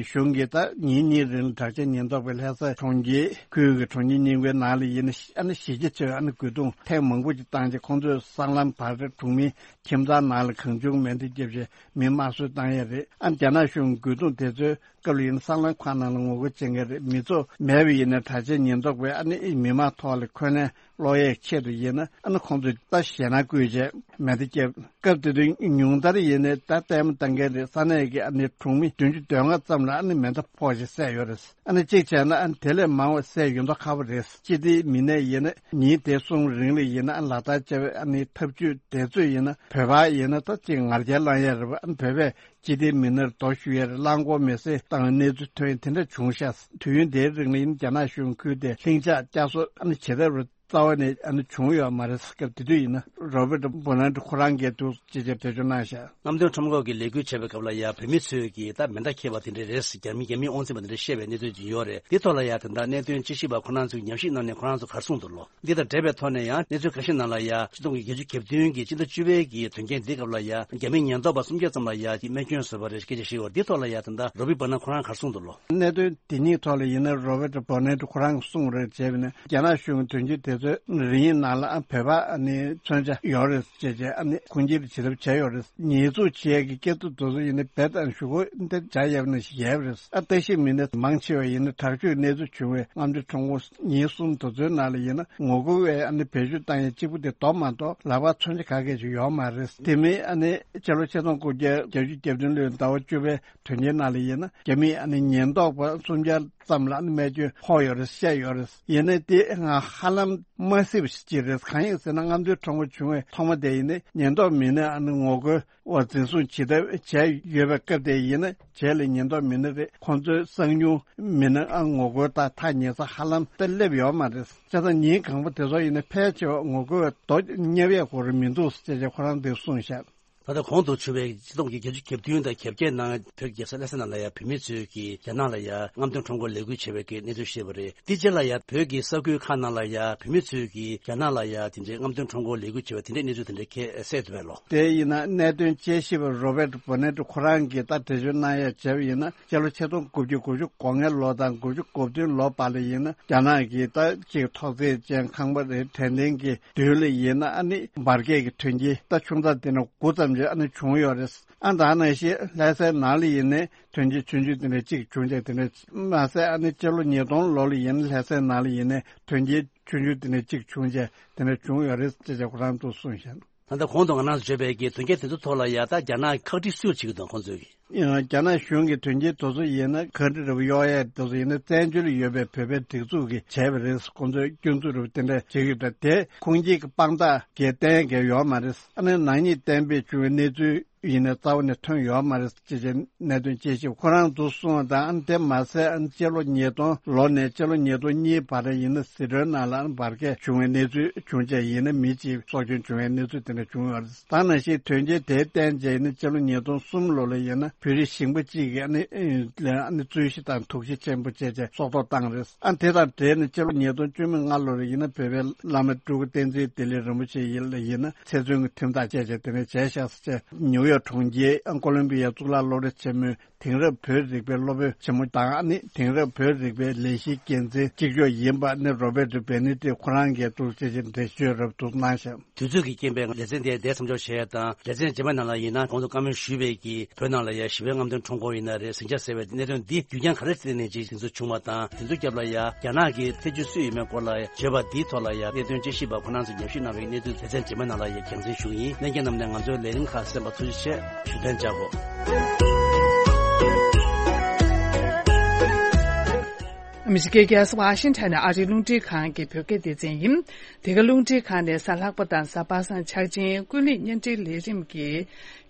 གཞུང་གིས་ད་ཉིན་གཉིས་རིང་ལ་དྲག་ཆས་ཉེན་རྟོག་པས་ལྷ་ས་གྲོང་ཁྱེར་ཁུལ་གྱི་གྲོང་ཁྱེར་རྙིང་པའི་ནང་ལ་ཡིན་ན་ཨ་ནི་གཞི་རྒྱ་ཆེ་བའི་ཨ་ནི་རྒོལ་རྡུང་ཐེངས་མང་པོ་ཅིག་བཏང་རྗེས་ཁོང་ཚོས་སྲང་ལམ་བར་གྲོང་མིའི་ཁྱིམ་ཚང་ནང་ལ་གང་བྱུང་མེ་མདའ་བརྒྱབ་རྗེས་མི་དམར་གསོད་བཏང་ཡས་རེད། ཨ་ནི་རྒྱ་ནག་གཞུང་རྒོལ་རྡུང་དེ་ཚོའི་སྐབས་ལ་ཡིན་ན་སྲང་ལམ་ཁག་ནང་ལ་ངོ་རྒོལ་བྱེད་མཁན་རེད། མི་ཚོགས་མེད་པ་ཡིན་ན་དྲག་ཆས་ཉེན་རྟོག་པས་ཨ་ནི་མི་མང་ཐོག་ལ་འཁོན་ལན་སློག་ཡས་ཆེད་དུ་ཡིན་ན་ཨ་ནི་ཁོང་ཚོས་ད་ཞེད་སྣང་བསྐུལ་རྗེས་མེ་མདའ་བརྒྱབ། སྐབས་དེ་དུས་ཉུང་མཐར་ཡིན་ནའི་ད་ལྟད་མོ་ལྟ་མཁན་རེད། ས་གནས་ཀྱི་ཨ་ནི་གྲོང་མི་བདུན་ཅུ་དོན་ལྔ་ཙམ་ལ་ཨ་ནི་མེ་མདའ་ཕོག་ཅིག་བསད་ཡོད་རེད། ཨ་ནི་གཅིག་བྱས་ན་ཨ་ནི་དེ་ལས་མང་བ་བསད་ཡོད་མདོག་ཁ་པོ་རེད། སྤྱི་བདེའི་མི་སྣས་ཡིན་ན་ཉིན་དེ་གསུམ་རིང་ལ་ཡིན་ན་ཨ་ནི་ལག་བསྟར་བྱས་པའི་ཨ་ནི་ཐབས་ཇུས་དེ་ཚོས་ཡིན་ན་བོད་པ་ཡིན་ན་ད་ཅིག་ང་རྒྱལ་ལངས་ཡས་རེད་པ། ཨ་ནི་བོད་པས་སྤྱི་བདེའི་མི་སྣར་རྡོ་གཞུ་ཡས་རེད། རླངས་འཁོར་མེ་བསྲེགས་བཏང་བའི་གནས་ཚུལ་ཐོན་ཡས་དེ་འདྲ་བྱུང་ཤག་དུས་ཡུན་དེའི་རིང་ལ་ཡིན་ན་རྒྱ་ནག་གཞུང་ཁུལ་དེ་ལྷིང་འཇགས་བསྐྱར་གསོ་ཨ་ནི་ཇི་ལྟར་རུ་རྩ་བ་ནས་ཨ་ནི་བྱུང་ཡོད་མ་རེད། སྐབས་དེ་དུས་ཡིན་ན་རོ་བེར་ཏོ་བྷོ་ནེ་ཏོ་ཁོ་རང་གིས་འདུག་ཅེས་ཀྱི་འགྲེལ་བརྗོད་གནང་བཞག་རྔམ་སྟོན་ཁྲོམ་སྐོར་གྱི་ལས་འགུལ་བྱས་པའི་སྐབས་ལ་ཡང་བོད་མི་ཚོས་ཀྱིས་ད་མེ་མདའ་འཁྱེར་བ་དེ་འདྲ་རེད། རྒྱ་མི་རྒྱ་མིས་དབང་འཛིན་པ་དེ་འདྲ་བཤད་པའི་གནས་ཚུལ་ཅིག་ཡོད་རེད། འདི་ཐོག་ལ་ཡང་ད་ལྟ་གནད་དོན་དཔྱད་ཞིབ་པ་ཁོ་རང་ཚོས་ཉམས་ཞིབ་གནང་ནས་ཁོ་རང་ཚོ་ག་རེ་གསུངས་འདུག་ལོ། འདི་དང་འབྲེལ་བའི་ཐོག་ནས་ཡང་གནས་ཚུལ་ཁ་ཤས་ནང་ལ་ཡང་ཆིག་སྟོང་དགུ་བརྒྱ་བརྒྱད་ཅུ་གྱ་བདུན་གྱི་སྤྱི་ཟླ་བཅུ་པའི་གི་དོན་རྐྱེན་འདིའི་སྐབས་ལ་ཡང་རྒྱ་མི་ཉེན་རྟོག་པ་སུམ་བརྒྱ་ཙམ་ལ་ཡང་རྨས་སྐྱོན་བཟོས་པ་རེད་སྐད་ཆ་བཤད་ཡོད་རེད། འདི་ཐོག་ལ་ཡང་ད་ལྟ་རོ་བི་པ་ན་ཁོ་རང་ག་རེ་གསུངས་འདུག་ལོ། གནད་དོན་དེ་གཉིས་ཐོག་ལ་ཡིན་ན་རོ་བེར་ཏོ་བྷོ་ནེ་ཏོ་ཁོ་རང་གིས་གསུངས་རེད་བྱས་པ་ནི་རྒྱ་ནག་གཞུང་གི་དོན་གཅོད་དེ་ཚོས་རིང་ནང་ལ་ཨ་བོད་པ་ནི་མཚོན་ཆ་ཡོད་རེད་ཅེས་བྱས་ཨ་ནི་ཁུངས་སྐྱེལ་བྱེད་ཐབས་བྱས་ཡོད་རེད། ཉེས་འཛུགས་བྱེད་ཡས་ཀྱི་སྐད་ཐོག་དེ་ཚོ་ཡིན་ན་རྦད་དང་ཞུ་སྒོ་འདི་བྱ་ཡས་ནི་ཞིག་ཡོད་རེད། ཨ་བརྟག་ཞིབ་མི་སྣ་མང་ཆེ་བ་ཡིན་ན་དྲག་སྤྱོད་གནས་ཚུལ་བྱུང་བའི་རྔམ་སྟོན་ཁྲོམ་སྐོར་ཉིན་གསུམ་དེ་ཚོའི་ནང་ལ་ཡིན་ན་ངོ་རྒོལ་བའི་ཨ་ནི་བེད་སྤྱོད་བཏང་ཡས་གཅིག་པུ་དེ་རྡོ་མ་གཏོགས་ལག་པར་མཚོན་ཆ་ག་གེ་ཞིག་ཡོད་མ་རེད། དེ་མིན་ཨ་ནི་སྤྱི་ལོ་ཆིག་སྟོང་དགུ་བརྒྱ་བརྒྱད་ཅུ་གྱ་བདུན་ལོའི་ཟླ་བ་བཅུ་པའི་དོན་རྐྱེན་ནང་ལ་ཡིན་ན་རྒྱ་མིས་ཨ་ནི་ཉེན་རྟོག་པ་སུམ་བརྒྱ་ཙམ་ལ་ཨ་ནི་རྨས་སྐྱོན་ཕོག་ཡོད་རེད་བཤད་ཡོད་རེད། ཡིན་ནའི་དེ་ང་ཧ་ལམ་མ་སྲིད་པ་ཞིག་ཅིག་རེད། གང་ཡིན་ཟེར་ན་རྔམ་སྟོན་ཁྲོམ་སྐོར་བྱུང་བའི་ཐོག་མ་དེ་ཡིན་ནའི་ཉེན་རྟོག་མི་སྣས་ཨ་ནི་ངོ་རྒོལ་བ་འཛིན་བཟུང་ཇི་ལྟར་བྱས་ཡོད་པའི་སྐབས་དེ་ཡིན་ན་རྗེས་ལ་ཉེན་རྟོག་མི་སྣ་རེད་ཁོང་ཚོའི་གསང་ཉུལ་མི་སྣ་ཨ་ངོ་རྒོལ་དང་ཐག་ཉེ་ས་ཧ་ལམ་ད་སླེབས་ཡོད་མ་རེད། བྱས་ཙང་ཉིན་གང་པོ་དེ་ཚོ་ཡིན་ན་ཕལ་ཆེ་བ་ངོ་རྒོལ་བའི་རྡོ་བརྙེད་ཡས་ཁོ་རང་མི་འདུག་ཅེས་ཁོ་རང་འདིར་གསུངས་བཞག་ད་ལྟ་གོང་དུ་ཞུ་བའི་སྤྱི་ལོ་ཆིག་སྟོང་དགུ་བརྒྱ་བརྒྱད་ཅུ་གྱ་བདུན་དང་གྱ་བརྒྱད་ནང་བོད་ཀྱི་རྒྱལ་ས་ལྷ་ས་ནང་ལ་ཡང་བོད་མི་ཚོས་ཀྱིས་རྒྱ་ནག་ལ་ཡང་རྔམ་སྟོན་ཁྲོམ་སྐོར་ལས་འགུལ་བྱས་པའི་གི་གནས་ཚུལ་བཤད་པ་རེད། དེ་རྗེས་ལ་ཡང་བོད་ཀྱི་ས་ཁུལ་ཁག་ནང་ལ་ཡང་བོད་མི་ཚོས་ཀྱིས་རྒྱ་ནག་ལ་ཡང་དེ་འདྲའི་རྔམ་སྟོན་ཁྲོམ་སྐོར་ལས་འགུལ་བྱས་པ་དེ་འདྲའི་གནས་ཚུལ་དེ་འདྲ་ཁྱེད་གསལ་འདུག་པས་ལོ། དེ་ཡིན་ན་གནད་དོན་དཔྱད་ཞིབ་པ་རོ་བེར་ཏོ་བྷོ་ནེ་ཏོ་ཁོ་རང་གིས་ད་འགྲེལ་བརྗོད་གནང་ཡ་བྱས་པ་ཡིན་ན་སྤྱི་ལོ་ཆིག་སྟོང་དགུ་བརྒྱ་དགུ་བཅུ་གོ་ལྔའི་ལོ་དང་དགུ་བཅུ་གོ་བདུན་ལོ་བར་ལ་ཡིན་ན་རྒྱ་ནག་གིས་ད་ཅིག་ཐོག་བརྩེགས་ཅན་ཁང་པ་རེ་དྲན་རྟེན་གྱི་མདུན་ལ་ཡིན་ན་ཨ་ནི་འབར་གས་ཀྱི་དོན་རྐྱེན་ད་ཆུང་ཙག་དེ་འདྲ་དགུ་ཙམ་ཅིག་ཨ་ནི་བྱུང་ཡོད་རེད། ཨ་ད་ནང་བཞིན་ལྷ་སའི་ནང་ལ་ཡིན་ནའི་དོན་རྐྱེན་ཆུང་ཆུང་དེ་འདྲ་གཅིག་བྱུང་རྗེས་དེ་འདྲ་མ་ཟད་ཨ་ནི་སྤྱི་ལོ་ཉིས་སྟོང་ལོ་ལ་ཡིན་ན་ལྷ་སའི་ནང་ལ་ཡིན་ནའི་དོན་རྐྱེན་ཆུང་ཆུང་དེ་འདྲ་གཅིག་བྱུང་རྗེས་དེ་འདྲ་བྱུང་ཡོད་རེད་ཅེས་ཁོ་རང་ཚོས་གསུངས་ཤག་ད་ལྟ་གོང་དུ་ང་རང་ཚོ་བརྗོད་པའི་གི་དོན་རྐྱེན་དེ་ཚོ་ཐོག་ལ་ཡ་ད་རྒྱ་ནག་ཁག་དཀྲི་སུས་བྱེད་ཀྱི་འདུག་ཁོང་ཚོས་ཀྱི། ཡང་རྒྱ་ནག་གཞུང་གི་དོན་རྐྱེན་དེ་ཚོ་ཡིན་ན་ག་འདྲ་རེ་བ་གཡོག་ཡས་དེ་ཚོ་ཡིན་ན་བཙན་བྱོལ་ལ་ཡོད་པའི་བོད་པའི་སྒྲིག་འཛུགས་ཀྱིས་བྱས་པ་རེད། ཁོང་ཚོས་སྐྱོན་འཛུགས་རེ་བ་དེ་འདྲ་བྱེད་ཀྱི་ཡོད་དེ་ཁུངས་སྐྱེལ་གྱི་དཔང་རྟགས་གལ་གཏན་གལ་ཡོད་མ་རེད། ཨ་ནི་ནག་ཉེས་གཏན་འབེབས་བྱུང་བའི་གནས་ཚུལ་ཡིན་ནའི་རྩ་བ་ནས་ཐོན་ཡོད་མ་རེད་ཅེས་བྱས་གནད་དོན་དཔྱད་ཞིབ་ཁོ་རང་ཚོ་གསུངས་པ་དང་ཨ་ནི་དེ་མ་ཟད་ཨ་ནི་སྤྱི་ལོ་ཉིས་སྟོང་ལོ་ནས་སྤྱི་ལོ་ཉིས་སྟོང་གཉིས་བར་ཡིན་ན་ཟི་ཁྲོན་ནང་ལ་ཨ་ནི་འབར་གས་བྱུང་བའི་གནས་ཚུལ་བྱུང་རྗེས་ཡིན་ན་མི་གཅིག་སྲོག་སྐྱོན་བྱུང་བའི་གནས་ཚུལ་དེ་འདྲ་བྱུང་ཡོད་རེད། ད་ནང་བཞིན་དོན་རྐྱེན་དེ་བརྟེན་བྱས་ནས་སྤྱི་ལོ་ཉིས་སྟོང་གསུམ་ལོ་ལ་ཡིན་ན་བོད་རིགས་ཞིང་པ་གཅིག་གིས་ཨ་ནི་ཨ་ནི་རྩོད་གཞི་དང་དོགས་གཞི་ཆེན་པོ་བྱས་བྱས་སྲོག་ཐོག་བཏང་རེད། ཨ་དེ་དང་འབྲེལ་ནས་སྤྱི་ལོ་ཉིས་སྟོང་བཅུ་མེད་ལྔ་ལོ་ལ་ཡིན་ན་བོད་པའི་བླ་མ་སྤྲུལ་སྐུ་བསྟན་འཛིན་བདེ་ལེགས་རིན་པོ་ཆེ་ཡིན་ལ་ཡིན་ན་ཚེ་བཙོན་གྱི་ཁྲིམས་ཐག་བཅད་བྱས་དེ་ནས་བྱས་བཞག་ཟེར་བྱས་ནིའུ་ཡོག་གྲོང་ཁྱེར་ཨ་ཀོ་ལོམ་བི་ཡ་གཙུག་ལག་སློབ་གྲྭ་ཆེན་མོའི་དེང་རབས་བོད་རིག་པའི་སློབ་དཔོན་ཆེན་མོ་དང་ཨ་ནི་དེང་རབས་བོད་རིག་པའི་ལས་གཞིའི་འགན་འཛིན་གཅིག་ལྕོགས་ཡིན་པ་ནི་རོ་བེར་ཏོ་བེ་ནེ་ཏི་ཁོ་རང་གིས་འདུག་ཅེས་ཀྱི་འགྲེལ་བརྗོད་རབ་ཏུ་གནང་ཞིང་། དུས་ཚོད་ཀྱི་རྐྱེན་པས་ལེ་ཚན་དེ་འདིར་མཚམས་འཇོག་བྱས་དང་ལེ་ཚན་རྗེས་མ་ནང་ལ་ཡིན་ན་གོང་དུ་བཀའ་མོལ་ཞུས་པའི་གི་བོད་ནང་ལ་ཡ་ ཞི་བའི་རྔམ་སྟོན་ཁྲོམ་སྐོར་ཡིན་ན་རེད། ཟིང་ཆ་ཟེར་བའི་གནད་དོན་འདི་རྒྱུ་རྐྱེན་ག་རེ་བརྟེན་ནས་ཅིག་དེ་ཚོ་བྱུང་བ་དང་། དེ་ཚོ་རྒྱབ་ལ་ཡ་རྒྱ་ནག་གི་ཐེ་ཇུས་སུ་ཡོད་མེད་སྐོར་ལ་བརྗོད་པ་འདིའི་ཐོག་ལ་ཡ་གནད་དོན་དཔྱད་ཞིབ་པ་ཁོ་རང་ཚོས་ཉམས་ཞིབ་གནང་བའི་གནས་ཚུལ་སྡེ་ཚན་རྗེས་མའི་ནང་ལ་ཡ་རྒྱང་སྲིང་ཞུ་གི་ཡིན། ལྷན་རྒྱས་རྣམས་ནས་ང་ཚོའི་ལས་རིམ་ཁག་གསན་པ་ཐུགས་རྗེ་ཆེ། ཞུ་དོན་བྱ་དགོས། ཨ་མི་རི་ཀའི་རྒྱལ་ས་ཝ་ཤིང་ཊོན་ནས་ཨ་རིའི་རླུང་འཕྲིན་ཁང་གི་བོད་སྐད་སྡེ་ཚན་ཡིན། འདི་ག་རླུང་འཕྲིན་ཁང་ནས་གཟའ་ལྷག་པ་དང་གཟའ་པ་སངས་འཆར་ཅན་ཀུན་གླེང་བརྙན་འཕྲིན་ལས་རིམ་གྱི་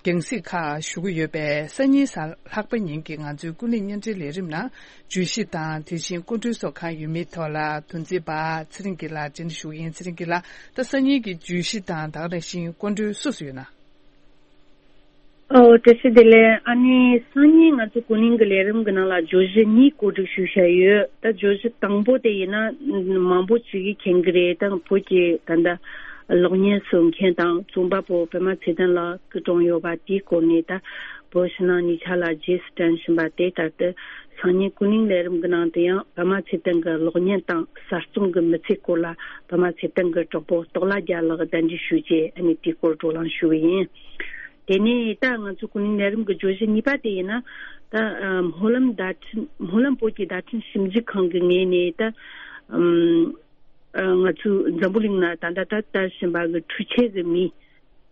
རྒྱང་སྲིང་ཁག་ཞུ་གི་ཡོད་པས། སང་ཉིན་གཟའ་ལྷག་པ་ཉིན་གྱི་ང་ཚོའི་ཀུན་གླེང་བརྙན་འཕྲིན་ལས་རིམ་ནང་བརྗོད་གཞི་དང་དེ་བཞིན་སྐུ་མགྲོན་སོགས་གང་ཡོད་མེད་ཐོག་ལ་དོན་ཚན་པ་ཚེ་རིང་སྐྱིད་ལགས་འགྲན་ཞུ་ཡིན། ཚེ་རིང་སྐྱིད་ལགས། ད་སང་ཉིན་གྱི་བརྗོད་གཞི་དང་ད་ག་ནང་བཞིན་སྐུ་མགྲོན་སུ་སུ་ཡོད་ན། ཨོ། བཀྲ་ཤིས་བདེ་ལེགས། ཨ་ནི་སང་ཉིན་ང་ཚོ་ཀུན་གླེང་གི་ལས་རིམ་གྱི་ནང་ལ་བརྗོད་གཞི་གཉིས་བཀོད་སྒྲིག་ཞུས་བཞག་ཡོད། ད་བརྗོད་གཞི་དང་པོ་དེ་ཡིན་ན་མང་པོ་ཅིག་གིས་མཁྱེན་གྱི་རེད། ད་བོད་ཀྱི་ད་ལྟ་གློག་བརྙན་བཟོ་མཁན་དང་རྩོམ་པ་པོ་པད་མ་ཚེ་བརྟན་ལགས་སྐུ་གྲོངས་ཡོད་པ་དེའི་སྐོར་ནས། ད་བོད་ཕྱི་ནང་གཉིས་ཆ་ལ་རྗེས་སུ་དྲན་བཞིན་པ་དེ། ད་ལྟ་སང་ཉིན་ཀུན་གླེང་ལས་རིམ་གྱི་ནང་དུ་ཡང་པད་མ་ཚེ་བརྟན་གྱི་གློག་བརྙན་དང་གསར་རྩོམ་གྱི་མི་ཚེའི་སྐོར་ལ་པད་མ་ཚེ་བརྟན་གྱི་གྲོགས་པོ་སྟོབས་ལགས་རྒྱལ་ལགས་གདན་འདྲེན་ཞུས་རྗེས། ཨ་ནི་དེའི་སྐོར་བགྲོ་གླེང་ཞུ་གི་ཡིན། དེ་ནས་ད་ང་ཚོ་ཀུན་གླེང་ལས་རིམ་གྱི་བརྗོད་གཞི་གཉིས་པ་དེ་ཡིན་ན། ད་ཨ་སྨོན་ལམ་བརྡ་འཕྲིན་སྨོན་ལམ་བོད་ཀྱི་བརྡ་འཕྲིན་ཞིབ་འཇུག་ཁང་གི་ངོས་ནས། ད་ཨམ་ཨ་ང་ཚོའི་འཛམ་བུ་གླིང་ན་ད་ལྟ་ད་དར་བཞིན་པ་གི་འཕྲུལ་ཆས་ཀྱི་མི།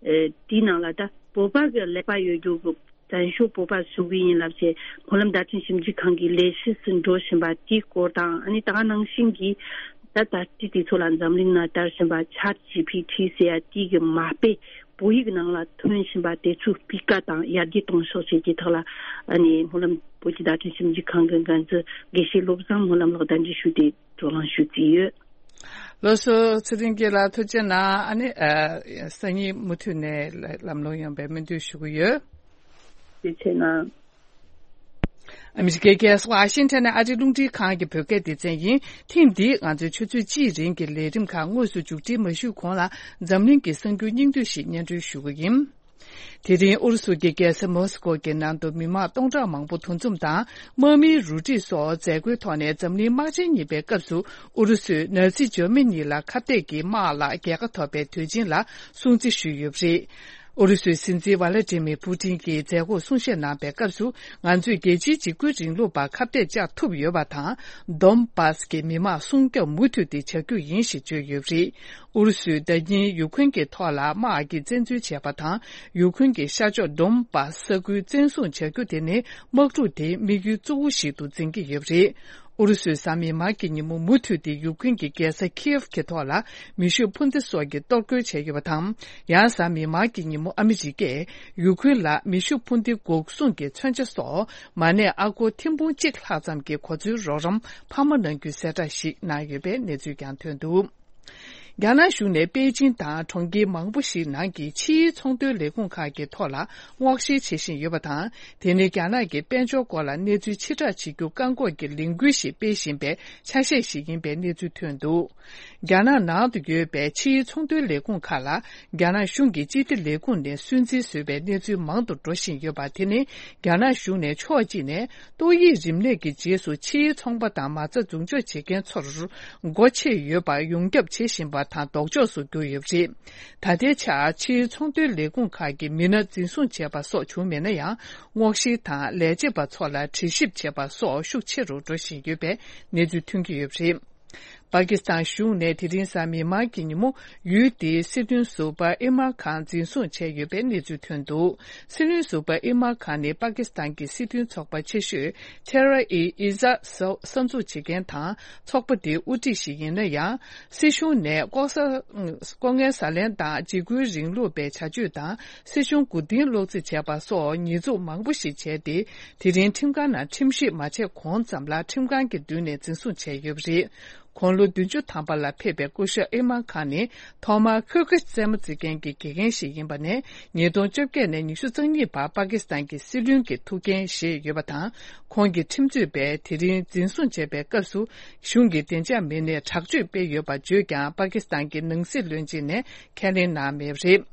ཨེ་དེའི་ནང་ལ་ད་བོད་པ་གི་ཀླད་པ་ཡོད་རྒྱུ་གི་བཙན་བྱོལ་བོད་པ་བཟོ་གི་ཡིན་ལབ་བྱས་སྨོན་ལམ་བརྡ་འཕྲིན་ཞིབ་འཇུག་ཁང་གི་ལས་གཞི་ཞིག་འགྲོ་བཞིན་པ་དེའི་སྐོར་དང་། ཨ་ནི་ད་ག་ནང་བཞིན་གྱི་ད་ད་ལྟའི་དུས་ཚོད་ལ་འཛམ་གླིང་ན་དར་བཞིན་པ་ཆེ་ཊི་ཇི་པི་ཊི་ཟེར་ཡ་དེ་གི་མ་དཔེ་བོད་ཡིག་ནང་ལ་ཐོན་བཞིན་པ་དེ་ཚོའི་སྤུས་ཀ་དང་ཡར་རྒྱས་གཏོང་ཕྱོགས་བཅས་ཀྱི་ཐོག་ལ། ཨ་ནི་སྨོན་ལམ་བོད་ཀྱི་བརྡ་འཕྲིན་ཞིབ་འཇུག་ཁང་གི་འགན་འཛིན་དགེ་བཤེས་བློ་བཟང་སྨོན་ལམ་ལགས་གདན་འདྲེན་ཞུས་ཏེ་བགྲོ་གླེང་ཞུ་རྩིས་ཡོད། ལགས་སོ། ཚེ་རིང་སྐྱིད་ལགས་ཐུགས་རྗེ་གནང་། ཨ་ནི་ཨ་སང་ཉིན་མུ་མཐུད་ནས་ལམ་ལྷོང་ཡོང་བའི་སྨོན་འདུན་ཞུ་གི་ཡོད། ཐུགས་རྗེ་ཆེ་གནང་། ཨ་མི་རི་ཀའི་རྒྱལ་ས་ཝ་ཤིང་ཊོན་ནས་ཨ་རིའི་རླུང་འཕྲིན་ཁང་གི་བོད་སྐད་སྡེ་ཚན་ཡིན། ཐེངས་འདིའི་ང་ཚོའི་ཆུ་ཚོད་གཅིག་རིང་གི་ལས་རིམ་ཁག་དངོས་སུ་མཇུག་སྒྲིལ་མ་ཞུས་གོང་ལ། འཛམ་གླིང་གི་གསར་འགྱུར་སྙིང་བསྡུས་ཤིག་སྙན་སྒྲོན་ཞུ་གི་ཡིན། དེ་རིང་ཨུ་རུ་སུ་གྱི་རྒྱལ་ས་མོ་སི་ཀོ་གི་ནང་དུ་མི་མང་སྟོང་ཕྲག་མང་པོ་འདུ་འཛོམས་དང་དམག་མིའི་རུ་སྒྲིག་སོགས་མཛད་སྒོའི་ཐོག་ནས་འཛམ་གླིང་དམག་ཆེན་གཉིས་པའི་སྐབས་སུ་ཨུ་རུ་སུས་ནཱ་ཛི་འཇར་མ་ནི་ལ་ཁ་གཏད་ཀྱི་དམག་ལ་རྒྱལ་ཁ་ཐོབ་པའི་དུས་ཆེན་ལ་སྲུང་བརྩི་ཞུས་ཡོད་པ་རེད། ཨུ་རུ་སུའི་སྲིད་འཛིན་ཝ་ལ་ཏི་མིར་པུ་ཏིན་གྱིས་མཛད་སྒོར་གསུང་བཤད་གནང་པའི་སྐབས་སུ། ང་ཚོས་རྒྱལ་སྤྱིའི་འཇིགས་སྐུལ་རིང་ལུགས་པར་ཁ་གཏད་བཅག་ཐུབ་ཡོད་པ་དང་། དོན་བཱ་སི་གི་མི་མང་སྲུང་སྐྱོབ་མུ་མཐུད་དེ་བྱ་རྒྱུ་ཡིན་ཞེས་བརྗོད་ཡོད་པ་རེད། ཨུ་རུ་སུས་ཟླ་ཉིན་ཡུ་ཁུན་གྱི་ཐོག་ལ་དམག་གིས་བཙན་འཛུལ་བྱས་པ་དང་། ཡུ་ཁུན་གྱི་ཤར་ཕྱོགས་དོན་བཱ་སི་ས་ཁུལ་བཙན་བཟུང་བྱ་རྒྱུ་དེ་ནི་དམག་འཁྲུག་དེའི་དམིགས་ཡུལ་གཙོ་བོ་ཞིག་ཏུ་འཛིན་གྱི་ཡོད་པ་རེད། ཨུ་རུ་སུས་གཟའ་མིག་དམར་གྱི་ཉིན་མོ་མུ་མཐུད་དེ་ཡུ་ཁུན་གྱི་རྒྱལ་ས་ཁིའེབ་ཀྱི་ཐོག་ལ་མེ་ཤུགས་འཕུར་མདའ་སོགས་ཀྱིས་གཏོར་རྒོལ་བྱས་ཡོད་པ་དང་། ཡང་གཟའ་མིག་དམར་གྱི་ཉིན་མོ་ཨ་མི་རི་ཀས་ཡུ་ཁུན་ལ་མེ་ཤུགས་འཕུར་མདའི་འགོག་སྲུང་གི་མཚོན་ཆ་སོགས་མ་གནས་ཨ་སྒོར་ཐེར་འབུམ་གཅིག་ལྷག་ཙམ་གྱི་གོ་མཚོན་རོགས་རམ་འཕར་མ་གནང་རྒྱུའི་གསལ་བསྒྲགས་ཤིག་གནང་ཡོད་པའི་གནས་ཚུལ་ཀྱང་ཐོན་འདུག། རྒྱ་ནག་གཞུང་ནས་པེ་ཅིང་དང་གྲོང་ཁྱེར་མང་པོ་ཞིག་ནང་གི་ཕྱིའི་ཚོང་དོན་ལས་ཁུངས་ཁག་གི་ཐོག་ལ་སྔོག་བཤེར་བྱེད་བཞིན་ཡོད་པ་དང་། དེ་ནི་རྒྱ་ནག་གི་དཔལ་འབྱོར་སྐོར་ལ་གནས་ཚུལ་ཕྱིར་བསྒྲགས་བྱེད་རྒྱུ་བཀག་འགོག་གི་ལས་འགུལ་ཞིག་སྤེལ་བཞིན་པའི་ཆ་ཤས་ཤིག་ཡིན་པའི་གནས་ཚུལ་ཐོན་འདུག། རྒྱ་ནག་ནང་དུ་ཡོད་པའི་ཕྱིའི་ཚོང་དོན་ལས་ཁུངས་ཁག་ལ་རྒྱ་ནག་གཞུང་གི་སྤྱི་བདེ་ལས་ཁུངས་ནས་སུན་གཙེར་བཟོས་པའི་གནས་ཚུལ་མང་དུ་འགྲོ་བཞིན་ཡོད་པ་དེ་ནི་རྒྱ་ནག་གཞུང་ནས་ཕྱོགས་གཅིག་ནས་ཏོག་དབྱིབས་རིམས་ནད་ཀྱི་རྗེས་སུ་ཕྱིའི་ཚོང་པ་དང་མ་རྩ་འཛུགས་འཇོག་བྱེད་མཁན་ཚོར་སྒོ་ཕྱེ་ཡོད་པར་ཡོངས་ཁྱབ་བྱེད་བཞིན་པ་དང་ལྡོག་ཕྱོགས་སུ་གྱུར་ཡོད་པ་རེད། ད་ལྟའི་ཆར་ཕྱིའི་ཚོང་དོན་ལས་ཁུངས་ཁག་གིས་མི་སྣ་འཛིན་བཟུང་བྱས་པ་སོགས་བྱུང་མེད་ན་ཡང་། སྔོག་བཤེར་དང་ལས་བྱེད་པ་ཚོ་ལ་དྲི་ཞིབ་བྱེད་པ་སོགས་ཤུགས་ཆེ་རུ་འགྲོ་བཞིན་ཡོད་པའི་གནས་ཚུལ་ཐོན་གྱི་ཡོད་པ་རེད། པ་ཀི་སི་ཐན་གཞུང་ནས་དེ་རིང་གཟའ་མིག་དམར་གྱི་ཉིན་མོ་ཡུལ་དེའི་སྲིད་དོན་ཟུར་པ་ཨི་མར་ཁཱན་འཛིན་བཟུང་བྱས་ཡོད་པའི་གནས་ཚུལ་ཐོན་འདུག། སྲིད་བློན་ཟུར་པ་ཨི་མར་ཁཱན་ནི་པ་ཀི་སི་ཐན་གྱི་སྲིད་དོན་ཚོགས་པ་ཆེ་ཤོས་ཐེ་ར་ཨི་ཨི་ཛ་གསར་འཛུགས་བྱེད་མཁན་དང་ཚོགས་པ་དེའི་དབུ་ཁྲིད་ཞིག་ཡིན་ན་ཡང་། སྲིད་གཞུང་ནས་ལྐོག་ཟ་ལྐོག་རྔན་ཟ་ལེན་དང་འཇིགས་སྐུལ་རིང་ལུགས་པའི་བྱ་སྤྱོད་དང་། སྲིད་གཞུང་མགོ་རྟིང་སློག་རྩིས་བྱས་པ་སོགས་ཉེས་འཛུགས་མང་པོ་ཞིག་བྱས་ཏེ། དེ་རིང་ཁྲིམས་ཁང་ནང་ཁྲིམས་ཞིབ་མ་བྱས་གོང་ཙམ་ལ་ཁྲིམས་ཁང་གི་མདུན་ནས་འཛིན་བཟུང་བྱས་ཡོད་པ་རེད། དགུང་ལོ་བདུན་ཅུ་ཐམ་པ་ལ་ཕེབས་པའི་སྐུ་ཞབས་ཨི་མར་ཁཱན་ནི་ཐོག་མར་ཁོལ་གེ་རྩེད་མོ་རྩེ་མཁན་གྱི་དགེ་རྒན་ཞིག་ཡིན་པ་ནས། ཉིས་སྟོང་བཅོ་བརྒྱད་ནས་ཉི་ཤུ་རྩ་གཉིས་བར་པ་ཀི་སི་ཐན་གྱི་སྲིད་བློན་གྱི་ཐུགས་འགན་བཞེས་ཡོད་པ་དང་། ཁོང་གི་ཁྲིམས་རྩོད་པས་དེ་རིང་འཛིན་བཟུང་བྱས་པའི་སྐབས་སུ། གཞུང་གི་བདེ་འཇགས་མི་སྣས་དྲག་སྤྱོད་སྤེལ་ཡོད་པ་བརྗོད་ཀྱང་། པ་ཀི་སི་ཐན་གྱི་ནང་སྲིད་བློན་ཆེན་ནས་ཁས་ལེན་གནང་མེད་པ་རེད།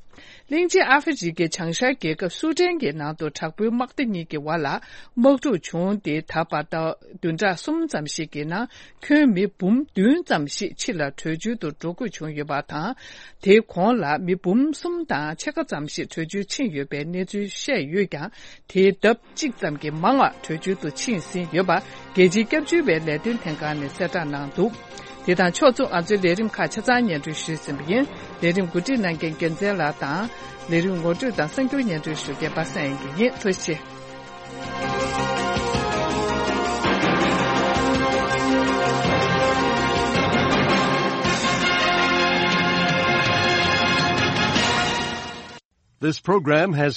གླིང་ཆེན་ཨ་ཧྥེ་རི་ཁའི་བྱང་ཤར་རྒྱལ་ཁབ་སུ་ཏན་གྱི་ནང་དུ་དྲག་པོའི་དམག་སྡེ་གཉིས་ཀྱི་བར་ལ་དམག་འཁྲུག་བྱུང་སྟེ། ད་བར་ཟླ་བདུན་ཕྲག་གསུམ་ཙམ་ཞིག་གི་ནང་ཁྱོན་མི་འབུམ་བདུན་ཙམ་ཞིག་ཕྱི་ལ་བྲོས་བྱོལ་དུ་འགྲོ་དགོས་བྱུང་ཡོད་པ་དང་། དེའི་གོང་ལ་མི་འབུམ་གསུམ་དང་ཕྱེད་ཀ་ཙམ་ཞིག་བྲོས་བྱོལ་ཕྱིན་ཡོད་པའི་གནས་ཚུལ་བཤད་ཡོད་ཀྱང་། དེའི་ལྡབ་གཅིག་ཙམ་གྱིས་མང་བ་བྲོས་བྱོལ་དུ་ཕྱིན་ཟིན་ཡོད་པ། རྒྱལ་སྤྱིའི་སྐྱབས་བཅོལ་བའི་ལས་དོན་ལྷན་ཁང་ནས་གསལ་བསྒྲགས་གནང་འདུག་དེ་དང་ཕྱོགས་མཚུངས། ང་ཚོའི་ལས་རིམ་ཁག་ཆ་ཚང་སྙན་སྒྲོན་ཞུས་ཟིན་པ་ཡིན། ལས་རིམ་གོ་སྒྲིག་གནང་མཁན་རྒྱལ་མཚན་ལགས་དང་། ལས་རིམ་ངོ་སྤྲོད་དང་གསར་འགྱུར་སྙན་སྒྲོན་ཞུ་མཁན་པ་སངས་དབྱངས་སྐྱིད་ཡིན། ཐུགས་རྗེ་ཆེ། This program has